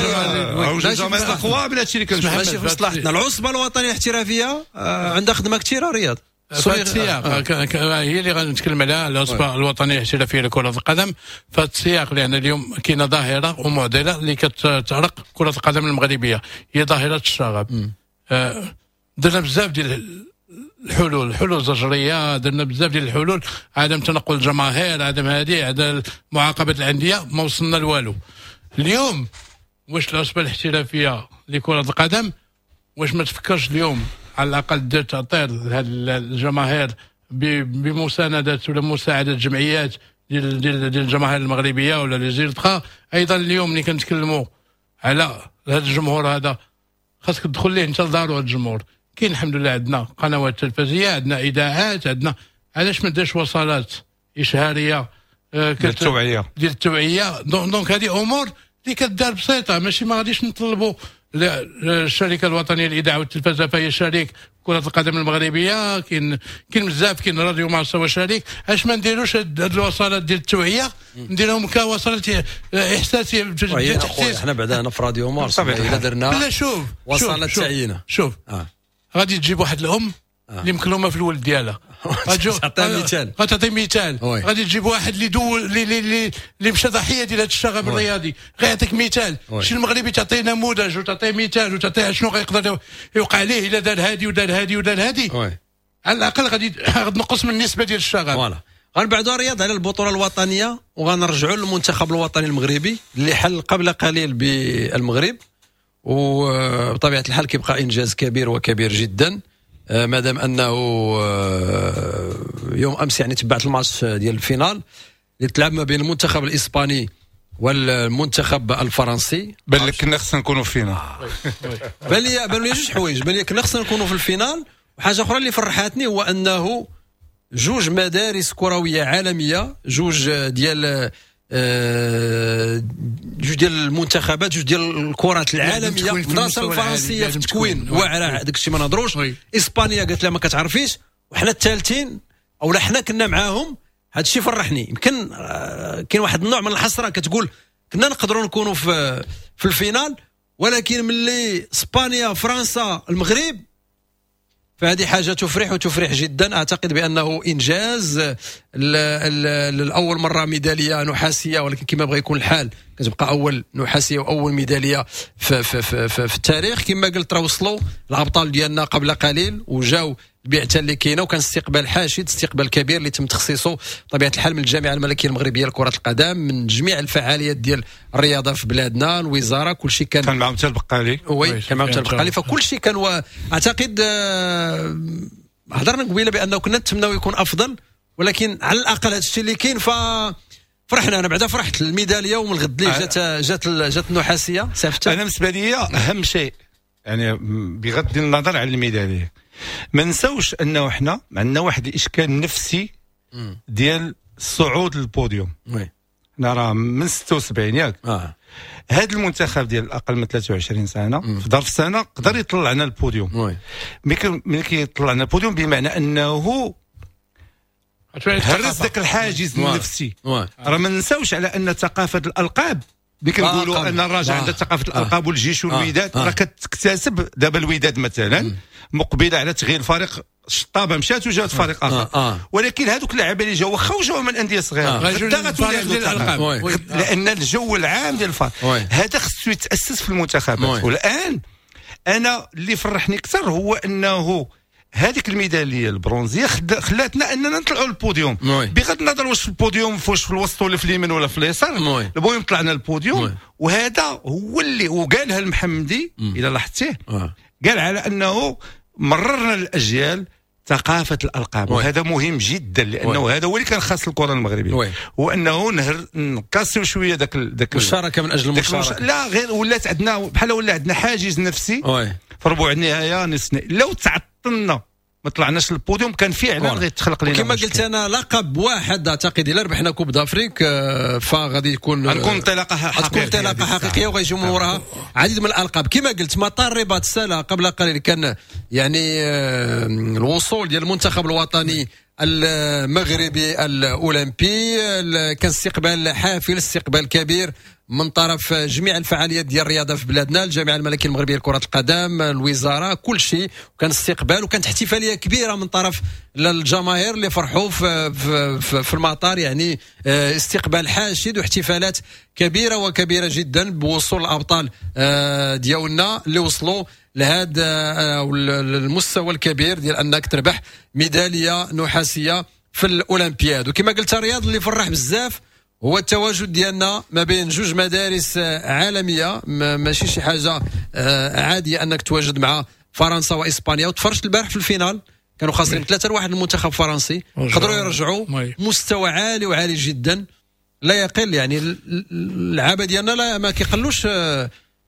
[SPEAKER 2] غنواجهوا جماهير اقوى من هادشي اللي كنشوفوا.
[SPEAKER 1] ماشي في مصلحتنا. العصبة الوطنية الاحترافية آه عندها خدمة كثيرة رياض.
[SPEAKER 3] السياق هي اللي غنتكلم عليها، العصبة الوطنية الاحترافية لكرة القدم في السياق، لان اليوم كاينه ظاهره ومعضله اللي كتعرق كره القدم المغربية، هي ظاهره الشغب. آه درنا بزاف ديال الحلول، الحلول الزجريه، درنا بزاف ديال الحلول، عدم تنقل الجماهير، عدم هذه، عدم معاقبة الاندية، ما وصلنا لوالو. اليوم واش العصبة الاحترافية لكرة القدم واش ما تفكرش اليوم على الاقل دير تعطير لهاد الجماهير بمسانده ولا مساعدة الجمعيات ديال ديال ديال الجماهير المغربية ولا les ultras؟ ايضا اليوم ملي كنتكلموا على هذا الجمهور هذا خاصك تدخل ليه انت لدارو. هذا الجمهور كاين الحمد لله، عندنا قنوات تلفزيونية، عندنا اذاعات، عندنا، علاش ما ديرش وصلات اشهاريه
[SPEAKER 2] ديال التوعية
[SPEAKER 3] ديال التوعية؟ donc هذه امور اللي كدار بسيطة، ماشي ما غاديش نطلبوا الشركة الوطنية للاذاعة والتلفزه فهي شريك كره القدم المغربية، كاين كاين بزاف، كاين راديو مارس هو شريك. علاش ما نديروش هاد الوصلات ديال التوعية، نديرهم كوصلات احساسيه
[SPEAKER 1] ديال التحسيس؟ حنا بعدا هنا في راديو مارس الا درنا
[SPEAKER 3] لا شوف
[SPEAKER 1] وصلات تعيينه.
[SPEAKER 3] شوف آه. غادي تجيب واحد الام اللي مكلومه في الولد ديالها،
[SPEAKER 1] تعطي مثال،
[SPEAKER 3] غتعطي مثال، غادي تجيب واحد اللي دول اللي اللي اللي مشى ضحية ديال هذا الشغب الرياضي غيعطيك مثال. شي المغربي تعطيه نموذج وتعطيه مثال وتعطيه شنو غيقدر يوقع ليه الا دار هادي ودار هادي ودار هادي، على الاقل غادي تنقص من النسبة ديال الشغب.
[SPEAKER 1] voilà غنبعدوا رياض على البطولة الوطنية وغنرجعوا للمنتخب الوطني المغربي اللي حل قبل قليل بالمغرب، وبطبيعة الحال كيبقى انجاز كبير وكبير جدا مادام انه يوم امس يعني تبعت الماتش ديال ال finale اللي تلعب ما بين المنتخب الاسباني والمنتخب الفرنسي.
[SPEAKER 2] بان لك كنا خصنا نكونوا في ال finale.
[SPEAKER 1] بان لي بان لي جوج حوايج، بان لي كنا خصنا نكونوا في ال finale، وحاجه اخرى اللي فرحتني هو انه جوج مدارس كروية عالمية، جوج ديال جوج ديال المنتخبات، جوج ديال الكرات العالمية، المدرسة الفرنسية في التكوين واعرة داك الشيء ما نهضروش، اسبانيا قالت لها ما كتعرفيش، وحنا الثالثين او لا حنا كنا معاهم. هذا الشيء فرحني. يمكن كاين واحد النوع من الحسرة كتقول كنا نقدروا نكونوا في في ال finale، ولكن ملي اسبانيا فرنسا المغرب فهذه حاجة تفرح وتفرح جدا. اعتقد بانه انجاز لاول مرة ميدالية نحاسيه، ولكن كما بغى يكون الحال كتبقى اول نحاسيه واول ميدالية في في في, في, في التاريخ. كما قلت راه وصلوا الابطال ديالنا قبل قليل وجاو البعثة اللي كاينه، وكان استقبال حاشد، استقبال كبير اللي تم تخصيصه بطبيعة الحال من الجامعة الملكية المغربية لكرة القدم، من جميع الفعاليات ديال الرياضة في بلادنا، الوزارة، كل شيء كان
[SPEAKER 2] كان معهم حتى البقالي.
[SPEAKER 1] oui كان معهم حتى البقالي، فكل شيء كان و... اعتقد هضرنا قبيلة بانه كنا نتمناو يكون افضل، ولكن على الاقل هذا الشيء اللي كاين ف فرحنا. انا بعدا فرحت الميداليه ومن الغد اللي جات جات جات النحاسيه.
[SPEAKER 2] انا بالنسبة لي اهم شيء يعني بغض النظر على الميداليه، ما نساوش انه حنا عندنا واحد الاشكال نفسي ديال الصعود لل podium.
[SPEAKER 1] oui
[SPEAKER 2] حنا راه من ستة وسبعين ياك.
[SPEAKER 1] آه.
[SPEAKER 2] هذا المنتخب ديال اقل من ثلاثة وعشرين سنة
[SPEAKER 1] مم.
[SPEAKER 2] في ظرف سنة قدر يطلعنا ال podium.
[SPEAKER 1] oui
[SPEAKER 2] ملي كيطلعنا البوديوم بمعنى انه هرس ذاك الحاجز النفسي. راه ما نساوش على ان ثقافة الالقاب اللي كنقولوا ان الرجاء عندها ثقافة الالقاب والجيش والوداد راه كتكتسب دابا. الوداد مثلا مقبله على تغيير الفريق، الشطابه مشات وجات فريق اخر.
[SPEAKER 1] آه. آه.
[SPEAKER 2] ولكن هذوك اللعابه اللي جاوا واخا وجاوا من اندية صغيرة غدا غتولي
[SPEAKER 3] الالقاب،
[SPEAKER 2] لان الجو العام ديال الفريق هذا خصو يتاسس في المنتخبات. والان انا اللي فرحني اكثر هو انه هذيك الميداليه البرونزيه خلاتنا اننا نطلعوا للبوديوم، بغض النظر واش في البوديوم واش في الوسط ولا في اليمين ولا في اليسار، المهم طلعنا للبوديوم. وهذا هو اللي وقالها المحمدي الى لاحظتيه، قال على انه مررنا الاجيال ثقافة الالقاب، وهذا مهم جدا لانه هذا هو اللي كان خاص الكره المغربية، هو انه نهر نكاسيو شوية ذاك ذاك
[SPEAKER 1] المشاركة من اجل المشاركة.
[SPEAKER 2] لا غير ولات عندنا بحال ولا عندنا حاجز نفسي في ربع النهاية نصف النهائي. لو تعطلنا ما طلعناش للبوديوم كان فعلا غيتخلق لنا.
[SPEAKER 1] كما قلت انا لقب واحد اعتقد الا ربحنا Coupe d'Afrique فغادي يكون
[SPEAKER 2] غتكون انطلاقة حقيقية،
[SPEAKER 1] غتكون انطلاقة حقيقية وغيجيو من وراها عديد من الالقاب. كما قلت مطار الرباط سلا قبل قليل كان يعني الوصول ديال المنتخب الوطني المغربي الاولمبي، كان استقبال حافل، استقبال كبير من طرف جميع الفعاليات ديال الرياضة في بلادنا، الجامعة الملكية المغربية لكرة القدم، الوزارة، كل شيء. وكان استقبال وكانت احتفالية كبيرة من طرف الجماهير اللي فرحوا في, في, في المطار، يعني استقبال حاشد واحتفالات كبيرة وكبيره جدا بوصول الابطال ديالنا اللي وصلوا لهذا المستوى الكبير ديال انك تربح ميدالية نحاسيه في الاولمبياد. وكما قلت رياض اللي فرح بزاف هو التواجد ديالنا ما بين جوج مدارس عالمية، ماشي شي حاجة عادية انك تواجد مع فرنسا واسبانيا. وتفرجت البارح في ال finale كانوا خاسرين ثلاثة لواحد المنتخب الفرنسي، قدروا يرجعوا مستوى عالي وعالي جدا لا يقل، يعني اللعابه ديالنا لا ما كيقلوش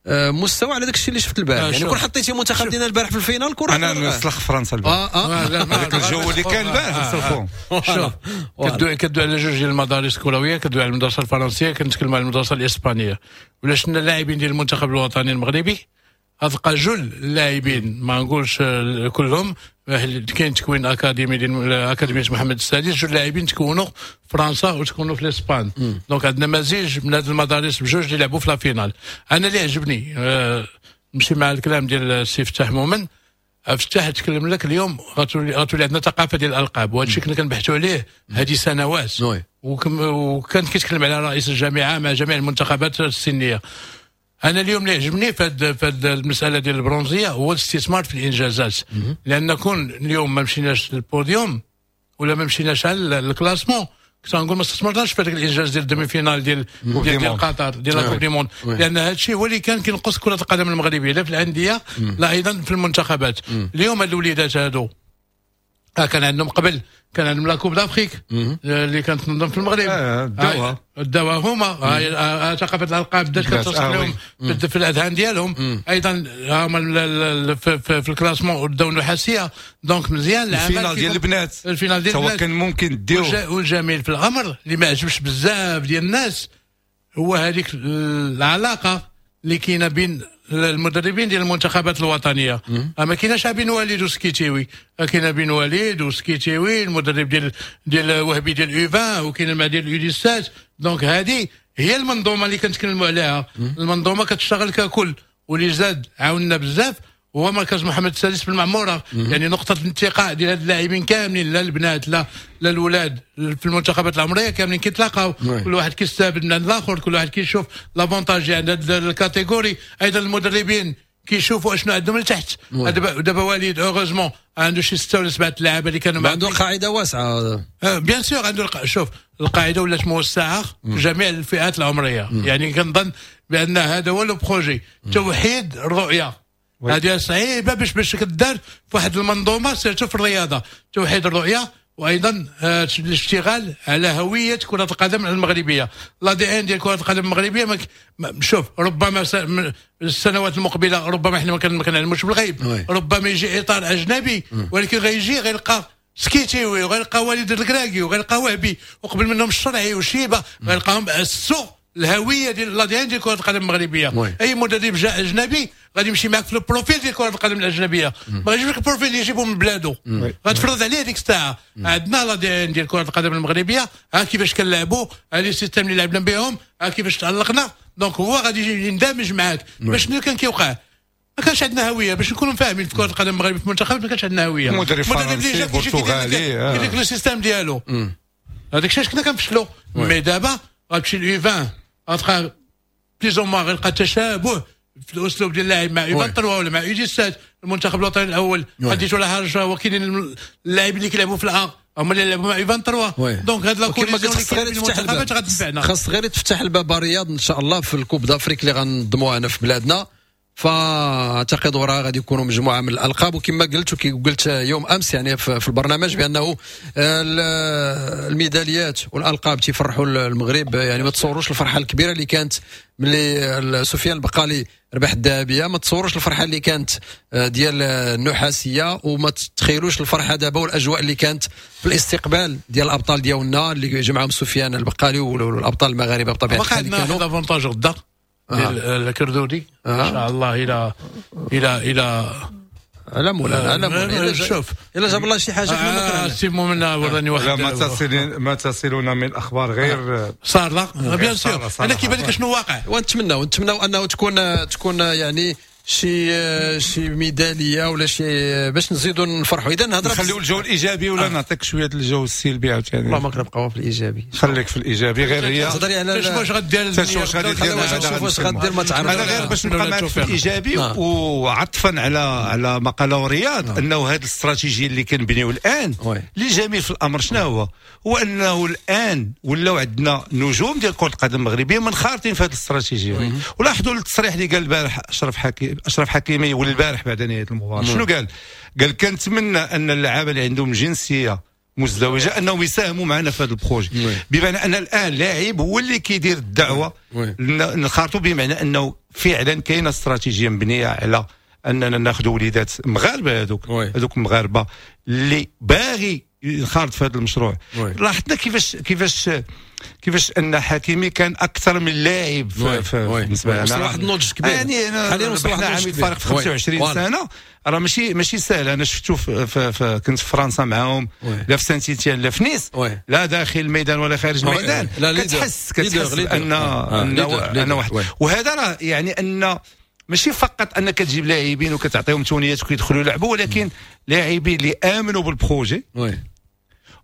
[SPEAKER 1] مستوى على داك الشيء اللي شفت البارح. يعني كون حطيتي منتخب ديالنا البارح في ال finale كون
[SPEAKER 2] انا نسلخ فرنسا البارح.
[SPEAKER 1] اه اه
[SPEAKER 2] هذاك الجو اللي كان البارح نسلخوهم.
[SPEAKER 3] شوف كدوي كدوي على جوج ديال المدارس الكروية، كدوي على المدرسة الفرنسية، كنتكلم على المدرسة الاسبانية. ولا شفنا اللاعبين ديال المنتخب الوطني المغربي غتلقى جل اللاعبين، ما نقولش كلهم، كاين تكوين اكاديمي ديال اكاديمية محمد السادس، جل اللاعبين تكونوا في فرنسا وتكونوا في الاسبان. donc عندنا مزيج من هذه المدارس بجوج اللي لعبوا في la finale. انا اللي عجبني أه نمشي مع الكلام ديال السي فتاح مومن، افتح تكلم لك اليوم غتولي غتولي عندنا ثقافة ديال الالقاب، وهذا الشيء كنا كنبحثوا عليه هذه سنوات، وكان كيتكلم على رئيس الجامعة مع جميع المنتخبات السنية. انا اليوم اللي عجبني في هذه المسالة ديال البرونزيه هو الاستثمار في الانجازات، لان كون اليوم ما مشيناش للبوديوم ولا ما مشيناش على ال classement كنت غنقول ما استثمرناش في هذاك الانجاز ديال ال demi-finale ديال ديال, ديال قطر ديال la Coupe du monde، لان هذا الشيء هو اللي كان كينقص كره القدم المغربية لا في الاندية لا ايضا في المنتخبات. اليوم هاد الوليدات هادو كان عندهم قبل كان عندهم la Coupe d'Afrique اللي كانت تنظم في المغرب،
[SPEAKER 2] داوها
[SPEAKER 3] داوها هما، ثقافة الالقاب بدات كترسخ لهم في الاذهان ديالهم. ايضا هما في, في, في ال classement داو النحاسيه، donc مزيان
[SPEAKER 2] ال finale ديال البنات،
[SPEAKER 3] ال finale ديال البنات
[SPEAKER 2] كان ممكن ديو.
[SPEAKER 3] والجميل في الامر اللي ما عجبش بزاف ديال الناس هو هذيك العلاقة اللي كاينه بين المدربين ديال المنتخبات الوطنية. ما كايناش بين وليد وسكيتيوي، كاينه بين وليد وسكيتيوي المدرب ديال ديال وهبي ديال U vingt، وكاين مع ديال U dix-sept. donc هذه هي المنظومة اللي كنتكلموا عليها، المنظومة كتشتغل ككل. واللي زاد عاوننا بزاف هو مركز محمد السادس في المعمورة، يعني نقطة الانتقاء ديال هاد اللاعبين كاملين، لا البنات لا لا الولاد في المنتخبات العمرية كاملين كيتلاقاو، كل واحد كيستافد من عند الاخر، كل واحد كيشوف l'avantage عند هاد ال catégorie. ايضا المدربين كيشوفوا اشنو عندهم لتحت. دابا دابا وليد heureusement عنده شي ستة ولا سبعة لعابه اللي كانوا
[SPEAKER 1] عنده قاعدة واسعة،
[SPEAKER 3] bien sûr عنده. شوف القاعدة ولات موسعه في جميع الفئات العمرية. مم. يعني كنظن بان هذا هو le projet، توحيد الرؤية. هذه صعيبة باش باش كدار في واحد المنظومة surtout في الرياضة، توحيد الرؤية وايضا الاشتغال على هوية كره القدم المغربية، l'ADN ديال كره القدم المغربية. ما شوف ربما السنوات المقبلة ربما احنا ما كنعلموش بالغيب، ربما يجي اطار اجنبي، ولكن غيجي غيلقى سكيتيوي وغيلقى وليد الكراكي وغيلقى وهبي وقبل منهم الشرعي وشيبة، غيلقاهم اسسوا الهوية ديال l'ADN ديال كره القدم المغربية. اي مدرب جاء اجنبي غادي يمشي معك في ال profil ديال كره القدم الاجنبية، ما غاديش يجيب لك ال profil اللي يجيبه من بلادو، غتفرض عليه ديك الساعة. عندنا l'ADN ديال كره القدم المغربية، ها كيفاش كنلعبوا، ها les systèmes اللي لعبنا بهم، ها كيفاش تعلقنا. donc هو غادي يندمج معاك. باش شنو كان كيوقع؟ ما كانش عندنا هوية، باش نكونوا فاهمين في كره القدم المغربية في المنتخب ما كانش عندنا هوية.
[SPEAKER 2] مدرب فرنسي برتغالي
[SPEAKER 3] كيدير لك le système ديالو، هذاك الشيء كنا كنفشلوا. mais دابا غتمشي ل U vingt غتلقى plus ou moins غيلقى تشابه في الاسلوب ديال اللاعب مع U vingt-trois ولا مع U dix-sept. المنتخب الوطني الاول غادي ولا حاجة، هو كاينين اللاعبين اللي كيلعبوا في ال A هما اللي لعبوا مع U vingt-trois. donc هاد la cohésion
[SPEAKER 1] خص غير تفتح الباب، خاص غير تفتح الباب رياض ان شاء الله في ال Coupe d'Afrique اللي غنظموها هنا في بلادنا. فاعتقد وراها غادي يكونوا مجموعة من الالقاب، وكما قلت وكي قلت يوم امس يعني في البرنامج بانه الميداليات والالقاب تيفرحوا المغرب. يعني ما تصوروش الفرحة الكبيرة اللي كانت ملي سفيان البقالي ربح الذهبية، ما تصوروش الفرحة اللي كانت ديال النحاسيه، وما تتخيلوش الفرحة دابا والاجواء اللي كانت في الاستقبال ديال الابطال ديالنا اللي جمعهم سفيان البقالي والابطال المغاربة بطبيعة الحال.
[SPEAKER 3] كانوا avantage غدا ديال الكردودي ان شاء الله الى الى الى
[SPEAKER 1] على مولانا على مولانا.
[SPEAKER 3] شوف
[SPEAKER 1] الا جاب الله شي حاجة حنا ما
[SPEAKER 3] كرهناش. سي مومن وراني واحد
[SPEAKER 2] لا ما تصل ما تصلنا من اخبار غير
[SPEAKER 3] صار لا bien sûr. انا كيبان لك شنو واقع،
[SPEAKER 1] ونتمناو ونتمناو انه تكون تكون يعني شي شي ميدالية ولا شي باش نزيدوا نفرحوا. اذا نهضر
[SPEAKER 2] نخليو الجو الايجابي ولا آه. نعطيك شوية الجو السلبي عاوتاني؟
[SPEAKER 1] والله ما كنبقاو في الايجابي،
[SPEAKER 2] خليك في الايجابي. غير هي
[SPEAKER 1] تهضري على
[SPEAKER 3] شوف واش غدير،
[SPEAKER 2] شوف واش غادي دير،
[SPEAKER 1] شوف واش غدير ما تعرف.
[SPEAKER 2] انا غير باش نبقى معك في الايجابي آه. وعطفا على على ما قاله رياض آه. انه هذه الاستراتيجية اللي كنبنيو الان اللي جميل في الامر شنو هو؟ هو انه الان ولاو عندنا نجوم ديال كره القدم المغربية منخرطين في هذه الاستراتيجية. ولاحظوا التصريح اللي قال البارح اشرف حكيمي اشرف حكيمي والبارح بعد نهاية المباراة شنو قال؟ قال كنتمنى ان اللعابه اللي عندهم جنسية مزدوجة انهم يساهموا معنا في هذا ال projet، بمعنى ان الان لاعب هو اللي كيدير الدعوة نخرطوا، بمعنى انه فعلا كاينه استراتيجية مبنية على اننا ناخذ وليدات مغاربة، هذوك هذوك المغاربة اللي باغي ينخرط في هذا المشروع. لاحظنا كيفاش كيفاش كيفاش ان حكيمي كان اكثر من لاعب بالنسبة لنا،
[SPEAKER 1] وصل واحد النضج كبير
[SPEAKER 2] يعني حاليا وصل واحد النضج كبير في خمسة وعشرين سنة، راه ماشي ماشي سهل. انا شفتو في في في كنت في فرنسا معاهم، لا في سانتيتيان لا في نيس، لا داخل الميدان ولا خارج الميدان، كتحس كتحس ان ان واحد. وهذا راه يعني ان ماشي فقط انك تجيب لاعبين وكتعطيهم تونيات وكيدخلوا يلعبوا، ولكن لاعبين اللي امنوا بال projet.
[SPEAKER 1] oui.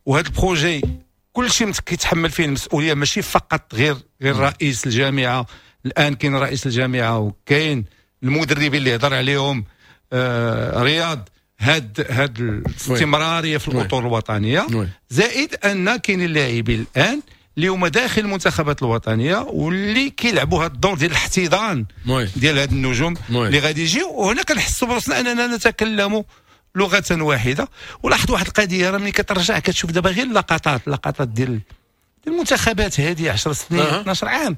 [SPEAKER 2] وهذا ال projet كل شيء كيتحمل فيه المسؤولية، ماشي فقط غير غير رئيس الجامعة. الان كاين رئيس الجامعة وكاين المدربين اللي هضر عليهم آه رياض، هاد هاد الاستمرارية في الاطر الوطنية، زائد ان كاين اللاعبين الان اللي هما داخل المنتخبات الوطنية واللي كيلعبوا هذا الدور ديال الاحتضان ديال هاد النجوم اللي غادي يجيو. وهنا كنحسوا براسنا اننا نتكلم لغة واحدة. ولاحظ واحد القضية، راه ملي كترجع كتشوف دابا غير اللقطات اللقطات ديال المنتخبات هذه عشر سنين اثنا عشر عام،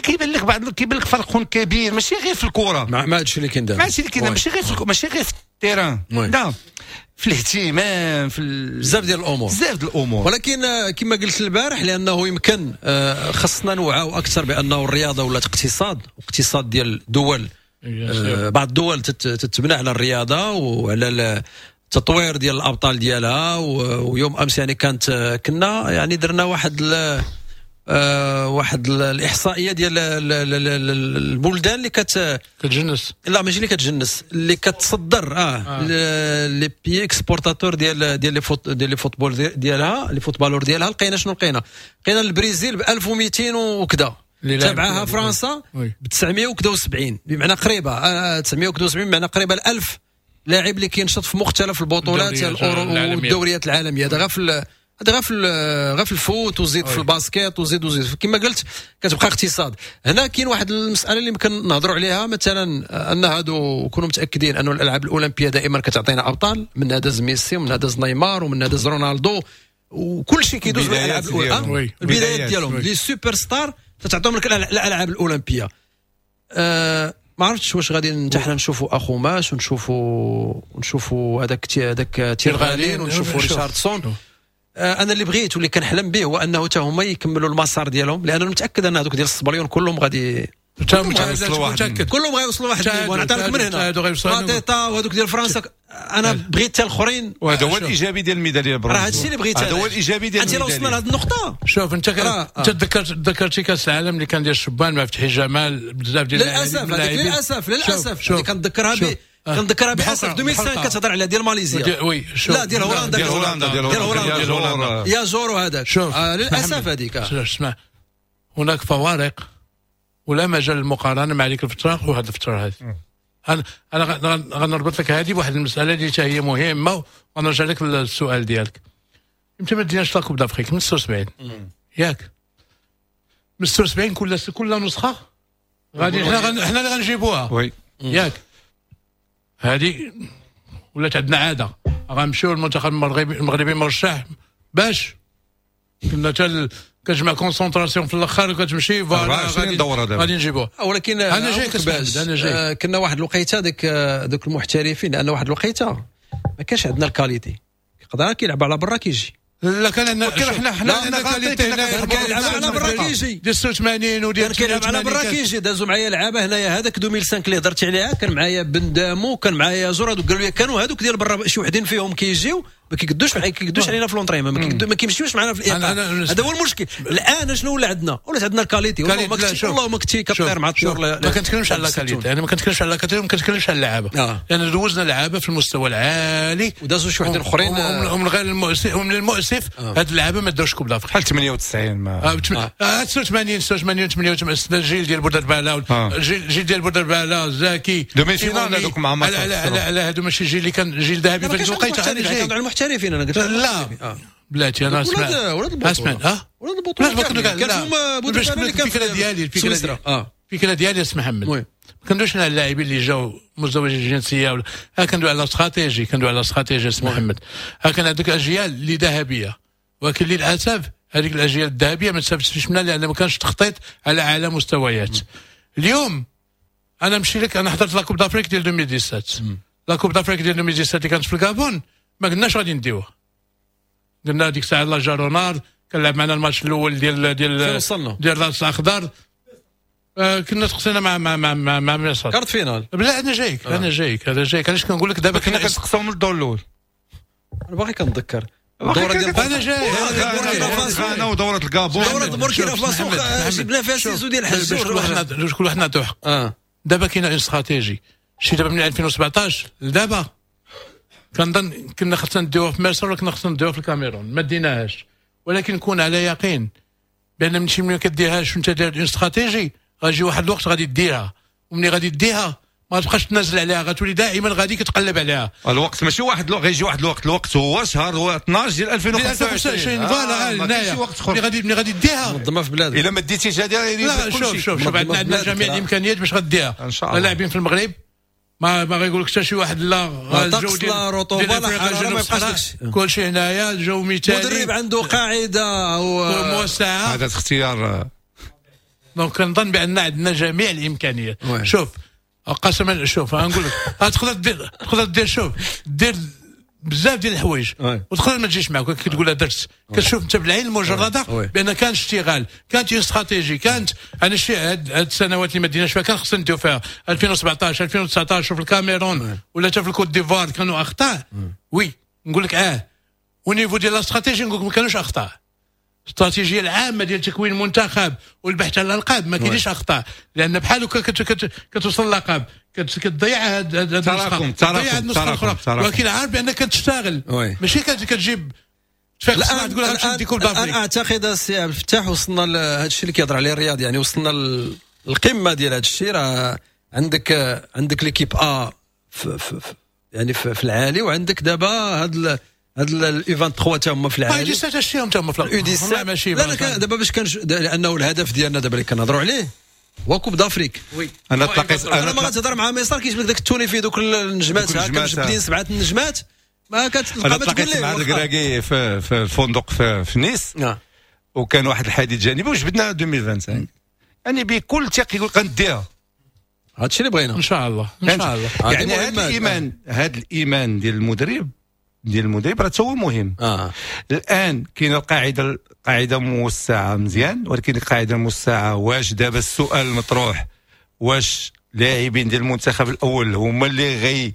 [SPEAKER 2] كيبان لك بعض كيبان لك فرق كبير، ماشي غير في الكره.
[SPEAKER 1] مع ما هادشي اللي كاين دابا.
[SPEAKER 2] مع هادشي اللي كاين، ماشي غير في ماشي غير في ال terrain، لا، في الاهتمام، في
[SPEAKER 1] بزاف ديال الامور.
[SPEAKER 2] بزاف ديال الامور.
[SPEAKER 1] ولكن كما قلت البارح، لانه يمكن آه، خصنا نوعاو اكثر بانه الرياضة ولات اقتصاد، واقتصاد ديال دول، آه، بعض الدول تتبنى على الرياضة وعلى التطوير ديال الابطال ديالها. ويوم امس يعني كانت كنا يعني درنا واحد آه واحد الاحصائية ديال البلدان اللي كت
[SPEAKER 3] كتجنس.
[SPEAKER 1] لا، ماشي اللي كتجنس، اللي كتصدر، اه, آه. les pays exportateurs ديال ديال les foot ديال les football ديالها، les footballeurs ديالها. لقينا شنو لقينا؟ لقينا البرازيل ب ألف ومئتين وكذا، تبعها فرنسا ب تسعمية وكذا وسبعين، بمعنى قريبه آه تسعمية وسبعين، بمعنى قريبه ل ألف لاعب اللي كينشط في مختلف البطولات والدوريات العالميه. هذا غير في هذا غير في غير في ال foot، وزيد في ال basket، وزيد وزيد. كما قلت كتبقى اقتصاد. هنا كاين واحد المسالة اللي يمكن نهضروا عليها، مثلا ان هادو كونوا متاكدين انه الالعاب الاولمبية دائما كتعطينا ابطال، من داز ميسي ومن داز نيمار ومن داز رونالدو، وكل شيء كيدوز بالالعاب، البدايات ديالهم، les superstars تتعطيهم لك الالعاب الاولمبيه. أه ما عرفتش واش غادي حتى حنا نشوفوا اخوماش ونشوفوا ونشوفوا هذاك هذاك تيرغالين ونشوفوا ريشاردسون. آه، انا اللي بغيت واللي كنحلم به هو انه حتى هما يكملوا المسار ديالهم، لان متاكد ان هذوك ديال الصبليون كلهم غادي
[SPEAKER 3] متاكد.
[SPEAKER 1] كلهم غيوصلوا واحد ال niveau. نعطيك من هنا ماتيتا وهذوك ديال فرنسا، انا بغيت حتى الاخرين.
[SPEAKER 2] وهذا هو الايجابي ديال الميداليه
[SPEAKER 1] البرونزيه. راه هادشي اللي بغيت.
[SPEAKER 2] هذا هو الايجابي ديال
[SPEAKER 1] انت لو وصلنا لهذه النقطه.
[SPEAKER 3] شوف، انت انت ذكرت ذكرتي كاس العالم اللي كان ديال الشبان مع فتحي جمال، بزاف ديال
[SPEAKER 1] للاسف، للاسف، للاسف كنذكرها ب كنذكرها بحسب ألفين وخمسة. كتهضر على ديال ماليزيا؟
[SPEAKER 3] oui، شوف.
[SPEAKER 1] لا، ديال هولندا.
[SPEAKER 2] ديال هولندا.
[SPEAKER 1] ديال هولندا، يا جورو هذاك.
[SPEAKER 3] شوف.
[SPEAKER 1] آه للاسف هذيك.
[SPEAKER 3] اسمع، هناك فوارق ولا مجال للمقارنه مع ديك الفترة وهذه الفترة هذه. انا انا غنربط لك هذه بواحد المسالة اللي هي مهمة ونرجع لك للسؤال ديالك. امتى ما ديناش la Coupe d'Afrique؟ من ستة وسبعين، ياك؟ من ستة وسبعين كل كل نسخه غادي حنا حنا اللي غنجيبوها.
[SPEAKER 2] oui.
[SPEAKER 3] ياك؟ هذه ولات عندنا عاده، غنمشيو المنتخب المغربي المغربي مرشح باش كنا حتى كتجمع concentration في الاخر وكتمشي.
[SPEAKER 2] أربعة وعشرين دوره دابا.
[SPEAKER 3] غادي نجيبوه.
[SPEAKER 1] ولكن
[SPEAKER 3] انا جاي، انا جاي.
[SPEAKER 1] آه كنا واحد الوقيته ديك دوك المحترفين، لان واحد الوقيته ما كانش عندنا ال qualité، يقدر كيلعب على برا كيجي.
[SPEAKER 3] لا، كان عندنا.
[SPEAKER 2] حنا حنا
[SPEAKER 3] عندنا qualité.
[SPEAKER 1] كيلعب على برا كيجي.
[SPEAKER 3] ديال ستة وثمانين وديال
[SPEAKER 1] كان كيلعب على برا كيجي. دازوا معايا لعابه هنايا، هذاك ألفين وخمسة اللي هضرتي عليها، كان معايا بندامو، كان معايا زور، هذوك قالوا لي كانوا هذوك ديال برا شي وحدين فيهم كيجيو ما كيقدوش ما كيقدوش علينا في l'entraînement، ما كيمشيوش معنا في الايقاع. هذا هو المشكل. الان شنو ولا عندنا؟ ولات عندنا ال qualité. والله ما كنتي والله ما كنتي كطير مع الطيور.
[SPEAKER 3] ما كنتكلمش على qualité، انا ما كنتكلمش على qualité، ما كنتكلمش على اللعابه، لان دوزنا لعابه في المستوى العالي.
[SPEAKER 1] ودازوا شي وحدين اخرين.
[SPEAKER 3] ومن غير المؤسف ومن المؤسف هاد اللعابه ما داوش Coupe d'Afrique.
[SPEAKER 2] بحال ثمانية وتسعين
[SPEAKER 3] ما ستة وثمانين، ستة وثمانين، ثمانية وثمانين، الجيل ديال بودرباله، الجيل ديال بودرباله، زاكي.
[SPEAKER 2] demi-finale هذوك مع
[SPEAKER 3] مصر. لا لا لا، هادو ماشي جيل اللي كان جيل ذهبي
[SPEAKER 1] في الوقيته. انا المحترفين، انا قلت.
[SPEAKER 3] لا، بلاتي، انا
[SPEAKER 1] اسمع. ولاد البطوله.
[SPEAKER 3] اسمع، اه
[SPEAKER 1] ولاد البطوله.
[SPEAKER 3] كان
[SPEAKER 1] فيهم بودرباله
[SPEAKER 3] اللي كان. الفكرة ديالي الفكره اه الفكرة ديالي اسمح محمد، ما كندويش على اللاعبين اللي جاو مزدوجي الجنسية ولا ها، كندوي على استراتيجي، كندوي على استراتيجي اسمح محمد. ها كان عندك اجيال اللي ذهبيه، ولكن للاسف هذيك الاجيال الذهبية ما استفدتش منها لان ما كانش تخطيط على اعلى مستويات. اليوم انا نمشي لك، انا حضرت la Coupe d'Afrique ديال ألفين وسبعطاش، la Coupe d'Afrique ديال ألفين وسبعطاش اللي كانت في الكابون، ما قلناش غادي نديوها. قلنا ديك الساعة لا جارونار كان لعب معنا الماتش الاول ديال ديال
[SPEAKER 1] وصلنا؟
[SPEAKER 3] ديال الراس الاخضر، آه كنا تقصينا مع مع مع مع, مع مصر.
[SPEAKER 1] quart de finale.
[SPEAKER 3] لا، انا جايك، آه. انا جايك، انا جايك. علاش كنقول لك دابا؟
[SPEAKER 2] كنا كنتقصاو من الدور الاول.
[SPEAKER 1] انا باقي كنتذكر.
[SPEAKER 2] الدورة
[SPEAKER 1] ديال
[SPEAKER 3] انا جاي.
[SPEAKER 2] غانا ودوره الكابون.
[SPEAKER 1] دوره بوركينا فاسو جبنا فيها سيزو ديال الحج.
[SPEAKER 3] باش كل واحد نعطيو حق.
[SPEAKER 1] اه.
[SPEAKER 3] دابا كاينه استراتيجي شي دابا من ألفين وسبعطاش لدابا كنظن كنا خصنا نديوها في مصر ولا كنا خصنا نديوها في الكاميرون، ما ديناهاش. ولكن كون على يقين بان من شي ملي كديرهاش وانت داير استراتيجي غيجي واحد الوقت غادي ديرها، وملي غادي ديها ما تبقاش تنازل عليها، غتولي دائما غادي كتقلب عليها.
[SPEAKER 2] الوقت ماشي واحد الوقت، غيجي واحد الوقت، الوقت هو شهر هو اثناش ديال ألفين وخمسة وعشرين
[SPEAKER 3] voilà
[SPEAKER 2] ما كاينش وقت اخر.
[SPEAKER 3] ملي غادي ملي غادي ديها
[SPEAKER 1] منظمة في بلادك،
[SPEAKER 2] الا ما ديتيش هذه
[SPEAKER 3] لا شوف شوف شوف عندنا عندنا جميع الامكانيات باش غديها.
[SPEAKER 2] ان شاء الله
[SPEAKER 3] اللاعبين في المغرب ما ما غيقول لك حتى شي واحد لا
[SPEAKER 1] الجو ديال لا رطوبة لا حرارة ما يبقاش
[SPEAKER 3] كلشي هنايا الجو مثالي،
[SPEAKER 1] مدرب عنده قاعدة
[SPEAKER 3] وموسعه،
[SPEAKER 2] هذا اختيار.
[SPEAKER 3] donc كنظن بان عندنا جميع الامكانيات. شوف قسما شوف غنقول لك تقدر دير تقدر دير شوف دير بزاف ديال الحوايج وتقدر ما تجيش معك، كتقول درت كتشوف انت بالعين المجردة بان كان اشتغال، كانت استراتيجي، كانت انا شي هاد السنوات اللي ما ديناش فيها كان خصنا نديو فيها ألفين وسبعطاش ألفين وتسعطاش في الكاميرون ولا حتى في الكوت ديفوار كانوا اخطاء. oui نقول لك اه au niveau ديال la stratégie نقول لك ما كانوش اخطاء. الاستراتيجية العامة ديال تكوين المنتخب والبحث على الالقاب ما كاينش اخطاء، لان بحال هكا كتوصل للقب كتضيع هاد هاد
[SPEAKER 2] التراكم تراكم تراكم،
[SPEAKER 3] ولكن عارف بانك كتشتغل ماشي كتجيب
[SPEAKER 1] الان تقول غنمشي ندي Coupe d'Afrique. الان اعتقد السي عبد الفتاح وصلنا لهذا الشيء اللي كيهضر عليه الرياض، يعني وصلنا للقمه ديال هذا الشيء. راه عندك عندك l'équipe A في في يعني في, في العالي، وعندك دابا هاد هاد ال U ثلاثة وعشرين تا هما في العالي،
[SPEAKER 3] U dix-sept تا هما في
[SPEAKER 1] ال U dix-sept ماشي. لا لا دابا باش كان لانه الهدف ديالنا دابا اللي كنهضروا عليه هو Coupe d'Afrique.
[SPEAKER 3] oui
[SPEAKER 2] انا تلاقيت
[SPEAKER 1] انا ما غتهضر مع ميسار كيجبد داك التوني فيه دوك النجمات هكا مجبدين سبعة النجمات ما كتلقى
[SPEAKER 2] ما تقول ليه. مع الكراكي في, في الفندق في, في نيس، وكان واحد الحديث جانبي وجبدنا ألفين وخمسة وعشرين يعني بكل ثقة يقول غنديها.
[SPEAKER 1] هادشي اللي بغينا
[SPEAKER 3] ان شاء الله ان شاء الله.
[SPEAKER 2] يعني هذا الايمان، هذا الايمان ديال المدرب ديال المدرب راه هو مهم.
[SPEAKER 1] آه.
[SPEAKER 2] الان كاينه القاعدة، القاعدة موسعه مزيان، ولكن القاعدة الموسعه واش دابا السؤال المطروح واش لاعبين ديال المنتخب الاول هما اللي غي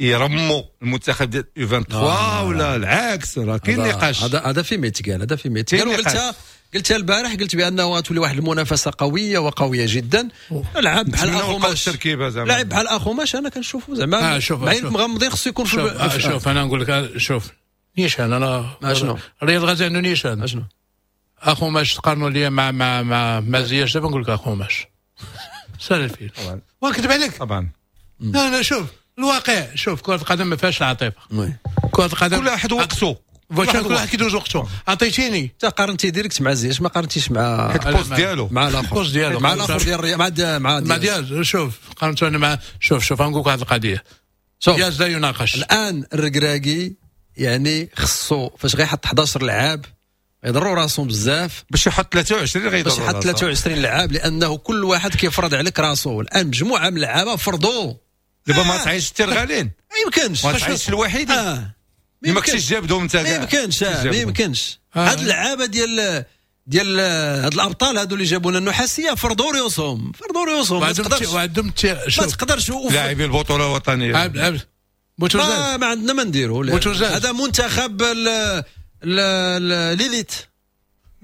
[SPEAKER 2] يرموا المنتخب ديال U ثلاثة وعشرين ولا العكس؟ راه كاين نقاش،
[SPEAKER 1] هذا هذا في ميتقال، هذا في ميتقال. وقلتها قلتها البارح، قلت بانه غتولي واحد المنافسة قوية وقويه جدا. لعب بحال اخوماش، لعب بحال اخوماش انا كنشوفو زعما بعين مغمضين خصو يكون في.
[SPEAKER 3] شوف, شوف انا نقول لك شوف نيشان، انا رياض غازي عنده نيشان
[SPEAKER 1] اشنو
[SPEAKER 3] اخوماش تقارنوا ليا مع مع مع مع زياش. دابا نقول لك اخوماش سهل الفيل ونكذب عليك
[SPEAKER 2] طبعا.
[SPEAKER 3] لا لا شوف الواقع، شوف كرة القدم ما فيهاش العاطفة، كرة القدم
[SPEAKER 2] كل واحد وقته،
[SPEAKER 3] كل واحد كيدوز وقته. عطيتيني
[SPEAKER 1] انت قارنتي direct مع زياش، ما قارنتيش مع
[SPEAKER 2] ال poste ديالو
[SPEAKER 1] مع الاخر
[SPEAKER 3] ال poste ديالو
[SPEAKER 1] مع الاخر ديال مع مع
[SPEAKER 3] مع دياز. شوف قارنت انا مع شوف شوف غنقول لك واحد القضية، دياز لا يناقش.
[SPEAKER 1] الان الركراكي يعني خصو فاش غيحط أحد عشر لعاب يضروا راسهم بزاف
[SPEAKER 2] باش يحط ثلاثة وعشرين، غيضروا
[SPEAKER 1] باش يحط ثلاثة وعشرين لعاب، لانه كل واحد كيفرض عليك راسو. الان مجموعة من اللعابه فرضوا
[SPEAKER 2] دابا ما تعيش الترغالين،
[SPEAKER 1] ما يمكنش
[SPEAKER 2] ما تعيش الوحيد،
[SPEAKER 1] آه.
[SPEAKER 2] ما كنتش جابدهم انت،
[SPEAKER 1] ما يمكنش ما يمكنش. هاد اللعابه ديال ديال هاد الابطال هادو اللي جابوا لنا النحاسيه فرضوا ريوسهم، فرضوا ريوسهم. ما تقدرش
[SPEAKER 3] وعندهم
[SPEAKER 1] ما تقدرش
[SPEAKER 2] لاعبي البطولة الوطنية
[SPEAKER 3] عبد عبد
[SPEAKER 1] ما, ما عندنا ما نديرو. هذا منتخب l'élite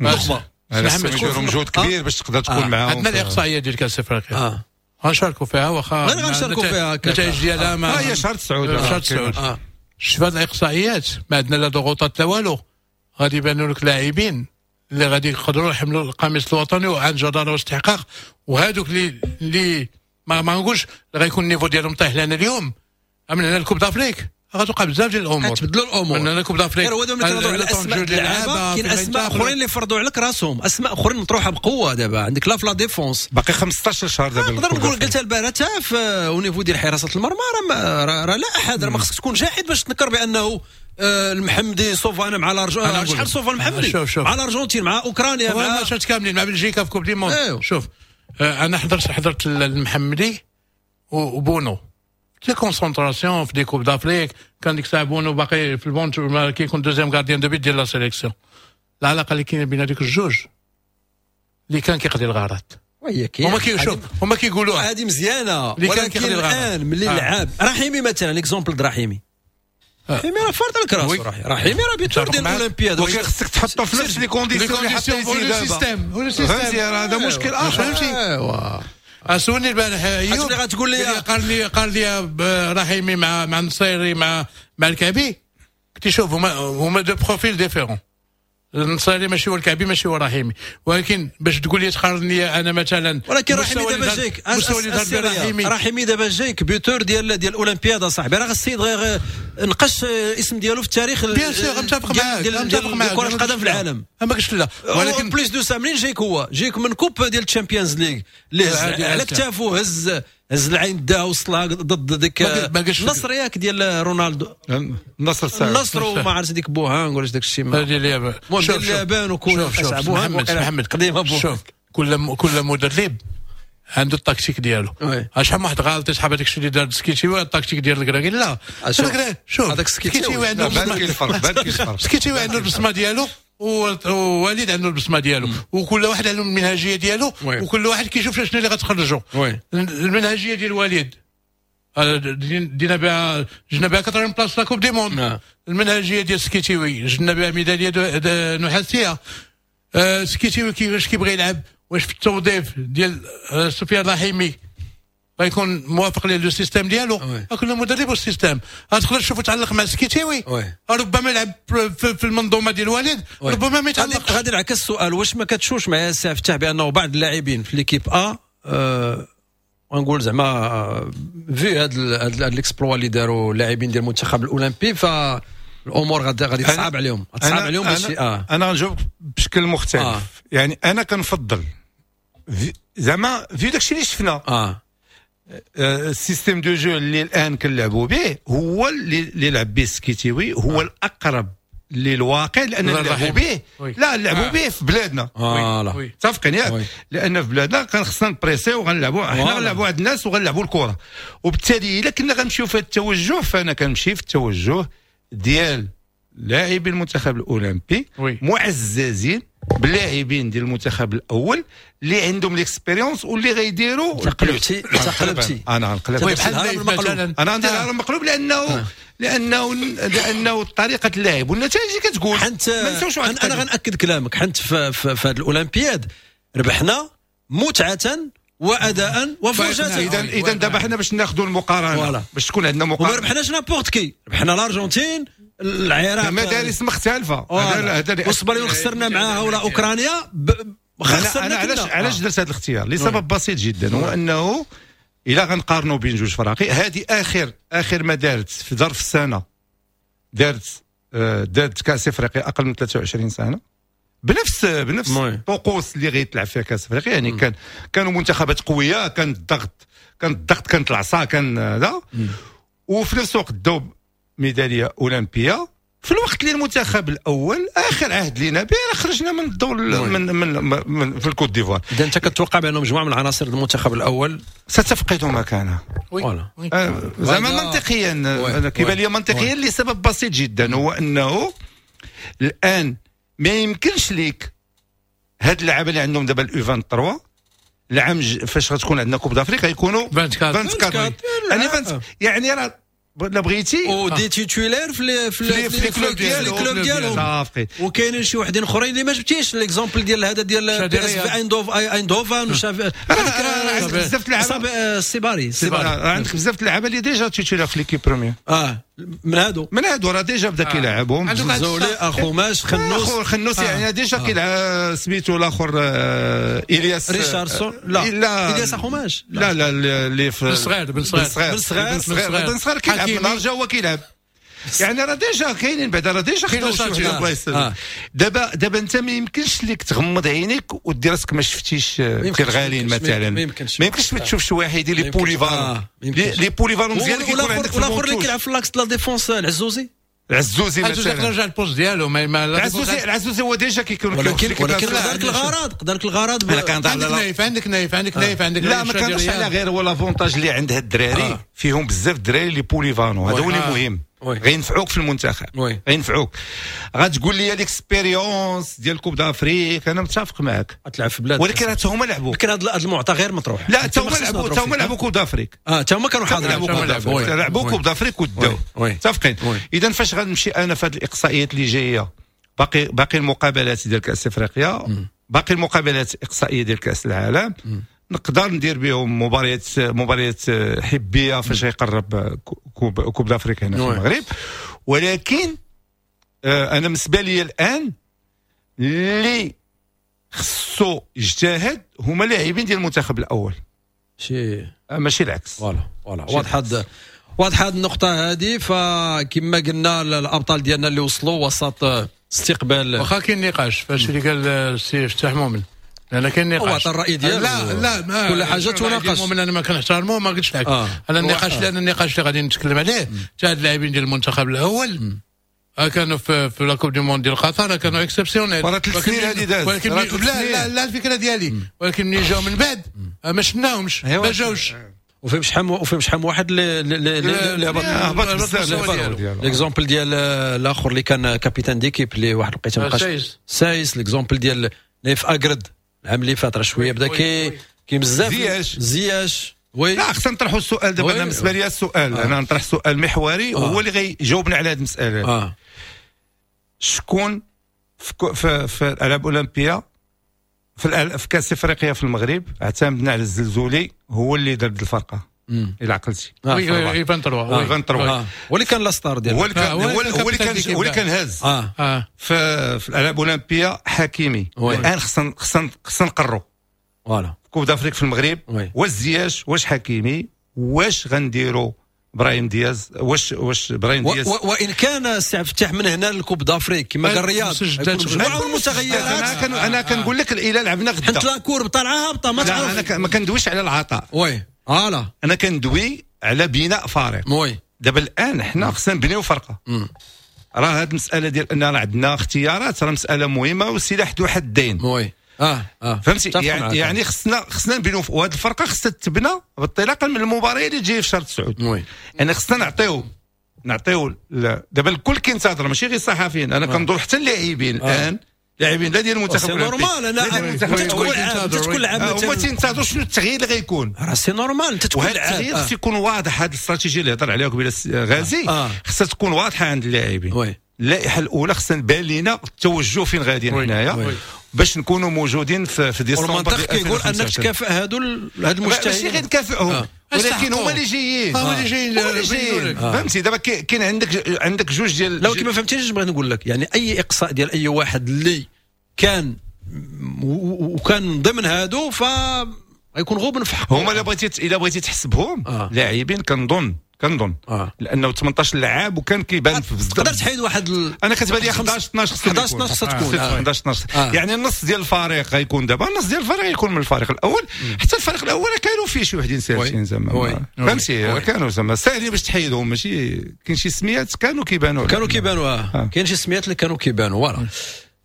[SPEAKER 2] النخبة، هذا مجهود كبير باش تقدر تكون معاهم.
[SPEAKER 3] عندنا الاقصائية ديال كاس افريقيا
[SPEAKER 1] اه
[SPEAKER 3] غنشاركوا فيها، واخا
[SPEAKER 1] غير غنشاركوا فيها
[SPEAKER 3] النتائج ديالها ما
[SPEAKER 2] هي شهر تسعود،
[SPEAKER 3] شهر تسعود. شوف هاد الاقصائيات ما عندنا لا ضغوطات لا والو، غادي يبانوا لك لاعبين اللي غادي يقدروا يحملوا القميص الوطني وعن جداره واستحقاق، وهذوك اللي اللي ما ما نقولش غيكون ال niveau ديالهم طايح. لان اليوم من هنا ال Coupe d'Afrique غتوقع بزاف ديال الامور،
[SPEAKER 1] تبدلوا الامور.
[SPEAKER 3] من هنا ال Coupe d'Afrique
[SPEAKER 1] غير هو دابا ملي كنهضروا على اسماء اللعابه كاين اسماء اخرين اللي فرضوا عليك راسهم، اسماء اخرين مطروحة بقوة. دابا عندك لا في la défense
[SPEAKER 2] باقي خمسطاش شهر دابا
[SPEAKER 1] نقدر نقول قلتها البارح حتى في au niveau ديال حراسة المرمى راه راه لا احد، راه ما خصك تكون جاحد باش تنكر بانه المحمدي صوفانا مع الارجنتين، شحال صوفا المحمدي مع الارجنتين مع اوكرانيا
[SPEAKER 3] مع ماتشات كاملين مع بلجيكا في Coupe du Monde. شوف انا حضرت حضرت المحمدي وبونو في concentration في des Coupes d'Afrique، كان ديك الساعة بونو باقي في البون كيكون deuxième gardien de but ديال la sélection. العلاقة اللي كاينه بين هذوك الجوج اللي كان كيقضي الغرض،
[SPEAKER 1] وهي كاين
[SPEAKER 3] هما كيشوف هما كيقولوها
[SPEAKER 1] هذه مزيانه، ولكن الان ملي لعب رحيمي مثلا l'exemple د رحيمي، رحيمي راه فرض لك راسو، رحيمي راه buteur ديال الاولمبياد،
[SPEAKER 2] ولكن خصك تحطو في نفس les conditions اللي حطيتي دابا،
[SPEAKER 3] système ولا système،
[SPEAKER 2] هذا مشكل اخر.
[SPEAKER 3] فهمتي؟
[SPEAKER 1] ايوا
[SPEAKER 3] سولني البارح
[SPEAKER 1] ايوب غتقول لي
[SPEAKER 3] قال لي قال لي رحيمي مع مع النصيري مع مع الكعبي، قلت شوف هما هما deux profils différents، النصيري ماشي هو الكعبي ماشي هو رحيمي، ولكن باش تقول لي تقارني انا مثلا،
[SPEAKER 1] ولكن رحيمي دابا جايك رحيمي رحيمي دابا جايك buteur ديال ديال الاولمبياد صاحبي، راه السيد غير نقش اسم ديالو في التاريخ.
[SPEAKER 3] bien sûr متفق معاك،
[SPEAKER 1] متفق معاك كرة القدم في العالم،
[SPEAKER 3] ما قلتش لا،
[SPEAKER 1] ولكن plus de ça منين جايك هو جايك من coupe ديال ال Champions League اللي على كتافو هز هز العين داها وصلها ضد ديك النصر ياك ديال رونالدو،
[SPEAKER 2] النصر
[SPEAKER 1] النصر وما عرفت ديك بوهانغ ولا داك الشيء
[SPEAKER 3] ديال اليابان،
[SPEAKER 1] المهم ديال اليابان وكل
[SPEAKER 3] شوف محمد محمد
[SPEAKER 1] قديمة بوهانغ.
[SPEAKER 3] شوف كل كل مدرب عنده التكتيك ديالو. شحال من واحد غلط يسحب هذاك الشيء اللي دار السكيتيوي التكتيك ديال الكراكي، لا شوف
[SPEAKER 1] هذاك
[SPEAKER 3] السكيتيوي عنده السكيتيوي عنده البصمة ديالو، ووليد عنده البصمة ديالو، وكل واحد عنده المنهجية ديالو، وكل واحد كيشوف شنو اللي غتخرجو. المنهجية ديال وليد دينا بها جبنا بها quatrième place la Coupe du Monde. المنهجية ديال سكيتيوي جبنا بها ميدالية نحاسيه. سكيتيوي كيفاش كيبغي يلعب، واش في التوظيف ديال سفيان رحيمي غيكون موافق ليه le système ديالو، كل مدرب وال système. غتقدر تشوفو تعلق مع سكيتيوي، ربما يلعب في المنظومة ديال الوالد، ربما ما يتعلقش.
[SPEAKER 1] غادي نعكس السؤال، واش ما كتشوفش معايا السي فتح بانه بعض اللاعبين في l'équipe A أه ونقول زعما vu هاد هاد l'exploit اللي داروا اللاعبين ديال المنتخب الاولمبي، فالامور غادي غادي تصعب عليهم، تصعب عليهم باش
[SPEAKER 2] اه انا غنجاوب بشكل مختلف. آه. يعني انا كنفضل زعما vu داكشي اللي شفنا
[SPEAKER 1] اه
[SPEAKER 2] ال système de jeu اللي الان كنلعبوا به هو اللي لعب به السكيتيوي، هو آه. الاقرب للواقع، لان نلعبوا به لا نلعبوا آه. به في بلادنا. متفقين ياك؟ لان في بلادنا كان خصنا نبريسي وغنلعبوا حنا غنلعبوا عند الناس وغنلعبوا الكره، وبالتالي الا كنا غنمشيو في التوجه فانا كنمشي في التوجه ديال لاعبي المنتخب الاولمبي معززين باللاعبين ديال المنتخب الاول اللي عندهم l'expérience واللي غيديروا.
[SPEAKER 1] تقلبتي تقلبتي
[SPEAKER 2] انا غنقلب
[SPEAKER 3] مثلا،
[SPEAKER 2] انا عندي الهرم مقلوب لانه لانه لانه طريقه اللعب والنتائج اللي كتقول.
[SPEAKER 1] حنت انا غنأكد كلامك، حنت في, في, في هذه الاولمبياد ربحنا متعه واداء وفرجه.
[SPEAKER 2] اذا اذا دابا حنا باش ناخذوا المقارنة، باش تكون عندنا مقارنة،
[SPEAKER 1] وما ربحناش n'importe qui، ربحنا الارجنتين، العراق،
[SPEAKER 2] مدارس مختلفة،
[SPEAKER 1] هذا وصبريون خسرنا معاها ولا اوكرانيا
[SPEAKER 2] خسرنا. انا علاش علاش درت هذا الاختيار؟ لسبب بسيط جدا، هو انه الا غنقارنوا بين جوج فراقي، هذه اخر اخر ما دارت في ظرف السنة، دارت دارت كاس افريقيا اقل من ثلاثة وعشرين سنة بنفس بنفس الطقوس اللي غيتلعب فيها كاس افريقيا، يعني كان كانوا منتخبات قوية، كان الضغط كان الضغط كانت العصا، كان هذا، وفي نفس الوقت داو ميدالية اولمبيه في الوقت اللي المنتخب الاول اخر عهد لينا به خرجنا من الدور من, من, من في الكوت ديفوار.
[SPEAKER 1] اذا انت كتوقع بانه مجموعة من العناصر المنتخب الاول
[SPEAKER 2] ستفقد مكانها. آه زعما منطقيا، انا كيبان لي منطقيا لسبب بسيط جدا، هو انه الان ما يمكنش ليك هاد اللعابه اللي عندهم دابا ال U ثلاثة وعشرين العام فاش غتكون عندنا Coupe d'Afrique غيكونوا أربعة وعشرين، يعني يعني راه لا بغيتي
[SPEAKER 1] و des titulaires في في في les clubs ديالهم،
[SPEAKER 2] صافي.
[SPEAKER 1] وكاينين شي وحدين اخرين اللي ما جبتيش l'exemple ديال هذا ديال PSV ايندوف ايندوفان
[SPEAKER 2] عندك بزاف اللعابه
[SPEAKER 1] السيباري
[SPEAKER 2] عندك بزاف اللعابه اللي déjà titulaires في l'équipe première.
[SPEAKER 1] اه من هادو
[SPEAKER 2] من هادو راه déjà بدا كيلعبهم
[SPEAKER 1] زولي اخوماش خنوس
[SPEAKER 2] خنوس، يعني déjà كيلعب سميتو الاخر الياس
[SPEAKER 1] ريشاردسون، لا
[SPEAKER 2] لا
[SPEAKER 1] الياس اخوماش،
[SPEAKER 2] لا لا اللي في
[SPEAKER 3] بن صغير بن
[SPEAKER 2] صغير بن صغير بن صغير كيلعب من رجا هو كيلعب، يعني راه déjà كاينين بعدا راه déjà خداو شي وحده بلايص. دابا دابا انت ما يمكنش لك تغمض عينيك ودير راسك ما شفتيش كيرغالين مثلا،
[SPEAKER 1] ما يمكنش
[SPEAKER 2] ما يمكنش ما تشوفش واحد اللي polyvalent les polyvalents مزيان كيكون عندك
[SPEAKER 1] في الاخر اللي كيلعب في l'axe la défense العزوزي
[SPEAKER 2] العزوزي
[SPEAKER 3] مثلا رجع ال poste ديالو ما
[SPEAKER 2] العزوزي العزوزي هو déjà كيكون،
[SPEAKER 1] ولكن ولكن قدرك الغرض قدرك الغرض.
[SPEAKER 3] عندك نايف عندك نايف عندك نايف عندك
[SPEAKER 2] لا ما كانش على غير هو l'avantage اللي عند هاد الدراري فيهم بزاف الدراري اللي polyvalents، هذا هو اللي مهم، غينفعوك في المنتخب، غينفعوك. غتقول لي l'expérience ديال Coupe d'Afrique، انا متفق معاك
[SPEAKER 1] غتلعب في بلاد،
[SPEAKER 2] ولكن حتى هما لعبوا،
[SPEAKER 1] ولكن هذا المعطى غير مطروح.
[SPEAKER 2] لا حتى هما لعبوا حتى هما لعبوا Coupe d'Afrique،
[SPEAKER 1] اه حتى هما كانوا حاضرين
[SPEAKER 2] لعبوا Coupe d'Afrique وداو، متفقين. اذا فاش غنمشي انا في هذه الاقصائيات اللي جاية، باقي باقي المقابلات ديال كاس افريقيا، باقي المقابلات الاقصائية ديال كاس العالم، نقدر ندير بهم مباريات مباريات حبيه فاش يقرب coupe coupe d'Afrique هنا في المغرب. ولكن انا بالنسبة لي الان اللي خصو يجتهد هما اللاعبين ديال المنتخب الاول،
[SPEAKER 1] شي
[SPEAKER 2] ماشي العكس.
[SPEAKER 1] voilà voilà واضحة واضحة هذه النقطة هذه. فكما قلنا الابطال ديالنا اللي وصلوا وسط استقبال،
[SPEAKER 3] واخا كاين نقاش فاش اللي قال السي فتاح مؤمن، لان كاين نقاش
[SPEAKER 1] هو عطى الراي ديالو.
[SPEAKER 3] لا لا ما
[SPEAKER 1] كل حاجة تناقش.
[SPEAKER 3] مؤمن انا ما كنحترمو ما قلتش لك آه. انا النقاش آه. لان النقاش اللي غادي نتكلم عليه تاع اللاعبين ديال المنتخب الاول مم. كانوا في في la coupe du monde ديال قطر كانوا exceptionnels
[SPEAKER 2] وراه ثلاث سنين هذه دازت،
[SPEAKER 3] ولكن لا لا لا الفكرة ديالي، ولكن ملي جاو من بعد ما شفناهمش، ما جاوش.
[SPEAKER 1] وفيهم شحال وفيهم شحال واحد اللي اللي
[SPEAKER 2] هبط بزاف.
[SPEAKER 1] l'exemple ديال الاخر اللي كان capitaine d'équipe اللي واحد الوقيته ما بقاش سايس، l'exemple ديال نايف اكرد العام اللي فات راه شوية بدا كي كاين بزاف
[SPEAKER 2] زياش
[SPEAKER 1] زياش oui.
[SPEAKER 2] لا خصنا نطرحوا السؤال دابا. انا بالنسبة لي السؤال آه. انا نطرح سؤال محوري آه. هو اللي غيجاوبنا على هذه المسالة. آه. شكون في في, في الالعاب الاولمبية في, في كاس افريقيا في المغرب اعتمدنا على الزلزولي هو اللي دار الفرقة الى عقلتي.
[SPEAKER 3] oui oui vingt-trois
[SPEAKER 2] vingt-trois
[SPEAKER 1] هو اللي كان la star ديالو،
[SPEAKER 2] هو اللي كان هو اللي كان هو اللي كان هاز في في الالعاب الاولمبية حكيمي. الان خصنا خصنا خصنا نقروا
[SPEAKER 1] voilà
[SPEAKER 2] coupe d'Afrique في المغرب، واش زياش واش حكيمي واش غنديروا ابراهيم دياز، واش واش ابراهيم دياز.
[SPEAKER 1] وان كان السي عبد الفتاح من هنا لل coupe d'Afrique كما قال رياض مجموعة المتغيرات.
[SPEAKER 2] انا كان انا كنقول لك الى لعبنا غدا
[SPEAKER 1] حيت la courbe طالعه هابطة ما تعرف.
[SPEAKER 2] انا ما كندويش على العطاء،
[SPEAKER 1] oui voilà،
[SPEAKER 2] انا كندوي على بناء فريق.
[SPEAKER 1] oui
[SPEAKER 2] دابا الان حنا خصنا نبنيو فرقه. راه هذه المسالة ديال ان راه عندنا اختيارات راه مسالة مهمة وسلاح ذو حدين.
[SPEAKER 1] oui اه اه
[SPEAKER 2] فهمتي يعني, يعني خصنا خصنا نبنيو، وهذه الفرقة خصها تتبنى انطلاقا من المباراة اللي تجي في شهر تسعود.
[SPEAKER 1] oui
[SPEAKER 2] يعني خصنا نعطيو نعطيو دابا الكل كينتظر، ماشي غير الصحفيين، انا كنظن حتى اللاعبين الان لاعبين لا ديال المنتخب
[SPEAKER 1] c'est normal. انا تكون لعاب تكون لعاب
[SPEAKER 2] هما تينتظروا شنو التغيير اللي غيكون،
[SPEAKER 1] راه c'est normal انت تكون
[SPEAKER 2] لعاب. التغيير خص يكون واضح، هذه الاستراتيجية اللي هضر عليها قبيلة غازي خصها تكون واضحة عند اللاعبين.
[SPEAKER 1] oui
[SPEAKER 2] اللائحة الاولى خصنا نبان لينا التوجه فين غاديين حنايا باش نكونوا موجودين في في ديسمبر.
[SPEAKER 1] والمنطق كيقول انك تكافئ هادو هاد المجتهدين،
[SPEAKER 2] ماشي غير تكافئهم آه. ولكن هما اللي جايين،
[SPEAKER 3] هما اللي جايين
[SPEAKER 2] هما اللي جايين فهمتي. دابا كاين عندك عندك جوج ديال
[SPEAKER 1] لو كيما فهمتيش بغيت نقول لك، يعني اي اقصاء ديال اي واحد اللي كان وكان ضمن هادو ف غيكون غبن في حقه.
[SPEAKER 2] هما الا بغيتي الا بغيتي تحسبهم آه. لاعبين كنظن كنظن آه. لانه ثمنطاش لاعب وكان كيبان في بزاف.
[SPEAKER 1] تقدر تحيد واحد ال...
[SPEAKER 2] انا كتبان لي حداش اثناش
[SPEAKER 1] خصها حداش اثناش خصها تكون
[SPEAKER 2] حداش اثناش آه. يعني النص ديال الفريق غيكون دابا النص ديال الفريق غيكون من الفريق الاول. مم. حتى الفريق الاول كانوا فيه شي وحدين ساهلين زعما فهمتي، كانوا زعما ساهلين باش تحيدهم، ماشي كاين شي سميات كانوا كيبانوا
[SPEAKER 1] كانوا كيبانوا آه. آه. كاين شي سميات اللي كانوا كيبانوا voilà.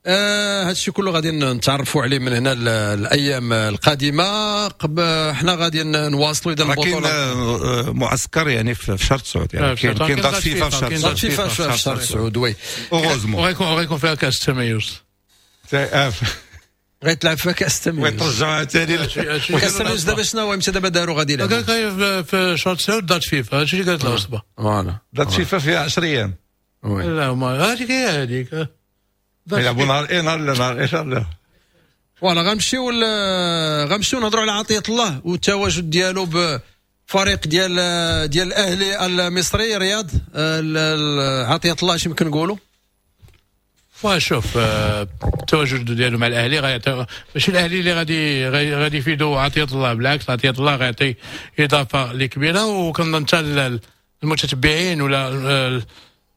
[SPEAKER 1] آه هذا الشيء كله غادي نتعرفوا عليه من هنا الايام القادمة. قب حنا غادي نواصلوا اذا
[SPEAKER 2] البطولة. كاين معسكر يعني في شهر تسعود، يعني كاين كاين date FIFA في شهر
[SPEAKER 1] تسعود، فيفا في شهر تسعود oui
[SPEAKER 2] heureusement.
[SPEAKER 3] وغيكون وغيكون فيها كاس التميز،
[SPEAKER 1] غيتلعب فيها كاس التميز
[SPEAKER 2] ويترجعها ثاني
[SPEAKER 1] كاس التميز. دابا شنو هو امتى دابا داروا غادي
[SPEAKER 3] يلعبوا؟ كاين في شهر تسعود date FIFA، هادشي اللي قالت العصبة
[SPEAKER 1] voilà
[SPEAKER 2] date FIFA فيها عشرة ايام.
[SPEAKER 3] لا ما هذيك هي هذيك
[SPEAKER 2] يلعبوا نهار ايه نهار لا نهار ايه لا.
[SPEAKER 1] voilà غنمشيو غنمشيو نهضروا على عطية الله والتواجد ديالو بفريق ديال ديال الاهلي المصري. رياض عطية الله اش يمكن نقولوا؟
[SPEAKER 3] وشوف التواجد ديالو مع الاهلي غيعطي، ماشي الاهلي اللي غادي غادي يفيدو عطية الله، بالعكس عطية الله غيعطي اضافه اللي كبيرة. وكنظن حتى المتتبعين ولا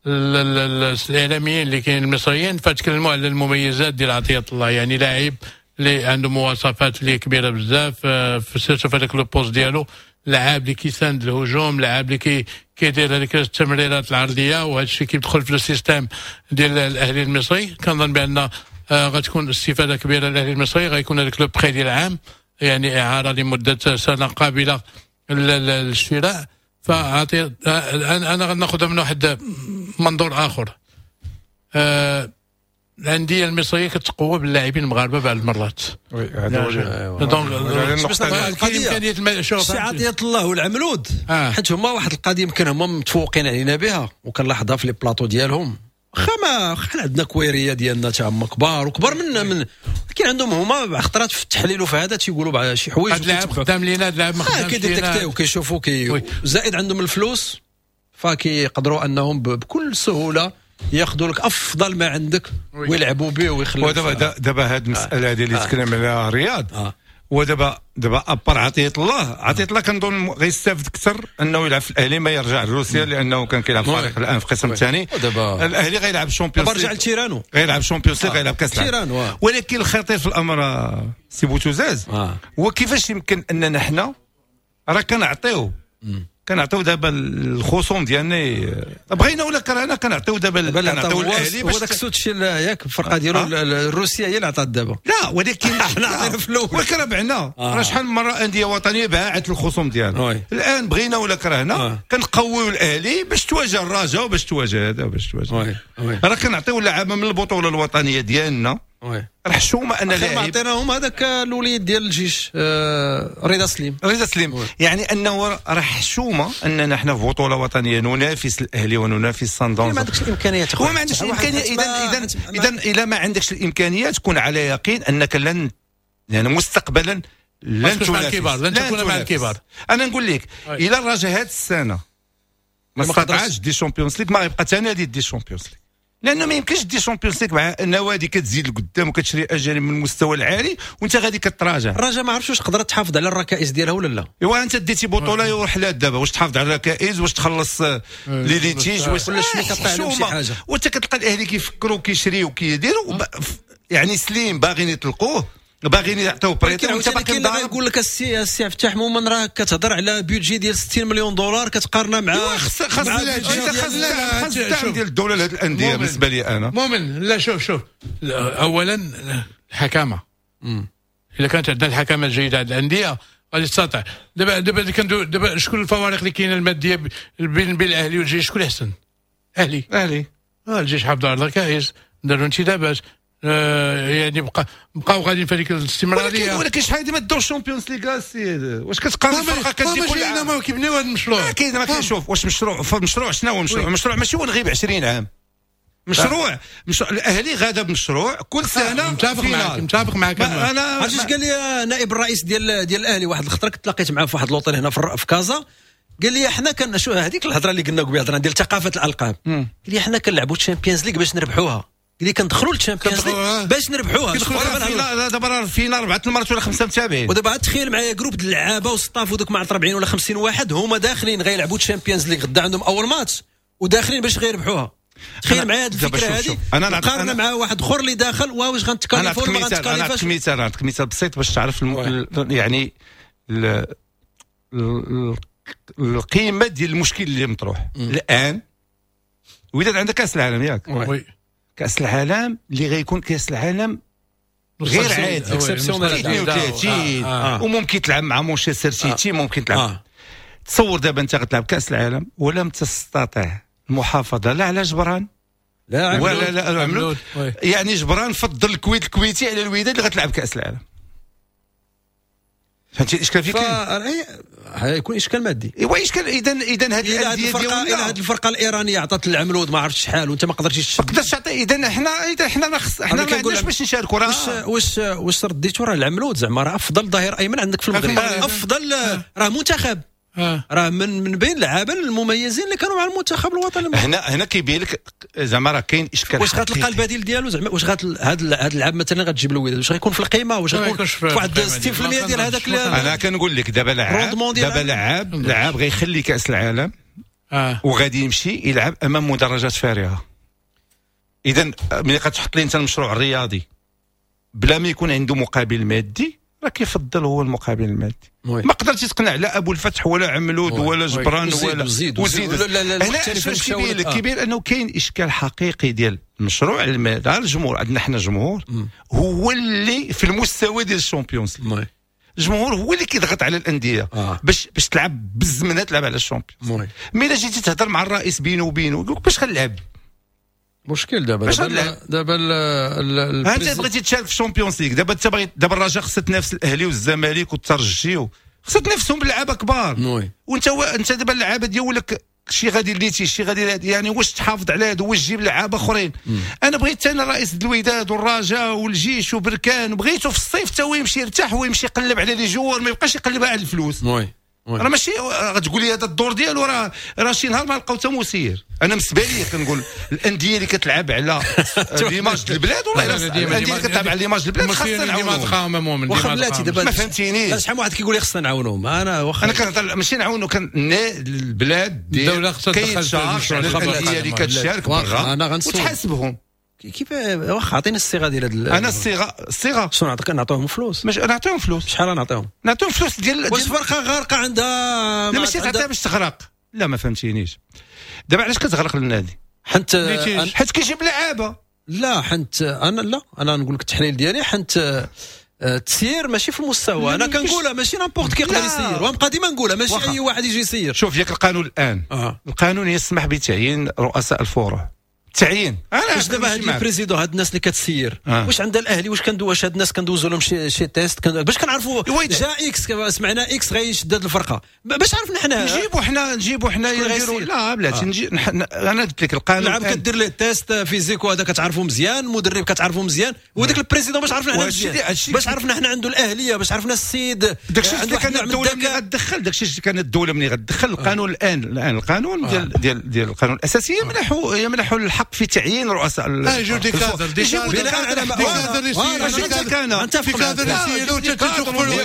[SPEAKER 3] الاعلاميين اللي كاين المصريين فتكلموا على المميزات ديال عطية الله، يعني لاعب اللي عنده مواصفات اللي كبيرة بزاف في surtout في هذاك le poste ديالو، لاعب اللي كيساند الهجوم، لاعب اللي كي كيدير هذيك التمريرات العرضية، وهذا الشيء كيدخل في ال système ديال الاهلي المصري. كنظن بان غتكون استفاده كبيرة للاهلي المصري، غيكون هذاك le prêt ديال العام، يعني اعاره لمدة سنة قابله للشراء. فعطي انا غناخذها من واحد منظور اخر. آه الاندية المصرية كتقوى باللاعبين المغاربة بعض المرات.
[SPEAKER 2] oui هذا هو
[SPEAKER 3] donc كاين امكانية.
[SPEAKER 1] شوف سي عطية الله والعملود آه. حيت هما واحد القضية يمكن هما متفوقين علينا بها، وكنلاحظها في les plateaux ديالهم، واخا ما واخا عندنا كويريه ديالنا تا هما كبار وكبار منا من كاين عندهم هما خطرات في التحليل وفي هذا تيقولوا بعض شي حوايج.
[SPEAKER 3] هاد اللاعب خدام لينا، هاد اللاعب ما خدامش لينا،
[SPEAKER 1] كي détecter وكيشوفوا كي زائد عندهم الفلوس فكيقدروا انهم بكل سهولة ياخذوا لك افضل ما عندك ويلعبوا به ويخلوا.
[SPEAKER 2] ودابا دابا هذه المسالة هذه اللي تكلم عليها رياض آه. ودابا دابا à part عطية الله، عطية الله كنظن غيستافد اكثر انه يلعب في الاهلي ما يرجع لروسيا لانه كان كيلعب فريق الان في القسم الثاني. الاهلي غيلعب Champions،
[SPEAKER 1] رجع لتيرانو،
[SPEAKER 2] غيلعب Champions League، غيلعب كاس العالم. ولكن الخطير في الامر سي بوتوزاز هو كيفاش يمكن اننا حنا راه كنعطيو كنعطيو دابا الخصوم ديالنا بغينا ولا كرهنا كنعطيو دابا كنعطيو الاهلي
[SPEAKER 1] باش داك السوتشي ياك الفرقة ديالو آه. الروسية هي اللي عطات دابا.
[SPEAKER 2] لا ولكن
[SPEAKER 1] حنا عطينا في الاول
[SPEAKER 2] ولكن راه بعنا راه شحال من مرة اندية وطنية باعت الخصوم ديالها. الان بغينا ولا كرهنا آه. كنقويو الاهلي باش تواجه الرجاء وباش تواجه هذا وباش تواجه. راه كنعطيو اللعابه من البطولة الوطنية ديالنا. راه حشومه ان
[SPEAKER 1] لاعب عطيناهم هذاك الوليد ديال الجيش آه رضا سليم
[SPEAKER 2] رضا سليم oui. يعني انه راه حشومه اننا حنا في بطوله وطنية ننافس الاهلي وننافس سان داونز.
[SPEAKER 1] ما عندكش الامكانيات
[SPEAKER 2] هو ما عندكش الامكانية. اذا اذا اذا اذا ما عندكش الامكانيات كون على يقين انك لن يعني مستقبلا لن تنافس
[SPEAKER 3] الكبار، لن تكون مع الكبار.
[SPEAKER 2] انا نقول لك الى الرجاء هذه السنة ما استطاعش دي Champions League ما غيبقى حتى نادي دي Champions League، لانه ما يمكنش دي Champions League مع نوادي كتزيد لقدام وكتشري اجانب من المستوى العالي وانت غادي كتراجع.
[SPEAKER 1] الرجاء ما عرفتش واش قدرت تحافظ على الركائز ديالها ولا لا.
[SPEAKER 2] ايوا انت ديتي بطوله ورحلات دابا واش تحافظ على الركائز واش تخلص les litiges واش
[SPEAKER 1] ولا شنو كطيح عليهم شي حاجة.
[SPEAKER 2] وانت كتلقى الاهلي كيفكروا كيشريو كيديروا يعني سليم باغيين يطلقوه باغيين يعطيو prêt.
[SPEAKER 1] وانت باقي غيقول لك السي السي عبد الفتاح مومن راه كتهضر على budget ديال ستين مليون دولار كتقارنها مع
[SPEAKER 2] خص خص خص الدعم ديال الدولة لهاد الاندية. بالنسبة لي انا
[SPEAKER 3] مؤمن لا شوف شوف اولا الحكامه الا كانت عندنا الحكامه الجيدة عند الاندية غادي تستطيع. دابا دابا دابا شكون الفوارق اللي كاينه المادية بين بين الاهلي والجيش؟ شكون احسن؟ اهلي
[SPEAKER 2] اهلي
[SPEAKER 3] آه الجيش حافظ على الركائز، داروا انتدابات آه يعني بقى بقاو غاديين في هذيك الاستمرارية.
[SPEAKER 2] ولكن ولكن شحال هذه ما داوش Champions League السيد. واش كتقارن الفرقة كتجي
[SPEAKER 3] كل عام؟ ما كيبنيو هذا المشروع.
[SPEAKER 2] كاين ما كنشوف واش مشروع مشروع شنو هو مشروع؟ مشروع ماشي هو نغيب عشرين عام. مشروع مشروع الاهلي غادا بمشروع كل سنة.
[SPEAKER 3] متفق معاك متفق معاك.
[SPEAKER 2] انا
[SPEAKER 1] عرفتي اش قال لي نائب الرئيس ديال ديال الاهلي واحد الخطرة كنت تلاقيت معاه في واحد l'hôtel هنا في كازا، قال لي حنا كان شو هذيك الهضرة اللي قلنا قبيلة هضره ديال ثقافة الالقاب، قال لي حنا كنلعبوا Champions League باش نربحوها. قال لي كندخلوا لل Champions League باش نربحوها.
[SPEAKER 2] لا دابا راه فينا اربعة المرات ولا خمسة متابعين.
[SPEAKER 1] ودابا تخيل معايا groupe د اللعابه و staff ودوك مع أربعين ولا خمسين واحد هما داخلين غيلعبوا Champions League غدا عندهم اول ماتش وداخلين باش غيربحوها. تخيل معايا هذه الفكرة هذه انا قارنه مع واحد اخر اللي داخل واش غنتكاليفو ولا ما غنتكاليفاش.
[SPEAKER 2] انا نعطيك مثال نعطيك مثال بسيط باش تعرف الم... يعني ال... ال... القيمة ديال المشكل اللي مطروح الان. وداد عندك كاس العالم ياك؟ oui. كاس العالم اللي غيكون كاس العالم غير عادي اثنين وثلاثين وممكن تلعب مع مانشستر سيتي ممكن تلعب. تصور دابا انت غتلعب كاس العالم ولم تستطع المحافظة لا على جبران
[SPEAKER 1] لا
[SPEAKER 2] ولا لا عملود. يعني جبران فضل الكويت الكويتي على الوداد اللي غتلعب كاس العالم. فهمتي الاشكال فين
[SPEAKER 1] كاين؟ غيكون اشكال مادي.
[SPEAKER 2] ايوا اشكال. اذا اذا هذه الاندية
[SPEAKER 1] ديالنا هذه الفرقة الايرانية عطات العملود ما عرفتش شحال وانت ما قدرتيش
[SPEAKER 2] ما قدرتش تعطي. اذا حنا اذا حنا ما خص حنا ما عندناش باش نشاركوا. راه
[SPEAKER 1] واش واش واش رديتو راه العملود زعما راه افضل ظهير ايمن عندك في المغرب، افضل راه منتخب، راه من من بين اللعابه المميزين اللي كانوا مع المنتخب الوطني.
[SPEAKER 2] هنا هنا كيبين لك زعما راه كاين اشكال.
[SPEAKER 1] واش غتلقى البديل ديالو زعما؟ واش غات هذا هذا اللاعب مثلا غتجيب له الوداد واش غيكون في القيمة؟ واش غيكون في واحد ستين بالمية ديال هذاك؟
[SPEAKER 2] انا كنقول لك دابا لاعب دابا لاعب لاعب غيخلي كاس العالم آه. وغادي يمشي يلعب امام مدرجات فارغة. اذا ملي غتحط لي انت المشروع الرياضي بلا ما يكون عنده مقابل مادي راه كيفضل هو المقابل المادي. ما قدرتي تقنع لا ابو الفتح ولا عملود ولا جبران ولا
[SPEAKER 1] وزيد وزيد.
[SPEAKER 2] هنا كيبين لك كيبين انه كاين اشكال حقيقي ديال المشروع المادي. الجمهور عندنا حنا جمهور هو اللي في المستوى ديال ال Champions League. الجمهور هو اللي كيضغط على الاندية آه. باش باش تلعب بالزمنه تلعب على ال Champions. mais الا جيتي تهضر مع الرئيس بينه وبينه يقول لك باش غنلعب.
[SPEAKER 1] مشكل دابا دابا دابا
[SPEAKER 2] انت بغيتي تشارك في ال Champions League دابا انت بغيت دابا الرجاء خصها تنافس الاهلي والزمالك والترجي خصها تنافسهم بلعابه كبار. وانت و... انت دابا اللعابه ديالك شي غادي ليتي شي غادي، يعني واش تحافظ على هادو، واش تجيب لعابه اخرين. انا بغيت انا رئيس الوداد والرجاء والجيش وبركان، بغيته في الصيف تا هو يمشي يرتاح ويمشي يقلب على les joueurs، ما يبقاش يقلب على الفلوس.
[SPEAKER 1] oui
[SPEAKER 2] راه ماشي غتقول لي هذا الدور ديالو، راه راه شي نهار ما لقاو حتى مسير. انا بالنسبة لي كنقول الاندية اللي كتلعب على l'image البلاد، والله الاندية اللي كتلعب على l'image البلاد خاصنا نعاونوهم.
[SPEAKER 1] واخا بلاتي دابا
[SPEAKER 2] ما فهمتينيش،
[SPEAKER 1] شحال من واحد كيقول لي خصنا نعاونوهم. انا واخا
[SPEAKER 2] انا كنهضر ماشي نعاونو، كان البلاد
[SPEAKER 3] الدولة خصها
[SPEAKER 2] تدخل على الاندية اللي كتشارك برا وتحاسبهم.
[SPEAKER 1] كيف واخا عطيني الصيغة ديال هاد.
[SPEAKER 2] انا الصيغة الصيغة
[SPEAKER 1] شنو نعطيك؟ نعطيهم فلوس؟
[SPEAKER 2] مش نعطيهم فلوس.
[SPEAKER 1] شحال نعطيهم؟
[SPEAKER 2] نعطيهم فلوس ديال
[SPEAKER 1] واش فرقه غارقة عندها؟
[SPEAKER 2] لا ماشي تعطيها باش تغرق. لا ما فهمتينيش. دابا علاش كتغرق للنادي؟
[SPEAKER 1] حنت
[SPEAKER 2] حيت كيجيب لعابه.
[SPEAKER 1] لا حنت انا لا انا نقول لك التحليل ديالي، حنت التسيير ماشي في المستوى. انا كنقولها ماشي n'importe qui يقدر يسير، ونبقى ديما نقولها ماشي اي واحد يجي يسير.
[SPEAKER 2] شوف ياك القانون الان آه. القانون يسمح بتعيين رؤساء الفروع. تعيين
[SPEAKER 1] واش دابا هاد les présidents، هاد الناس اللي كتسير آه. واش عندها الاهلي، واش كندو واش هاد الناس كندوزو لهم شي شي test كن... باش كنعرفوا جا X، سمعنا X غيشد هاد الفرقة، باش عرفنا حنا
[SPEAKER 2] نجيبوا حنا نجيبوا حنا نديروا. لا بلاتي آه. نجي نح... انا قلت لك القانون
[SPEAKER 1] العاب كدير ليه test physique وهذا كتعرفوا مزيان، المدرب كتعرفوا مزيان، وذاك ال président باش عرفنا حنا مزيان، باش عرفنا حنا عنده الاهلية، باش عرفنا السيد
[SPEAKER 2] داكشي اللي كان الدولة ملي غتدخل، داكشي اللي كان الدولة ملي غتدخل القانون الان الان القانون ديال ديال ديال القانون الاساسي يمنحوا يمنحوا الحق في تعيين رؤساء.
[SPEAKER 3] اه يجيو des cadres des cadres des cadres يسيروا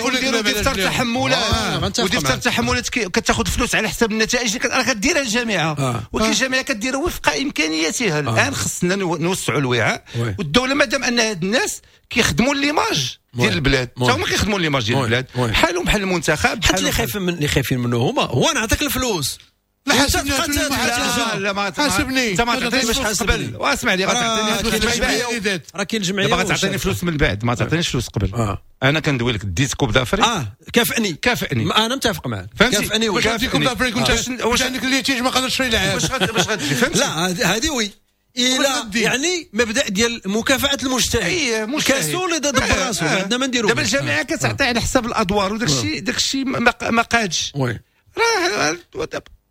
[SPEAKER 2] ويديروا دفتر تحملات، ودفتر تحملات كتاخذ فلوس على حسب النتائج اللي راه كديرها الجامعة، ولكن الجامعة كديرها وفق امكانياتها. الان خصنا نوسعوا الوعاء، والدولة مادام ان هاد الناس كيخدموا l'image ديال البلاد، حتى هما كيخدموا l'image ديال البلاد بحالهم بحال المنتخب.
[SPEAKER 1] حتى اللي خايف من اللي خايفين منه هما هو نعطيك الفلوس.
[SPEAKER 3] لا حاسبني،
[SPEAKER 2] لا لا ما
[SPEAKER 3] حاسبني،
[SPEAKER 2] انت ما تعطينيش فلوس قبل. واسمع لي غتعطيني فلوس من بعد،
[SPEAKER 1] راه كاين الجمعية
[SPEAKER 2] دابا غتعطيني فلوس من بعد، ما تعطينيش فلوس قبل. آه. انا كندوي لك ديت Coupe d'Afrique.
[SPEAKER 1] اه كافئني
[SPEAKER 2] كافئني،
[SPEAKER 1] انا متفق معاك. كافئني
[SPEAKER 3] واش عندك Coupe d'Afrique؟ واش عندك ال litige ما قدرتش تشري لعاب؟
[SPEAKER 2] باش باش غتجي فهمتي؟
[SPEAKER 1] لا هذه oui الى يعني مبدا ديال مكافاة المجتهد.
[SPEAKER 2] اي مجتهد
[SPEAKER 1] كاسول دبر راسو، عندنا ما نديرو.
[SPEAKER 2] دابا الجامعة كتعطي على حساب الادوار وداك الشيء، داك الشيء ما قادش.
[SPEAKER 1] oui
[SPEAKER 2] راه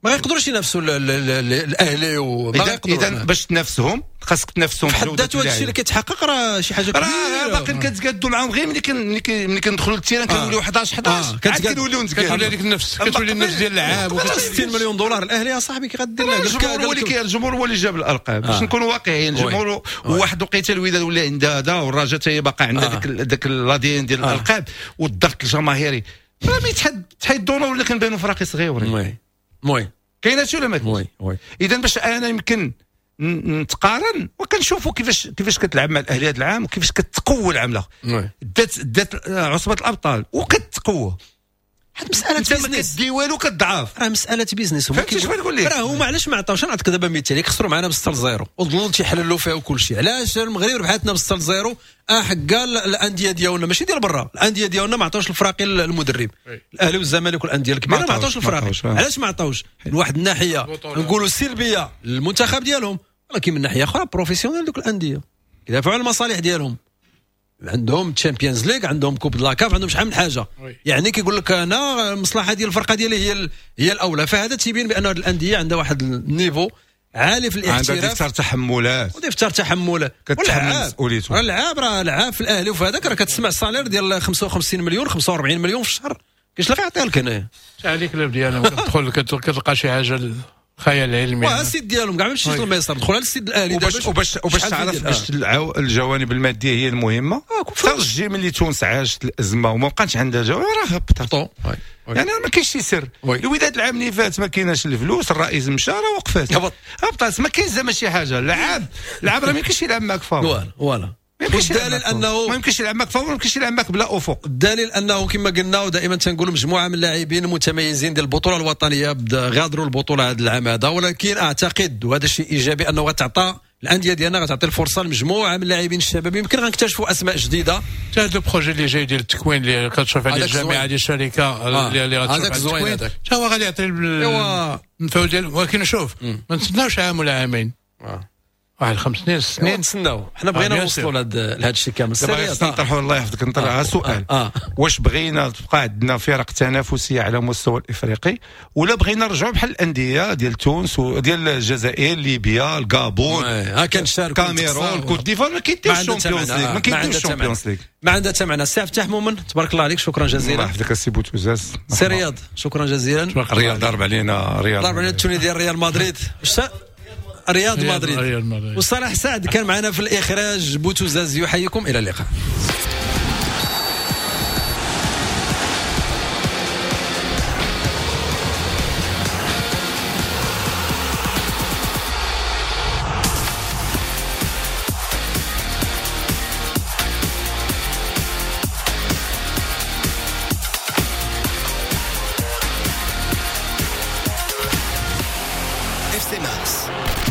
[SPEAKER 1] ما يقدروش ينافسوا الاهلي وما
[SPEAKER 2] يقدروا. اذا باش تنافسهم خاصك تنافسهم
[SPEAKER 1] في حد ذاته. هذا الشيء اللي كيتحقق راه شي حاجة كبيرة.
[SPEAKER 2] راه باقي كنتقادوا معاهم غير ملي ملي كندخلوا لل terrain كنوليو حداش حداش عاد كنوليو نتقادوا.
[SPEAKER 3] كتولي هذيك النفس، كتولي النفس ديال اللعاب.
[SPEAKER 1] ستين مليون دولار الاهلي يا صاحبي كي غدير
[SPEAKER 2] لها؟ الجمهور هو اللي الجمهور هو اللي جاب الارقام باش نكونوا واقعيين. الجمهور واحد وقيته الوداد ولا عندها هذا، والرجاء حتى هي باقا عندها ديك داك l'ADN ديال الالقاب والضغط الجماهيري. راه ما يتحد تحيدونا ولا كنبانوا فراقي صغيورين.
[SPEAKER 1] oui oui
[SPEAKER 2] كاين هادشي ولا ما كاينش؟
[SPEAKER 1] oui oui.
[SPEAKER 2] اذا باش انا يمكن نتقارن وكنشوفوا كيفاش كيفاش كتلعب مع الاهلي هذا العام وكيفاش كتقوى العام
[SPEAKER 1] oui.
[SPEAKER 2] دات دات عصبه الابطال وكتقوى.
[SPEAKER 1] حيت مسالة
[SPEAKER 2] business، ما كدي والو كتضعف.
[SPEAKER 1] راه مسالة business.
[SPEAKER 2] هما كيفاش نقول لك
[SPEAKER 1] راه هما علاش ما عطاوش؟ نعطيك دابا مثال، خسروا معنا بستة لزيرو وظلوا تيحللوا فيها وكل شيء. علاش المغرب ربحتنا بستة لزيرو؟ اه حكا الاندية ديالنا ماشي ديال برا، الاندية ديالنا ما عطاوش الفراقي المدرب. الاهلي والزمالك والاندية الكبيرة ما عطاوش الفراقي. علاش ما عطاوش؟ من واحد الناحية نقولوا سلبية للمنتخب ديالهم، ولكن من ناحية اخرى professionnels دوك الاندية كيدافعوا على المصالح ديالهم. عندهم Champions League، عندهم Coupe de la CAF، عندهم شحال من حاجة. يعني كيقول لك انا المصلحة ديال الفرقة ديالي هي هي الاولى. فهذا تيبين بان هذه الاندية عندها واحد ال niveau عالي في الاحتراف،
[SPEAKER 2] عندها دفتر تحملات
[SPEAKER 1] ودفتر تحملات
[SPEAKER 2] كتحمل مسؤوليته.
[SPEAKER 1] راه العاب راه العاب في الاهلي وفي هذاك راه كتسمع salaire ديال خمسة وخمسين مليون خمسة وأربعين مليون في الشهر. كاش اللي غيعطيها لك هنايا؟
[SPEAKER 3] عليك club ديالهم كتدخل كتلقى شي حاجة خيال علمي.
[SPEAKER 1] واه ال site ديالهم كاع ما مشيتش للميسر، دخل على ال site الاهلي
[SPEAKER 2] وباش وباش وباش تعرف باش الجوانب المادية هي المهمة. ترجي ملي تونس عاشت الازمة وما بقاش عندها جوانب راه هبطت. يعني ما كاينش شي سر. الوداد العام اللي فات ما كايناش الفلوس، الرئيس مشى راه وقفات هبطات، ما كاينش زعما شي حاجة. العاب العاب راه ما يمكنش يلعب معاك فابور.
[SPEAKER 1] voilà voilà والدليل انه
[SPEAKER 2] ما يمكنش يلعب معك فابور، ما يمكنش يلعب معك بلا افق.
[SPEAKER 1] الدليل انه كما قلنا ودائما تنقولوا مجموعة من اللاعبين المتميزين ديال البطولة الوطنية غادروا البطولة هذا العام هذا، ولكن اعتقد وهذا الشيء ايجابي انه غتعطى الاندية ديالنا غتعطي الفرصة لمجموعة من اللاعبين الشباب، يمكن غنكتشفوا اسماء جديدة.
[SPEAKER 3] حتى هذا ال projet اللي جاي ديال التكوين اللي كتشوف عليه الجامعة ديال الشركة اللي غتشوف
[SPEAKER 1] هذاك زوين، هذاك
[SPEAKER 3] حتى هو غادي يعطي المفعول ديالو. ولكن شوف ما نتسناوش عام ولا عامين. واحد خمس سنين ست سنين
[SPEAKER 1] نتسناو، حنا بغينا نوصلوا لهذا الشيء كامل.
[SPEAKER 2] دابا نطرحوا الله يحفظك نطرح سؤال، آه. آه. واش بغينا تبقى عندنا فرق تنافسية على مستوى الافريقي ولا بغينا نرجعوا بحال الاندية ديال تونس وديال الجزائر، ليبيا، الغابون،
[SPEAKER 1] ها كنشاركوا
[SPEAKER 2] كاميرون، كوت ديفوار، ما كيديوش ال Champions League، ما كيديوش ال Champions League،
[SPEAKER 1] ما عندها حتى معنى. السي فتاح مؤمن تبارك الله عليك، شكرا جزيلا.
[SPEAKER 2] الله يحفظك السي بوتوزاز.
[SPEAKER 1] سي رياض شكرا جزيلا.
[SPEAKER 2] رياض ضرب علينا، رياض
[SPEAKER 1] ضرب علينا ال tenue ديال ريال مدريد، رياض مدريد. وصلاح سعد كان معنا في الإخراج. بوتوزاز يحييكم، إلى اللقاء.
[SPEAKER 5] إف سي مارس.